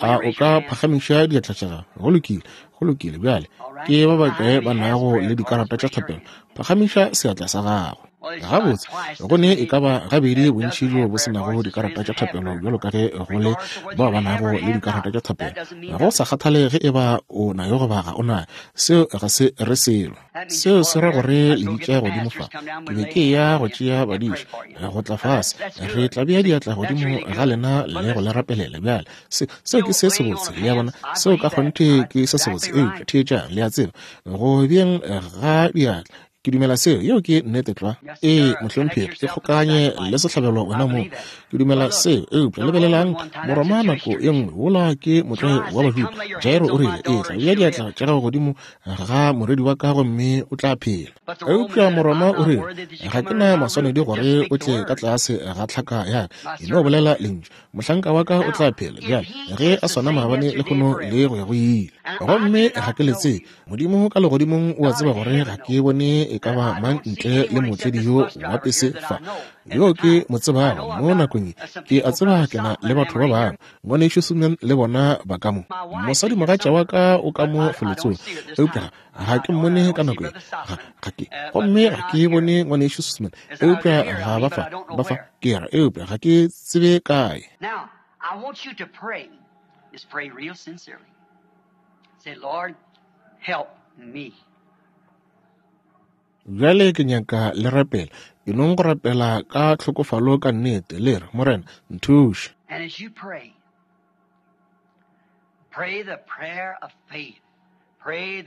A o ka phagamiša diatla tša gago? Go lokile, go lokile. Bjale ke ba bakae ba nago le dikarata tša thapelo? Phagamiša seatla sa gago. Gabotse, go ne e ka ba gabedi bontši bjo bo se nago dikarata tša thapelo bjalo ka ge go le bao ba nago le dikarata tša thapelo. Go sa kgathale ge e ba o nayo goba ga o nayo, seo ga se re selo. Seo se ra gore le bitša godimo fa. Ke be ke eya go tšea badiši go tla fase. Re tla bea diatla godimo ga lena le go le rapelela. Bjale, se, seo ke se sebotse, le a bona. Seo ka kgonthe ke se sebotse. Eupša theetšang, le a tseba, go beeng ga diatla, Ke dumela seo. Yeo ke nnete tlwa. Ee, mohlomphegi, ke kgokanye le sehlabelo wena mong. Ke dumela seo. Eupša lebelelang, Moroma nako ye nngwe, wola ke motlwae wa Bajuda. Jairo o rile, Etla, bea diatla tša gago godimo ga morwedi wa ka gomme o tla phela. Eupša Moroma o rile, Ga ke na maswanedi gore o tle ka tlase ga tlhaka ya ka. E no bolela lentšu. Mohlanka wa ka o tla phela. Bjale, ge a swana maabane, lehono le go ya go ile. Gomme ga ke le tsebe. Modimo ka legodimong o a tseba gore ga ke bone e ka ba mang ntle le mootledi yo wa pese fa, yo ke mo tsebago mo nakong ye. Ke a tseba ke na le batho ba bangwe, Ngwanešu Suman le bona ba ka mo. Mosadimogatša wa ka o ka mo felotsong, eupša ga ke mmone ka nako ye. Ga, ga ke. Gomme ga ke bone Ngwanešu Suman, eupša ga ba fa, ba fa, ke ra, eupša ga ke tsebe kae. Now, I want you to pray. Just pray real sincerely. Say, Lord, help me. Bjale ke nyaka le rapela. E nong go rapela ka tlhokofalo ka nnete, le re, Morena, nthuše. And as you pray, pray the prayer of faith.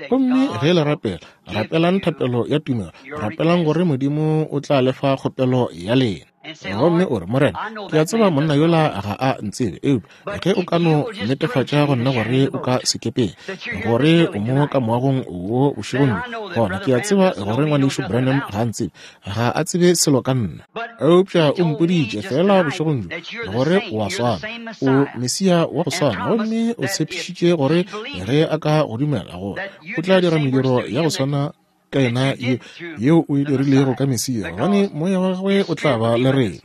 Gomme ge le rapela, rapelang thapelo ya tumelo, rapelang gore Modimo o tla le fa kgopelo ya lena. Gomme o re, Morena, ke a tseba monna yola ga a ntsebe, eupša ge o ka no netefatša go nna gore o ka sekepeng, gore o mo ka moagong wo bošegong bjo, gona ke a tseba gore Ngwanešu Branham ga a ntsebe, ga a tsebe selo ka nna. Eupša o mpoditše feela bošegong bjo gore o a swana, o Mesia wa go swana, gomme o tshepišitše gore ge a ka go dumela, gore o tla dira mediro ya go swana ka yena yeo o e dirilego ka Mesia, gobane Moya wa gagwe o tla ba le rena.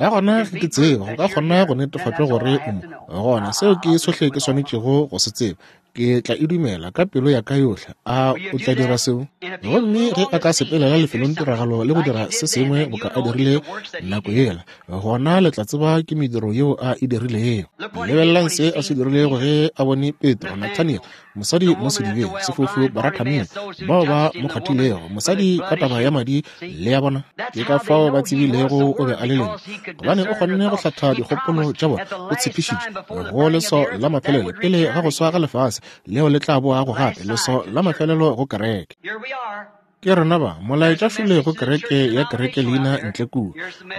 Ka gona ge ke tseba go ka kgona go netefatšwa gore o mo, gona seo ke sohle ke swanetšego go se tseba. Ke tla e dumela ka pelo ya ka yohle. A o tla dira seo? Gomme ge a ka sepelela lefelongtiragalo le go dira se sengwe boka a dirile nako yela, gona le tla tseba ke mediro yeo a e dirilego. Lebelelang se a se dirilego ge a bone Petro, Nathaniel, mosadi mo sedibeng, sefofu Baratameo, bao ba mo kgwathilego, mosadi ka taba ya madi, le ya bona. Ke ka fao ba tsebilego o be a le Lentšu, gobane o kgonne go hlatha dikgopolo tša bona. O tshepišitše go leswao la mafelelo pele ga go swa ga lefase, leo le tla boago gape, leswao la mafelelo go kereke. Ke rena ba, molaetša šole go kereke ya kereke leina ntle kua,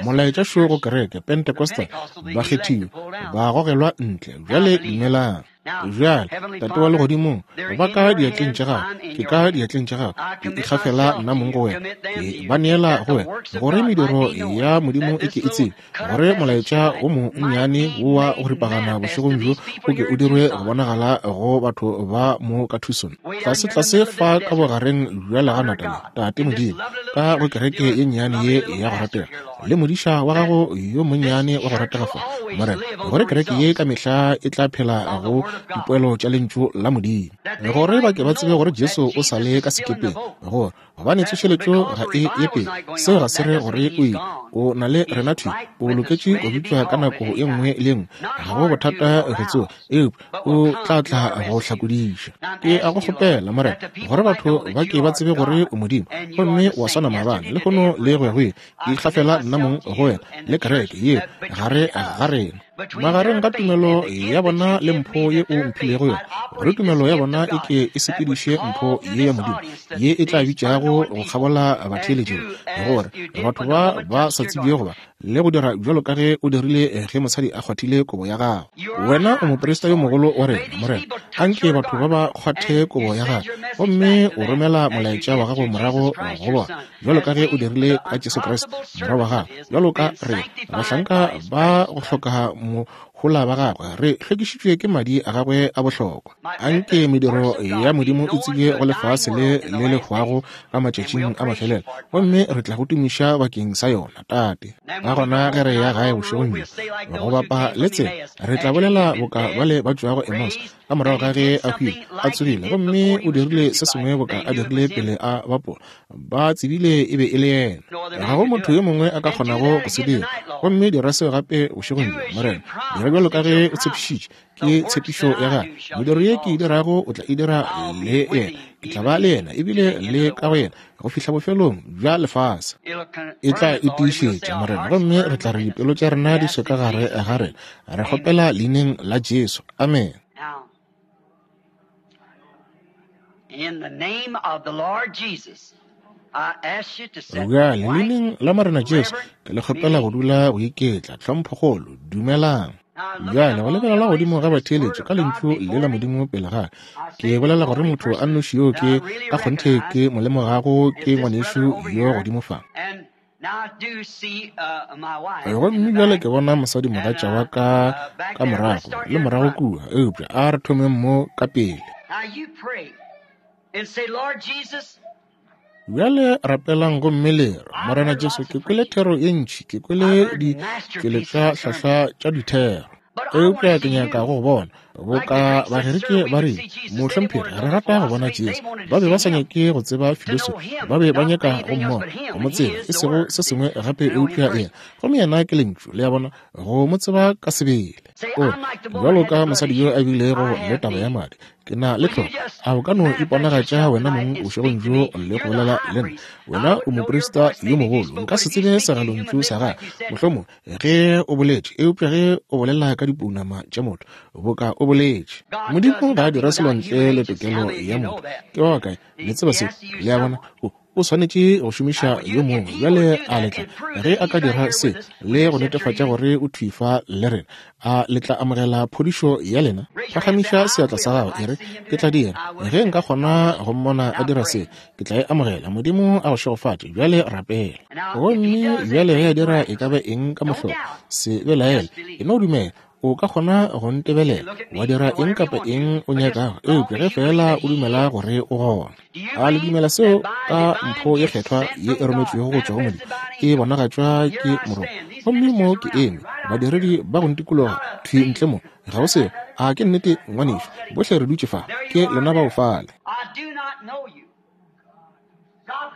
molaetša šo go kereke, Pentecostal, bakgethiwa, ba gogelwa ntle. Bjale dumelang. Bjale, Tate wa Legodimong, ba ka diatleng tša Gago, ke ka diatleng tša Gago, ke ikgafela nna mong go Wena, ke ba neela go Wena, gore mediro ya Modimo e ke e tsebe, gore molaetša wo monnyane wo wa go ripagana bošegong bjo o ke o dirwe go bonagala go batho ba mo ka Tucson, tlase-tlase fa ka bogareng bja leganata le, Tate Modimo, ka go kereke ye nnyane ye ya go ratega, le modiša wa gago yo monnyane wa go ratega fa, Morena, gore kereke ye ka mehla e tla phela go dipoelo tša Lentšu la Modimo, gore ba ke ba tsebe gore Jesu o sa le ka sekepeng, gore gobane tsošeletšo ga e ye pele. Seo ga se re gore o ile, o na le rena thwi, o loketše go bitšwa ka nako ye nngwe le ye nngwe, ga go bothata go tsoga, eupša o tla tla go hlakodiša. Ke a go kgopela, Morena, gore batho ba ke ba tsebe gore o Modimo, gomme wa swana maabane, lehono le go ya go ile. Ke ikgafela nna mong go wena le kereke ye gare ga rena, magareng ga tumelo ya bona le mpho ye o mphilego yona, gore tumelo ya bona e ke e sepediše mpho ye ya Modimo ye e tla bitšago go kgabola batheeletšego, gore batho ba ba sa tsebjego ba le go dira bjalo ka ge o dirile ge mosadi a kgwathile kobo ya gago. Wena o moprista yo mogolo wa rena, Morena. Anke batho ba ba kgwathe kobo ya gago, gomme o romela molaetša wa gago morago go bona, bjalo ka ge o dirile ka Jesu Kriste, Morwa wa gago. Bjalo ka re bahlanka ba go hloka mohola ba gagwe, re hlwekišitšwe ke madi a gagwe a bohlokwa. Anke mediro ya Modimo e tsebje go lefase le le le hwago ka matšatšing a mafelelo, gomme re tla go tumiša bakeng sa yona, Tate. Ka gona ge re ya gae bošegong bjo, go bapa le tsela, re tla bolela boka bale ba tšwago Emmaus, ka morago ga ge a hwile, a tsogile, gomme o dirile se sengwe boka a dirile pele a bapola. Ba tsebile e be e le yena. Ga go motho yo mongwe a ka kgonago go se dira. Gomme dira seo gape bošegong bjo, Morena. Dira bjalo ka ge o tshepišitše. Ke tshepišo ya gago. Mediro ye ke e dirago o tla e dira le yena. Ke tla ba le yena ebile le ka go yena go fihla bofelong bja lefase. E tla e tiišetša, Morena, gomme re tla re dipelo tša rena di swe ka gare ga rena. Re kgopela leineng la Jesu. Amen. Bjale, leineng la Morena Jesu, ke le kgopela go dula go iketla. Tlhomphokgolo, dumelang. Bjale, go lebelela godimo ga batheeletši ka Lentšu le la Modimo pele ga ke bolela gore motho a nnoši yo ke ka kgonthe ke mo lemogago ke ngwanešu yo godimo fa. Gomme bjale ke bona mosadimogatša wa ka ka morago le morago kua, eupša a re thomeng mo ka pele. Bjale rapelang gomme le re, Morena Jesu, ke kwele thero ye ntši, ke kwele ditšweletšwa hlahla tša dithero, eupša ke nyaka go bona boka Bagerike ba rile, Mohlomphegi, re rata go bona Jesu. Ba be ba sa nyake go tseba filosofi, ba be ba nyaka go mmona, go mo tseba, e sego se sengwe gape eupša yena. Gomme yena ke Lentšu, le a bona, go mo tseba ka sebele. O re, bjalo ka mosadi yo a bilego le taba ya madi, ke na le tlhoko. A o ka no iponagatša wena mong bošegong bjo le go bolela le nna? Wena o moprista yo mogolo, nka se tsebe segalontšu sa gago, mohlomongwe, ge o boletše, eupša ge o bolela ka dipounama tša motho, boka o boletše. Modimo ga a dira selo ntle le tokelo ya motho. Ke ba bakae le tseba seo? Le a bona? O, o swanetše go šomiša yo mongwe. Bjale a le tla, ge a ka dira se le go netefatša gore o thwi fa le rena, a le tla amogela phodišo ya lena? Phagamiša seatla sa gago, e re, Ke tla dira. Ge nka kgona go mmona a dira se, ke tla e amogela. Modimo a go šegofatše. Bjale rapela. Gomme bjale ge a dira e ka ba eng ka mohlolo, se belaele, e no dumela. O ka kgona go ntebelela, wa dira eng kapa eng o nyakago, eupša ge feela o dumela gore o gona. A le dumela seo ka mpho ye kgethwa ye e rometšwego go tšwa go Modimo, e bonagatšwa ke Morongwa? Gomme mo ke eme, badiredi ba go ntikologa thwi ntle mo. Ga go seo. A ke nnete, ngwanešu? Bohle re dutše fa. Ke lena bao fale.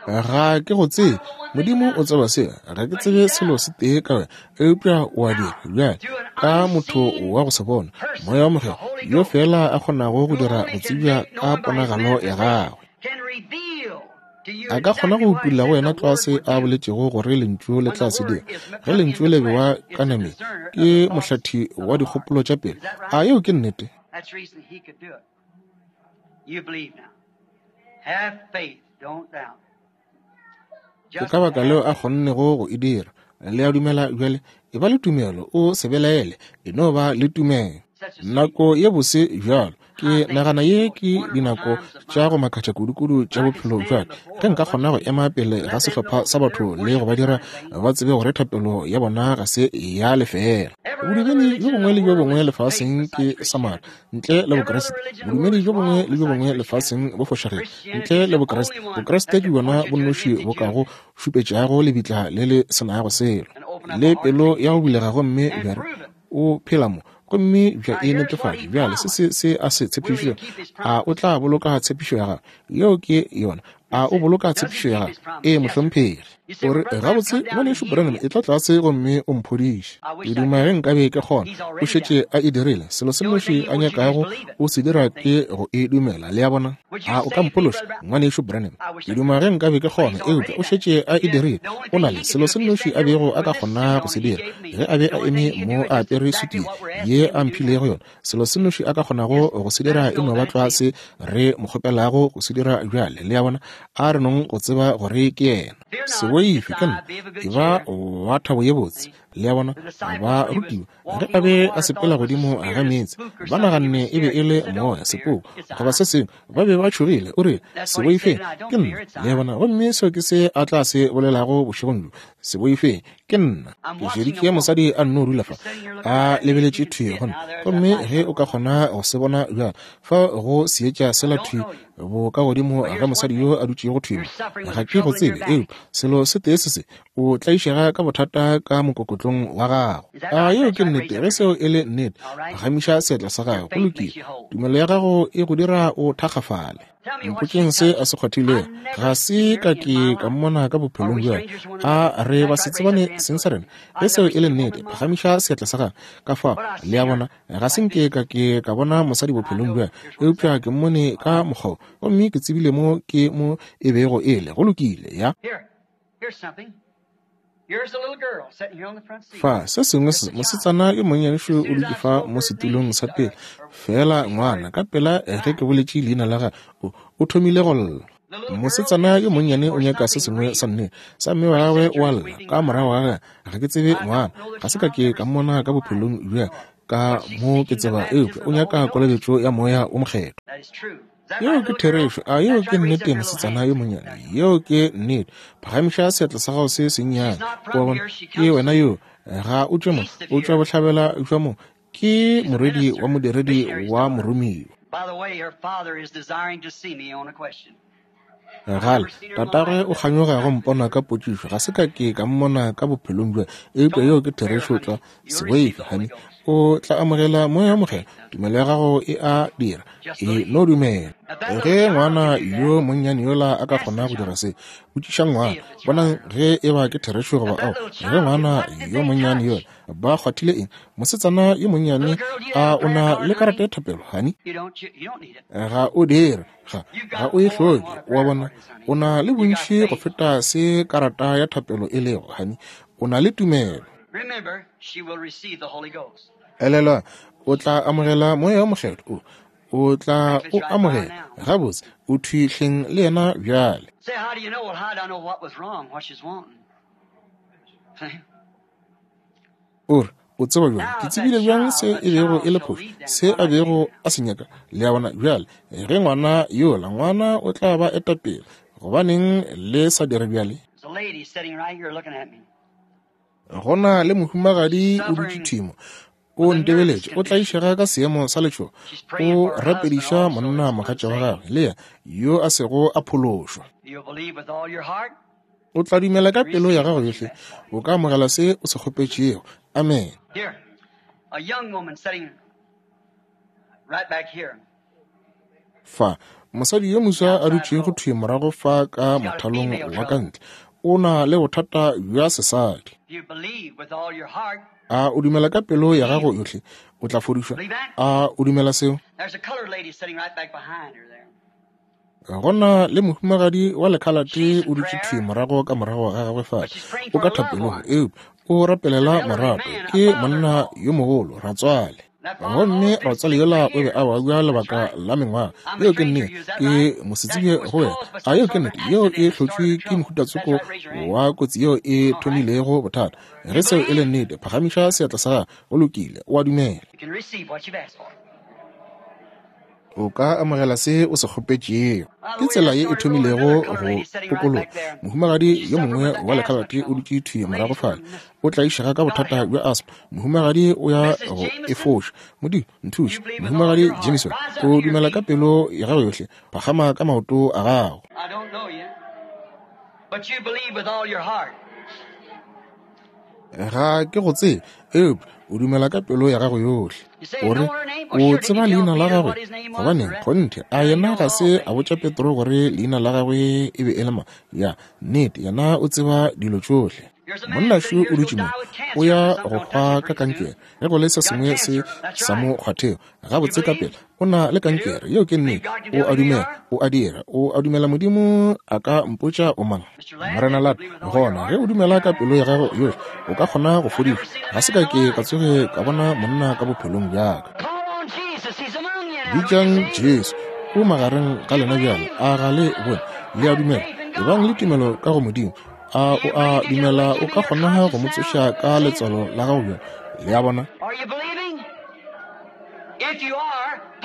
Ga ke go tsebe. Modimo o tseba seo. Ga ke tsebe selo se tee ka wena, eupša o a dira bjale ka motho wa go se bona, Moya wa Mokgethwa, yo feela a kgonago go dira go tsebja ka ponagalo ya gagwe. A ka kgona go utolla go wena tlwa se a boletšego gore Lentšu le tla se dira. Ge Lentšu le bewa ka nameng, ke mohlathi wa dikgopolo tša pelo. A yeo ke nnete? Ke ka baka leo a kgonnego go e dira. Le a dumela bjale? E ba le tumelo, o se belaele, e no ba le tumelo. Nako ye bose bjalo. Ke nagana ye ke dinako tša go makatša kudukudu tša bophelo bja ka. Ge nka kgona go ema pele ga sehlopha sa batho le go ba dira ba tsebe gore thapelo ya bona ga se ya lefeela. Bodumedi bjo bongwe le bjo bongwe lefaseng ke sa maaka, ntle le Bokriste. Bodumedi bjo bongwe le bjo bongwe lefaseng bo fošagetše, ntle le Bokriste. Bokriste ke bjona bo nnoši bo kago šupetšago lebitla le le se nago selo, le pelo ya go bulega gomme bja re, O phela mo, gomme bja e netefatša. Bjale se se se a se tshepišitšego. A o tla boloka tshepišo ya gagwe? Yeo ke yona. A o boloka tshepišo ya gagwe? Ee, mohlomphegi. O re, Gabotse, Ngwanešu Branham, etla tlase gomme o mphodiše. Ke duma ge nkabe ke kgona. O šetše a e dirile. Selo se nnoši a nyakago o se dira ke go e dumela. Le a bona? A o ka mphološa, Ngwanešu Branham? Ke duma ge nkabe ke kgona, eupša o šetše a e dirile. O na le selo se nnoši a bego a ka kgona go se dira ge a be a eme mo a apere sutu ye a mphilego yona. Selo se nnoši a ka kgonago go se dira e no ba tlwa se re mo kgopelago go se dira bjale. Le a bona? A re nong go tseba gore ke yena. Se boife, ke nna. E ba wa thabo ye botse. Le a bona? Ba rutiwa ge a be a sepela godimo ga meetse, ba naganne e be e le moya, sepoko goba se sengwe. Ba be ba tšhogile. O rile, Se boifeng, ke nna. Le a bona? Gomme seo ke se a tla se bolelago bošegong bjo. Se boifeng, ke nna. Ke šeditše mosadi a nno dula fa, a lebeletše thwi go nna. Gomme ge o ka kgona go se bona bjalo, fa go seetša sela thwi bo ka godimo ga mosadi yo a dutšego thwi mo. Ga ke go tsebe, eupša selo se tee se se, o tlaišega ka bothata ka mokokotlong wa gago. A yeo ke nnete? Ge seo e le nnete, phagamiša seatla sa gago. Go lokile. Tumelo ya gago e go dira o thakgafale. Mpotšeng se a se kgwathilego. Ga se ka ke ka mmona ka bophelong bja ka. A re ba se tsebane seng sa rena? Ge seo e le nnete, phagamiša seatla sa gago. Ka fao, le a bona, ga se nke ka ke ka bona mosadi bophelong bja, eupša ke mmone ka mokgwa wo, gomme ke tsebile mo ke mo e bego e le. Go lokile, ya. Fa, se sengwe se, mosetsana yo monnyane šo o dutše fa mo setulong sa pele, feela ngwana, ka pela ge ke boletše leina la gagwe, o, o thomile go lla. Mosetsana yo monnyane o nyaka se sengwe sa nnete, sa mme wa gagwe o a lla, ka morago ga gagwe. Ga ke tsebe ngwana, ga se ka ke ka mmona ka bophelong bja ka mo ke tseba, eupša o nyaka kolobetšo ya Moya wo Mokgethwa. Yeo ke therešo. A yeo ke nnete, mosetsana yo monnyane? Yeo ke nnete. Phagamiša seatla sa gago se sennyane. O a bona? Ke wena yo. Ga o tšwe mo. O tšwa bohlabela bja mo. Ke morwedi wa modiredi wa moromiwa. Gale, tatagwe o kganyoga go mpona ka potšišo. Ga se ka ke ka mmona ka bophelong bja, eupša yeo ke therešo tlwa. Se boife, honey. O tla amogela Moya wo Mokgethwa. Tumelo ya gago e a dira. E no dumela. Ge ngwana yo monnyane yola a ka kgona go dira se, botšiša ngwana, bonang ge e ba ke therešo goba ao. Ge ngwana yo monnyane yola, ba kgwathile eng? Mosetsana yo monnyane, a o na le karata ya thapelo, honey? Ga o dire. Ga, ga o e hloke, o a bona. O na le bontši go feta se karata ya thapelo e lego, hani. O na le tumelo. Elelwa, o tla amogela Moya wo Mokgethwa. O, o tla o amogela. Gabotse, o thwi hleng le yena bjale. O re, O tseba bjang? Ke tsebile bjang se e bego e le phošo, se a bego a se nyaka? Le a bona? Bjale, ge ngwana yola, ngwana o tla ba eta pele. Gobaneng le sa dire bjale? Go na le mohumagadi o dutše thwi mo. O ntebeletše, o tlaišega ka seemo sa letšhogo. O rapediša monna mogatša wa gagwe, le yena, yo a sego a phološwa. O tla dumela ka pelo ya gago yohle, o ka amogela se o se kgopetšego. Amen. Fa, mosadi yo moswa a dutšego thwi morago fa ka mothalong wa ka ntle, o na le bothata bja sesadi. A o dumela ka pelo ya gago yohle, o tla fodišwa? A o dumela seo? Go na le mohumagadi wa lekhalate o dutše thwi morago ka morago ga gagwe fale. O ka thapelong, eupša o rapelela morato. Ke monna yo mogolo, ratswale. Gomme ratswale yola o be a babja lebaka la mengwaga. Yeo ke nnete. Ke mosetsebje go wena. A yeo ke nnete? Yeo e hlotšwe ke mohutatsoko wa kotsi yeo e thomilego bothata. Ge seo e le nnete, phagamiša seatla sa gago. Go lokile, o a dumela. O ka amogela se o se kgopetšego. Ke tsela ye e thomilego go tokologa. Mohumagadi yo mongwe wa lekhalate o dutše thwi morago fale. O tlaišega ka bothata bja asthma. Mohumagadi o ya go e foša. Modimo, nthuše. Mohumagadi Jameson, o dumela ka pelo ya gago yohle. Phagama ka maoto a gago. Ga ke go tsebe, eupša o dumela ka pelo ya gago yohle. O re, O tseba leina la gagwe? Gobaneng, kgonthe, a yena ga se a botša Petro gore leina la gagwe e be e le mang? Ya, nnete, yena o tseba dilo tšohle. Monna šo o dutše mo, o ya go hwa ka kankere, ge go le se sengwe se sa mo kgwathego. Gabotse ka pela, o na le kankere, yeo ke nnete. O a dumela, o a dira, o a dumela Modimo a ka mpotša o mang? Morena Lata, gona ge o dumela ka pelo ya gago yohle, o ka kgona go fodišwa. Ga se ka ke ka tsoge ka bona monna ka bophelong bja ka. Bitšang Jesu, o magareng ga lena bjale, a ga le bone? Le a dumela? Ebang le tumelo ka go Modimo. A o a dumela o ka kgona go mo tsoša ka letswalo la gago bjale? Le a bona?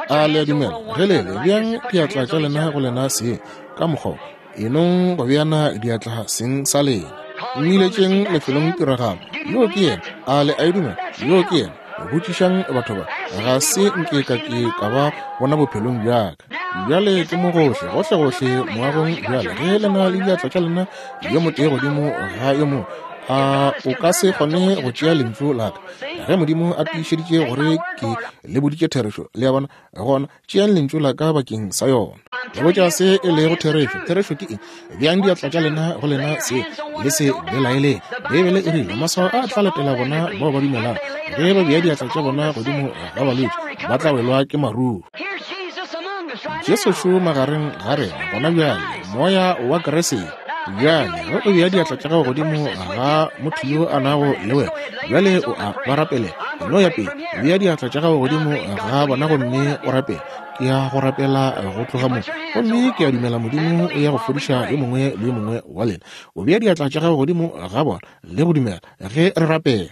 A le a dumela? Ge le le, beang diatla tša lena go lena seng ka mokgwa wo. Enong go beana diatla seng sa lena. Mmiletšeng lefelong tiragalo. Yoo ke yena. A le a e dumela? Yoo ke yena. Botšišang batho ba. Ga se nke ka ke ka ba bona bophelong bja ka. Bjale ke mo gohle, gohlegohle moagong bjale. Ge le na le diatla tša lena yo motee godimo ga yo mongwe, a o ka se kgone go tšea lentšu la ka? Ge Modimo a tiišeditše gore ke le boditše therešo, le a bona, gona tšeang lentšu la ka bakeng sa yona. Le botša se e lego therešo. Therešo ke eng? Beang diatla tša lena go lena se, le se belaeleng. Beibele e rile, Maswao a tla latela bona bao ba dumelago. Ge ba bea diatla tša bona godimo ga balwetši, ba tla welwa ke maruru. Jesu šo magareng ga rena gona bjale, Moya wa Kriste. Bjale, ge o bea diatla tša gago godimo ga motho yo a nago le wena, bjale o a ba rapelela. No ya pele, bea diatla tša gago godimo ga bona gomme o rapele. Ke ya go rapela go tloga mo, gomme ke a dumela Modimo o ya go fodiša yo mongwe le yo mongwe wa lena. O bea diatla tša gago godimo ga bona le go dumela ge re rapela.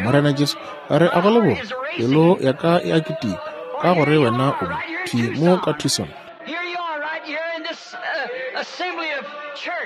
Morena Jesu, re a go leboga, pelo ya ka e a kitima ka gore wena o mo, thwi mo ka Tucson.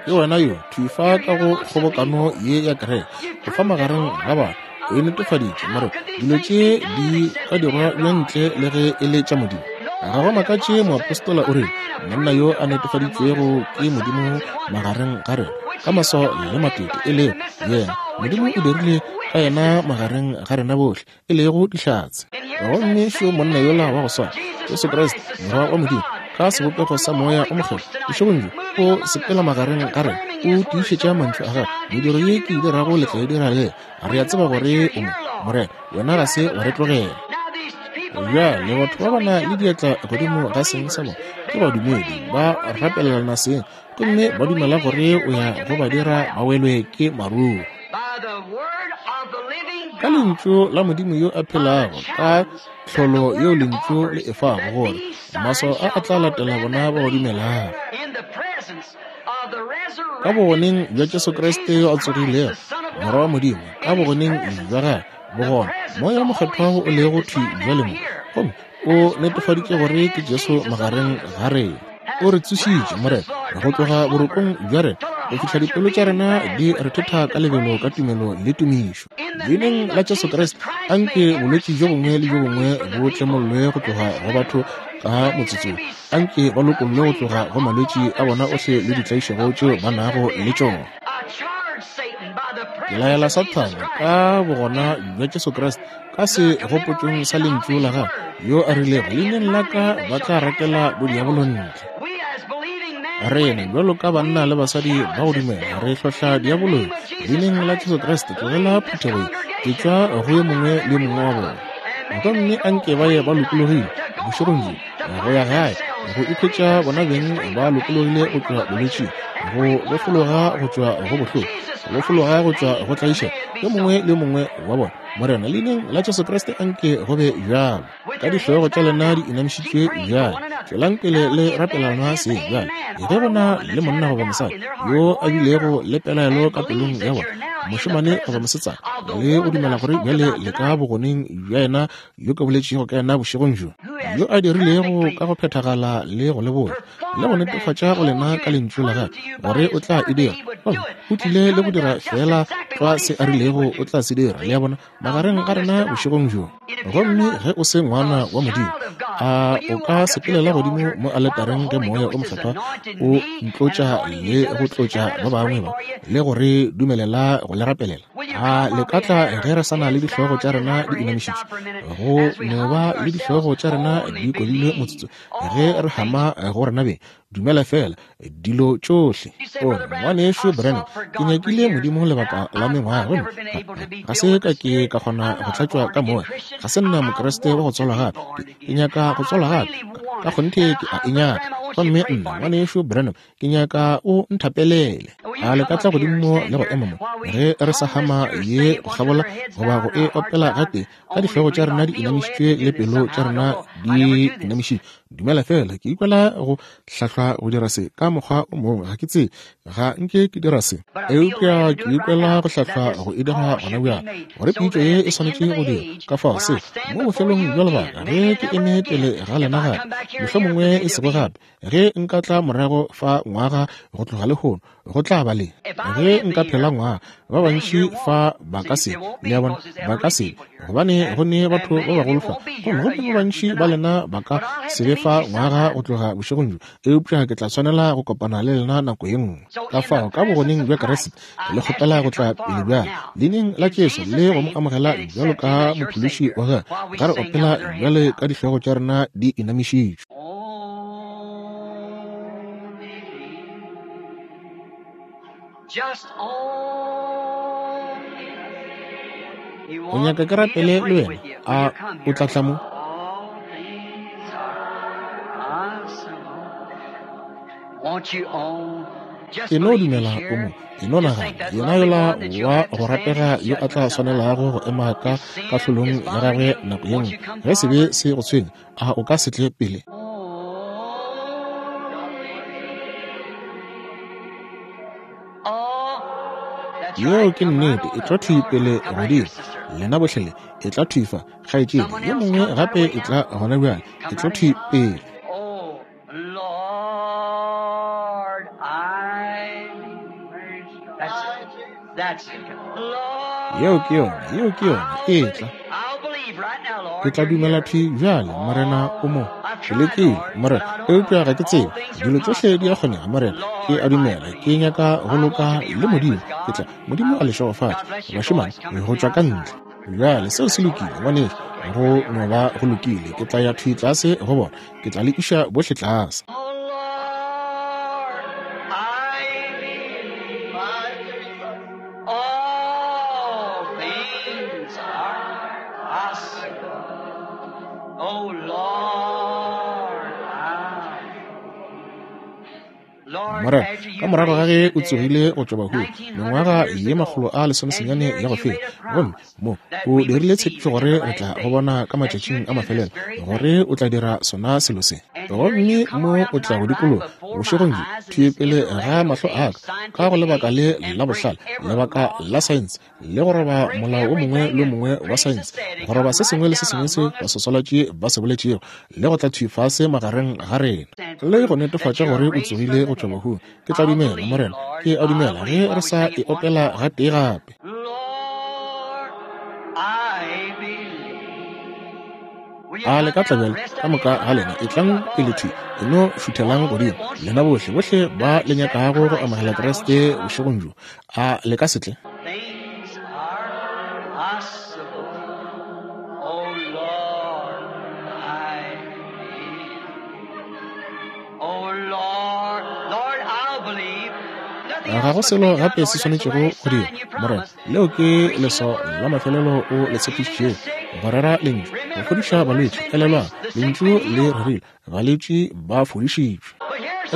Ke wena yo, thwi fa ka go kgobokano ye ya kereke, o fa magareng ga batho, o e netefaditše, Morena, dilo tše di ka dirwa bjang ntle le ge e le tša Modimo? Ga go makatše moapostola o rile, monna yo a netefaditšwego ke Modimo magareng ga rena, ka maswao le matete, e lego yena Modimo o dirile ka yena magareng ga rena bohle, e lego dihlatse. Gomme šo monna yola wa go swana, Jesu Kriste, Morwa wa Modimo, ka sebopego sa Moya o Mokgethwa, bošegong bjo, o sepela magareng ga rena, o tiišetša mantšu a gagwe, mediro ye ke e dirago le tla e dira le. Re a tseba gore o mo, Morena, wena ga se wa re tlogela. Bjale batho ba ba na le diatla godimo ga seng sa bona ke badumedi, ba rapelelana seng, gomme ba dumela gore o ya go ba dira ba welwe ke maruo. Ka lentšu la Modimo yo a phelago, ka tlholo yeo lentšu le e fago, gore maswao a a tla latela bona ba ba dumelago. Ka bogoneng bja Jesu Kriste yo a tsogilego, Morwa wa Modimo, ka bogoneng bja gagwe, bogona, Moya wo Mokgethwa wo o lego thwi bjale mo, gomme o netefaditše gore ke Jesu magareng ga rena. O re tsošitše, Morena, go tloga borokong bja rena, go fihla dipelo tša rena di rethetha ka lebelo ka tumelo le tumišo. Leineng la Jesu Kriste, anke bolwetši bjo bongwe le bjo bongwe bo tlemollwe go tloga go batho ka motsotsong. Anke ba lokollwe go tloga go malwetši a bona ohle le ditlaišego tšeo ba nago le tšona. Ke laela Sathane ka bogona bja Jesu Kriste ka segopotšong sa Lentšu la Gagwe, yo a rilego, Leineng la ka ba tla rakela bodiabolo ntle. Rena bjalo ka banna le basadi ba go dumela re hlohla diabolo yo. Leineng la Jesu Kriste, tlogela phuthego ye. Ke tšwa go yo mongwe le yo mongwe wa bona. Gomme anke ba ye ba lokologile bošegong bjo, go ya gae, go ikhwetša bona beng ba lokologile go tšwa bolwetšing, go bofologa go tšwa go bohloko, go bofologa go tšwa go tlaišego, yo mongwe le yo mongwe wa bona. Morena, Leineng la Jesu Kriste, anke go be bjalo. Ka dihlogo tša lena di inamišitšwe bjale, tšwelang pele le rapelana seng bjale. Ge go na le monna goba mosadi yo a bilego le pelaelo ka pelong ya bona, mošemane goba mosetsana, le go dumela gore bjale le ka bogoneng bja yena yo ke boletšego ka yena bošegong bjo, yo a dirilego ka go phethagala le go le botša le go netefatša go lena ka lentšu la gagwe gore o tla e dira, gomme o tlile le go dira feela tlwa se a rilego o tla se dira, le a bona, magareng ga rena bošegong bjo. Gomme ge o se ngwana wa Modimo, a o ka sepelela godimo mo aletareng ge Moya o Mokgethwa o ntlotša le go tlotša ba bangwe ba, le go re dumelela go le rapelela? A le ka tla ge re sa na le dihlogo tša rena di inamišitšwe, go no ba le dihlogo tša rena di kobilwe motsotso ge re hama go rena beng? Dumela feela dilo tšohle. O re, Ngwanešu Branham, ke nyakile Modimo lebaka la mengwaga gomme ga se ka ke ka kgona go tlatšwa ka Moya. Ga se nna Mokriste wa go tswalwa gape. Ke nyaka go tswalwa gape. Ka kgonthe ke a e nyaka. Gomme nna, Ngwanešu Branham, ke nyaka o nthapelele. A le ka tla godimo mo le go ema mo ge re sa hama ye go kgabola goba go e opela gatee ka dihlogo tša rena di inamišitšwe le pelo tša rena di inamišitšwe? Dumela feela, ke ikwela go hlahlwa go dira se ka mokgwa o mongwe. Ga ke tsebe, ga nke ke dira se, eupša ke ikwela go hlahlwa go e dira gona bjale, gore pitšo ye e swanetše go dira. Ka fao se, mo bofelong bja lebaka, ge ke eme pele ga lena gape, mohlomongwe e sego gape, Ge nka tla morago fa ngwaga go tloga lehono, go tla ba le. Ge nka phela ngwaga, ba bantši fa ba ka se, le a bona, ba ka se, gobane go ne batho ba bagolo fa, gomme gomme ba bantši ba lena ba ka se be fa ngwaga go tloga bošegong bjo, eupša ke tla swanela go kopana le lena nako ye nngwe. Ka fao, ka bogoneng bja Kriste, ke le kgopela go tla pele bjale, Leineng la Jesu, le go mo amogela bjalo ka Mophološi wa gagwe, ga re opela bjale ka dihlogo tša rena di inamišitšwe. O nyaka ke rapele le wena? A o tla tla mo? E no dumela o mo. E no nagana, yena yola wa go ratega yo a tla swanelago go ema ka kahlolong ya gagwe nako ye nngwe, ge sebe se go tshwenya, A o ka se tle pele? Yeo ke nnete, e tla thwi pele godimo. Lena bohle le, e tla thwi fa, kgaetšedi. Yo mongwe gape e tla gona bjale, e tla thwi pele. Yeo ke yona, yeo ke yona, etla. Ke tla dumela thwi bjale, Morena o mo. Ke lekile, Morena, eupša ga ke tsebe. Dilo tšohle di a kgonega, Morena. Ke a dumela, ke nyaka go loka le Modimo. Ke tla, Modimo a le šegofatše, bašemane, go tšwa ka ntle. Bjale, seo se lokile, ngwanešu, go no ba go lokile. Ke tla ya thwi tlase go bona. Ke tla le iša bohle tlase. Morena, ka morago ga ge o tsogile go tšwa bahung mengwaga ye 119 ya go feta, gomme mo o dirile tshepišo gore re tla go bona ka matšatšing a mafelelo, gore o tla dira sona selo se. Gomme mo o tla go dikologa bošegong bjo, thwi pele ga mahlo a ka, ka go lebaka le la bohlale, lebaka la saense, le go roba molao o mongwe le o mongwe wa saense, go roba se sengwe le se sengwe se basoswalatši ba se boletšego, le go tla thwi fase magareng ga rena, le go netefatša gore o tsogile go tšwa bahung. Ke tla dumela, Morena, ke a dumela, ge re sa e opela gatee gape. A le ka tla bjale, ka moka ga lena, etlang pele thwi, e no šuthelang godimo, lena bohle, bohle ba le nyakago go amogela Kriste bošegong bjo, a le ka se tle? Ga go selo gape se swanetšego go dirwa, Morena. Leo ke leswao la mafelelo o le tshepišitšego, go rera Lentšu, go fodiša balwetši. Elelwang, Lentšu le rerile, balwetši ba fodišitšwe.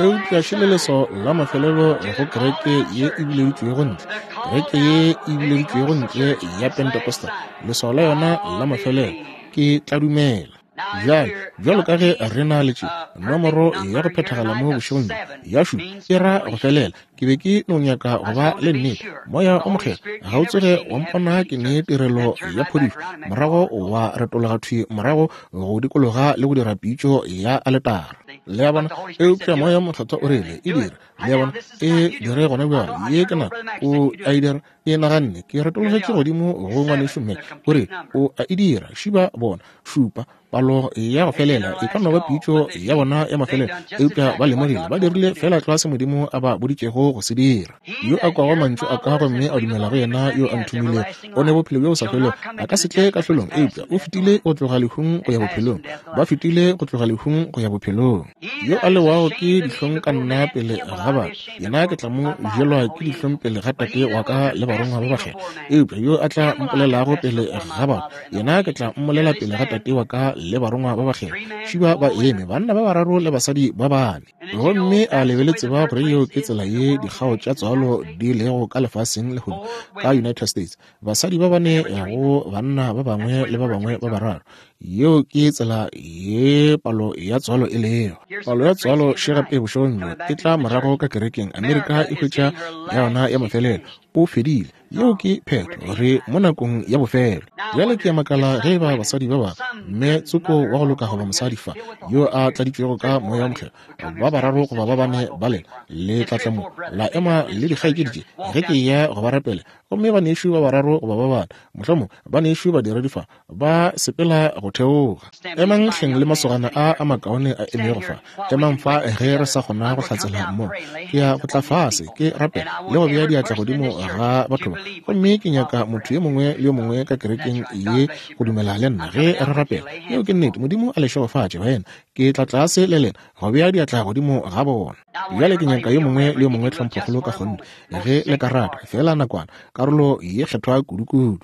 Eupša šele leswao la mafelelo go kereke ye e bileditšwego ntle, kereke ye e bileditšwego ntle ya Pentecostal, leswao la yona la mafelelo, ke tla dumela. Bjale, bjalo ka ge re na le tše, nomoro ya go phethagala mo bošegong bjo, ya šupa, e ra go felela. Ke be ke no nyaka go ba le nnete. Moya o Mokgethwa ga o tsoge wa mpona ke ne tirelo ya phodišo, morago wa retologa thwi morago go dikologa le go dira pitšo ya aletara. Le a bona? Eupša Moya o Mokgethwa o rile, E dire. Le a bona? E dire gona bjale. Ye ke nako. O a e dira. Ke naganne, ke retologetše godimo go ngwanešu Mac, o re, O a e dira, šiba bona, šupa, palo ya go felela, e ka no ba pitšo ya bona ya mafelelo, eupša ba lemogile, ba dirile feela tlwa se Modimo a ba boditšego go se dira. Yo a kwago mantšu a ka gomme a dumela go yena yo a nthomilego, o ne bophelo bjo bo sa felego, a ka se tle kahlolong, eupša o fetile go tloga lehung go ya bophelong. Ba fetile go tloga lehung go ya bophelong. Yo a lewago ke dihlong ka nna pele ga batho, yena ke tla mo jelwa ke dihlong pele ga Tate wa ka le barongwa ba bakgethwa. Eupša yo a tla mpolelago pele ga batho, yena ke tla mmolela pele ga Tate wa ka le barongwa ba bakgethwa. Šiba ba eme, banna ba bararo le basadi ba bane. Gomme a le be le tseba gore yeo ke tsela ye dikgao tša tswalo di lego ka lefaseng lehono ka United States? Basadi ba bane go banna ba bangwe le ba bangwe ba bararo. Yeo ke tsela ye palo ya tswalo e lego. Palo ya tswalo še gape bošegong bjo e tla morago ka kerekeng. Amerika e hwetša ya yona ya mafelelo. O fedile. Yeo ke phetho. Re mo nakong ya bofelo. Bjale ke a makala ge eba basadi ba bangwe, mme tsoko wa go loka goba mosadi fa, yo a tladitšwego ka Moya wo Mokgethwa, ba bararo goba ba bane ba lena le tla tla mo la ema le dikgaetšedi tše ge ke eya go ba rapela. Gomme banešu ba bararo goba ba bane, mohlomong banešu badiredi fa, ba sepela go theoga. Emang hleng le masogana a a makaone a emego fa. Emang fa ge re sa kgona go hlatsela mmogo. Ke ya go tla fase, ke rapela le go bea diatla godimo ga batho ba. Gomme ke nyaka motho yo mongwe le yo mongwe ka kerekeng ye go dumela le nna ge re rapela. Yeo ke nnete. Modimo a le šegofatše, baena. Ke tla tlase le lena go bea diatla godimo ga bona. Bjale ke nyaka yo mongwe le yo mongwe tlhomphokgolo ka kgonthe, ge le ka rata, feela nakwana, karolo ye kgethwa kudukudu.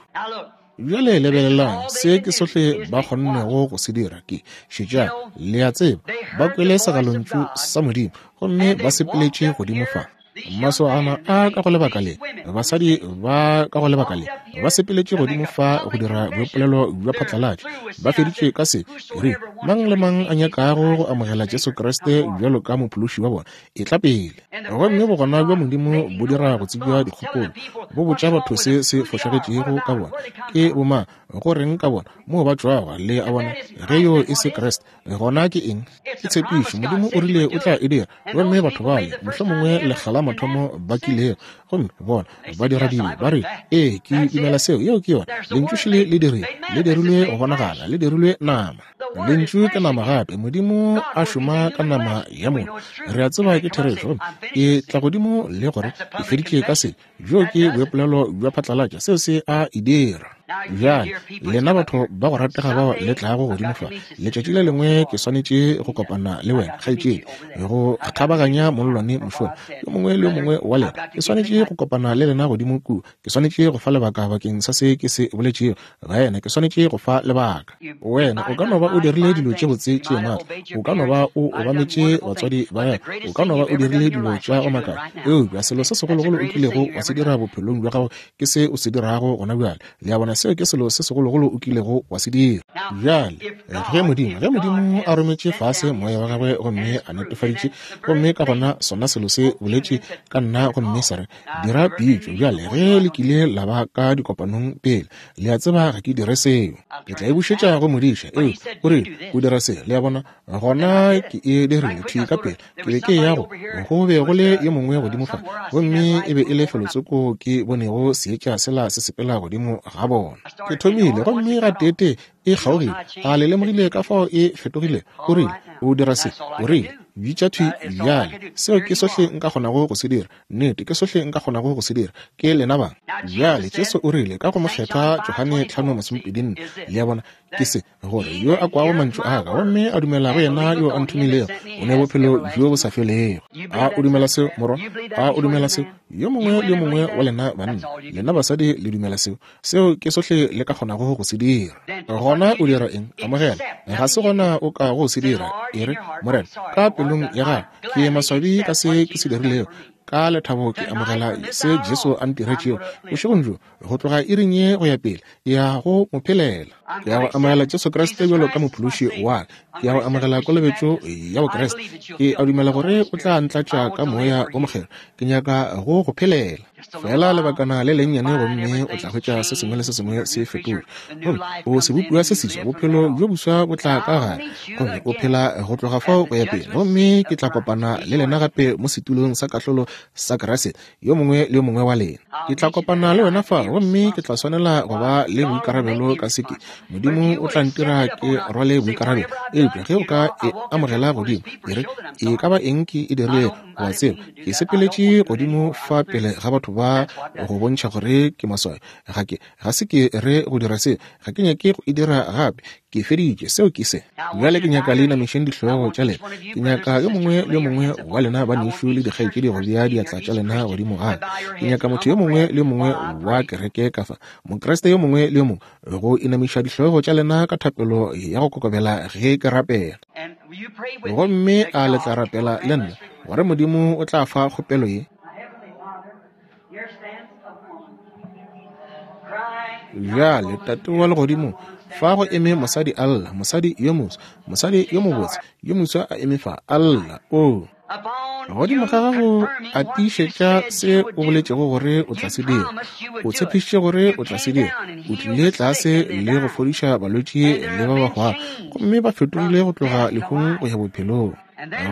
Bjale lebelelang, se ke sohle ba kgonnego go se dira ke, šetšang, le a tseba, ba kwele segalontšu sa Modimo, gomme ba sepeletše godimo fa. Masogana a ka go lebaka le, basadi ba ka go lebaka le, ba sepeletše godimo fa go dira boipolelo bja phatlalatša. Ba feditše ka se, ke rile, mang le mang a nyakago go amogela Jesu Kriste bjalo ka Mophološi wa bona, etla pele. Gomme bogona bja Modimo bo dira go tsebja dikgopolo, bo botša batho se se fošagetšego ka bona, ke bomang, go reng ka bona, moo ba tšwago, le a bona, ge yoo e se Kriste, gona ke eng? Ke tshepišo. Modimo o rile o tla e dira. Gomme batho bale, mohlomongwe lekga la mathomo ba kilego, gomme bona ba dira dibe, ba re, Ee, ke dumela seo. Yeo ke yona. Lentšu šele le dirile, le dirilwe go bonagala, le dirilwe nama. Lentšu ke nama gape, Modimo a šoma ka nama ya motho. Re a tseba ke therešo. Gomme ke tla godimo le gore ke feditše ka se. Bjoo ke boipolelo bja phatlalatša, seo se a e dira. Bjale, lena batho ba go ratega bao le tlago godimo fa, letšatši le lengwe ke swanetše go kopana le wena, kgaetšedi, go kgabaganya mollwane mošola. Yo mongwe le yo mongwe wa lena, ke swanetše go kopana le lena godimo kua. Ke swanetše go fa lebaka bakeng sa se ke se boletšego. Wena, ke swanetše go fa lebaka. Wena o ka no ba o dirile dilo tše botse tše matla, o ka no ba o obametše batswadi ba gago, o ka no ba o dirile dilo tša go makatša, eupša selo se segologolo o kilego wa se dira bophelong bja gago ke se o se dirago gona bjale. Le a bona? Seo ke selo se segologolo o kilego wa se dira. Bjale, ge Modimo, ge Modimo a rometše fase Moya wa Gagwe gomme a netefaditše, gomme ka gona sona selo se boletše ka nna gomme sa re, Dira pitšo. Bjale, ge le kile la ba ka dikopanong pele, le a tseba ga ke dire seo. Ke tla e bušetša go modiša. Ee, o rile, O dira se. Le a bona? Gona ke e dirile thwi ka pele. Ke be ke eya go, go be go le yo mongwe godimo fa, gomme e be e le felotsoko ke bonego seetša sela se sepela godimo ga bona. Ke thomile, gomme gateetee e kgaogile. A le lemogile ka fao e fetogile? O rile, O dira se. O rile, Bitša thwi bjale. Seo ke sohle nka kgonago go se dira. Nnete, ke sohle nka kgonago go se dira. Ke lena ba. Bjale, Jesu o rile, ka go Mokgethwa Johane 5:24, le a bona, ke se, gore yo a kwago mantšu a ka gomme a dumela go yena yo a nthomilego o ne bophelo bjo bo sa felego. A o dumela seo, morwa? A o dumela seo? Yo mongwe le yo mongwe wa lena banna, lena basadi, le dumela seo? Seo ke sohle le ka kgonago go se dira. Gona o dira eng? Amogela. Ga se gona o ka go se dira. E re, Morena, ka pelong ya gago, ke maswabi ka se ke se dirilego. Ka lethabo ke amogela se Jesu a ntiretšego bošegong bjo. Go tloga iring ye go ya pele, ke ya go mo phelela. Ke ya go amogela Jesu Kriste bjalo ka Mophološi wa ka. Ke ya go amogela kolobetšo ya Bokriste. Ke a dumela gore o tla ntlatša ka Moya wo Mokgethwa. Ke nyaka go go phelela. Fela lebakana le lennyane gomme o tla hwetša se sengwe le se sengwe se fetotšwe. Gomme o sebopiwa se seswa, bophelo bjo boswa bo tla ka gare, gomme o phela go tloga fao go ya pele. Gomme ke tla kopana le lena gape mo setulong sa kahlolo sa Kriste, yo mongwe le yo mongwe wa lena. Ke tla kopana le wena fa, gomme ke tla swanela go ba le boikarabelo ka se ke. Modimo o tla ntira ke rwale boikarabelo. Eupša ge o ka e amogela godimo, e re, E ka ba eng ke e dirilego, o a tseba, ke sepeletše godimo fa pele ga batho ba go bontšha gore ke maswayo. Ga ke, ga se ke re go dira se, ga ke nyake go e dira gape. Ke feditše, seo ke se. Bjale ke nyaka le inamišeng dihlogo tša lena. Ke nyaka yo mongwe le yo mongwe wa lena banešu le dikgaetšedi go bea diatla tša lena godimo ga ka. Ke nyaka motho yo mongwe le yo mongwe wa kereke ka fa, Mokriste yo mongwe le yo mongwe, go inamiša dihlogo tša lena ka thapelo ya go kokobela ge ke rapela. Gomme a le tla rapela le nna gore Modimo o tla fa kgopelo ye? Bjale, Tate wa Legodimo, fa go eme mosadi a lla, mosadi yo moswa, mosadi yo mobotse, yo moswa a eme fa, a lla. Oo, godimo ga gago a tiišetša se o boletšego gore o tla se dira. O tshepišitše gore o tla se dira. O tlile tlase le go fodiša balwetši le ba ba hwago, gomme ba fetogile go tloga lehung go ya bophelong.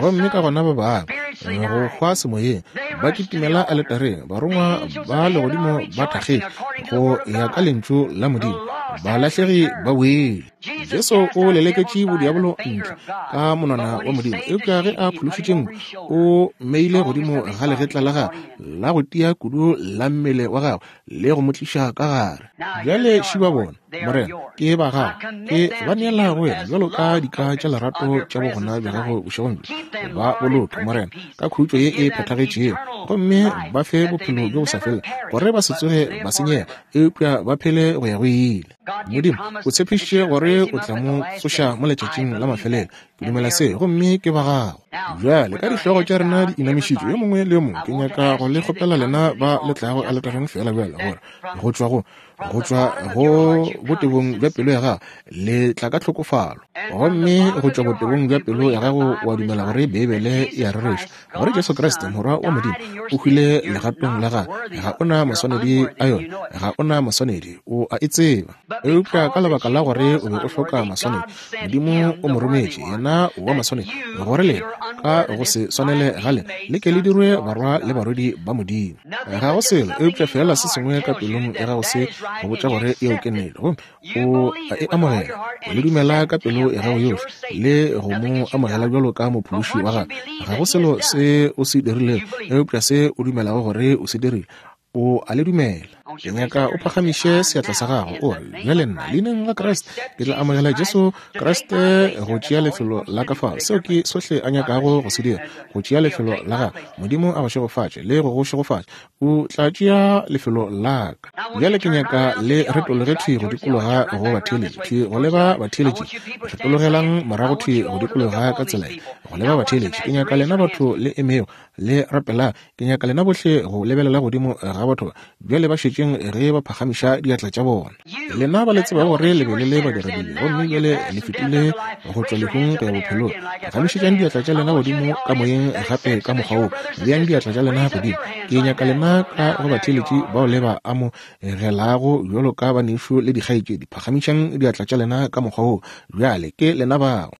Gomme ka gona ba bangwe go hwa semoyeng ba kitimela aletareng, barongwa ba legodimo ba thakgetše go ya ka lentšu la Modimo, balahlegi ba boile. Jesu o leleketše bodiabolo ntle ka monwana wa Modimo, eupša ge a phološitše nku, o mmeile godimo ga legetla la gagwe la go tia kudu la mmele wa gagwe le go mo tliša ka gare. Bjale šiba bona, Morena, ke ba gago, ke ba neela go wena bjalo ka dika tša lerato tša bogona bja gago bošegong bjo. Ba boloke, Morena, ka khutšo ye e phethagetšego, gomme ba fe bophelo bjo bo sa felego, gore ba se tsoge ba senyega, eupša ba phele go ya go ile. Modimo, o tshepišitše gore o tla mo tsoša mo letšatšing la mafelelo. Ke dumela se, gomme ke ba gago. Bjale, ka dihlogo tša rena di inamišitšwe, yo mongwe le yo mongwe, ke nyaka go le kgopela lena ba le tlago aletareng feela bjale, gore go tšwa go, go tšwa go botebong bja pelo ya gago, le tla ka tlhokofalo. Gomme go tšwa botebong bja pelo ya gago wa dumela gore Beibele e a rereša, gore Jesu Kriste, Morwa wa Modimo, o hwile legatong la gago. Ga o na maswanedi a yona, ga o na maswanedi, o a e tseba. Eupša ka lebaka la gore o be o hloka maswanedi, Modimo o mo rometše, yena wa maswanedi, gore lena, ka go se swanele ga lena, le ke le dirwe barwa le barwedi ba Modimo. Ga go selo eupša feela se sengwe ka pelong ya gago se go botša gore yeo ke nnete, gomme o a e amogela, o le dumela ka pelo ya gago yohle le go mo amogela bjalo ka mophološi wa gago. Ga go selo se o se dirilego eupša se o dumelago gore o se dirile, o a le dumela. Ke nyaka o phagamiše seatla sa gago, o re, Bjale nna, leineng la Kriste, ke tla amogela Jesu Kriste go tšea lefelo la ka fao. Seo ke sohle a nyakago go se dira, go tšea lefelo la gago. Modimo a go šegofatše le go go šegofatša. O tla tšea lefelo la ka. Bjale ke nyaka le retologe thwi go dikologa go batheeletši, thwi go leba batheeletši. Retologelang morago thwi go dikologa ka tsela ye, go leba batheeletši. Ke nyaka lena batho le emego le rapela. Ke nyaka lena bohle go lebelela godimo ga batho ba. Bjale ba šetše. theeletšeng ge ba phagamiša diatla tša bona. Lena ba le tsebago gore le be le le badiradibe, gomme bjale le fetile go tšwa lehung go ya bophelong, phagamišetšang diatla tša lena godimo ka moyeng gape ka mokgwa wo. Beang diatla tša lena godimo. Ke nyaka lena ka go batheeletši bao le ba amogelago bjalo ka banešu le dikgaetšedi, phagamišang diatla tša lena ka mokgwa wo. Bjale ke lena bao.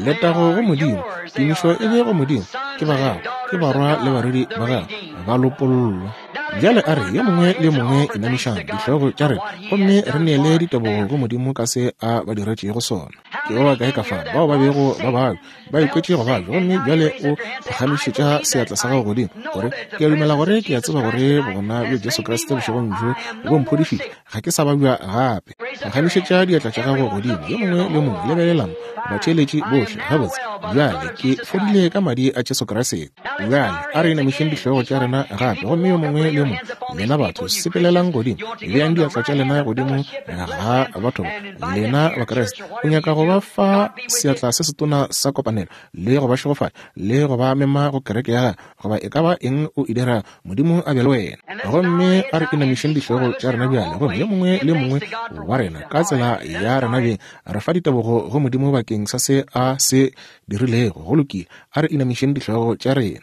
Letago go Modimo, tumišo e be go Modimo, ke ba gago, ke barwa le barwedi ba gago, ba lopollwa. Bjale a re yo mongwe le yo mongwe inamišang dihlogo tša rena gomme re neele ditebogo go Modimo ka se a ba diretšego sona. Ke ba bakae ka fa bao ba bego ba babja, ba ikwetše go babja, gomme bjale o phagamišetša seatla sa gago godimo, gore ke a dumela gore ke a tseba gore bogona bja Jesu Kriste bošegong bjo bo mphodišitše, ga ke sa babja gape. Phagamišetša diatla tša gago godimo, yo mongwe le yo mongwe. Lebelelang, batheeletši bohle. Gabotse, bjale ke fodile ka Madi a Jesu Kriste. Bjale a re inamišeng dihlogo tša rena gape, gomme yo mongwe le yo mongwe, lena batho, sepelelang godimo, beang diatla tša lena godimo ga batho ba. Lena Bakriste, o nyaka go ba fa seatla se setona sa kopanelo, le go ba šegofatša, le go ba mema go kereke ya gago, goba e ka ba eng o e dirago, Modimo a be le wena. Gomme a re inamišeng dihlogo tša rena bjale, gomme yo mongwe le yo mongwe wa rena ka tsela ya rena beng re fa ditebogo go Modimo bakeng sa se A se dirilego. Go lokile, a re inamišeng dihlogo tša rena.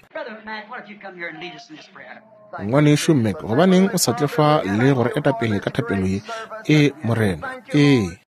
Ngwanešu Mac, gobaneng o sa tle fa le go re eta pele ka thapelo ye? Ee, Morena. Ee.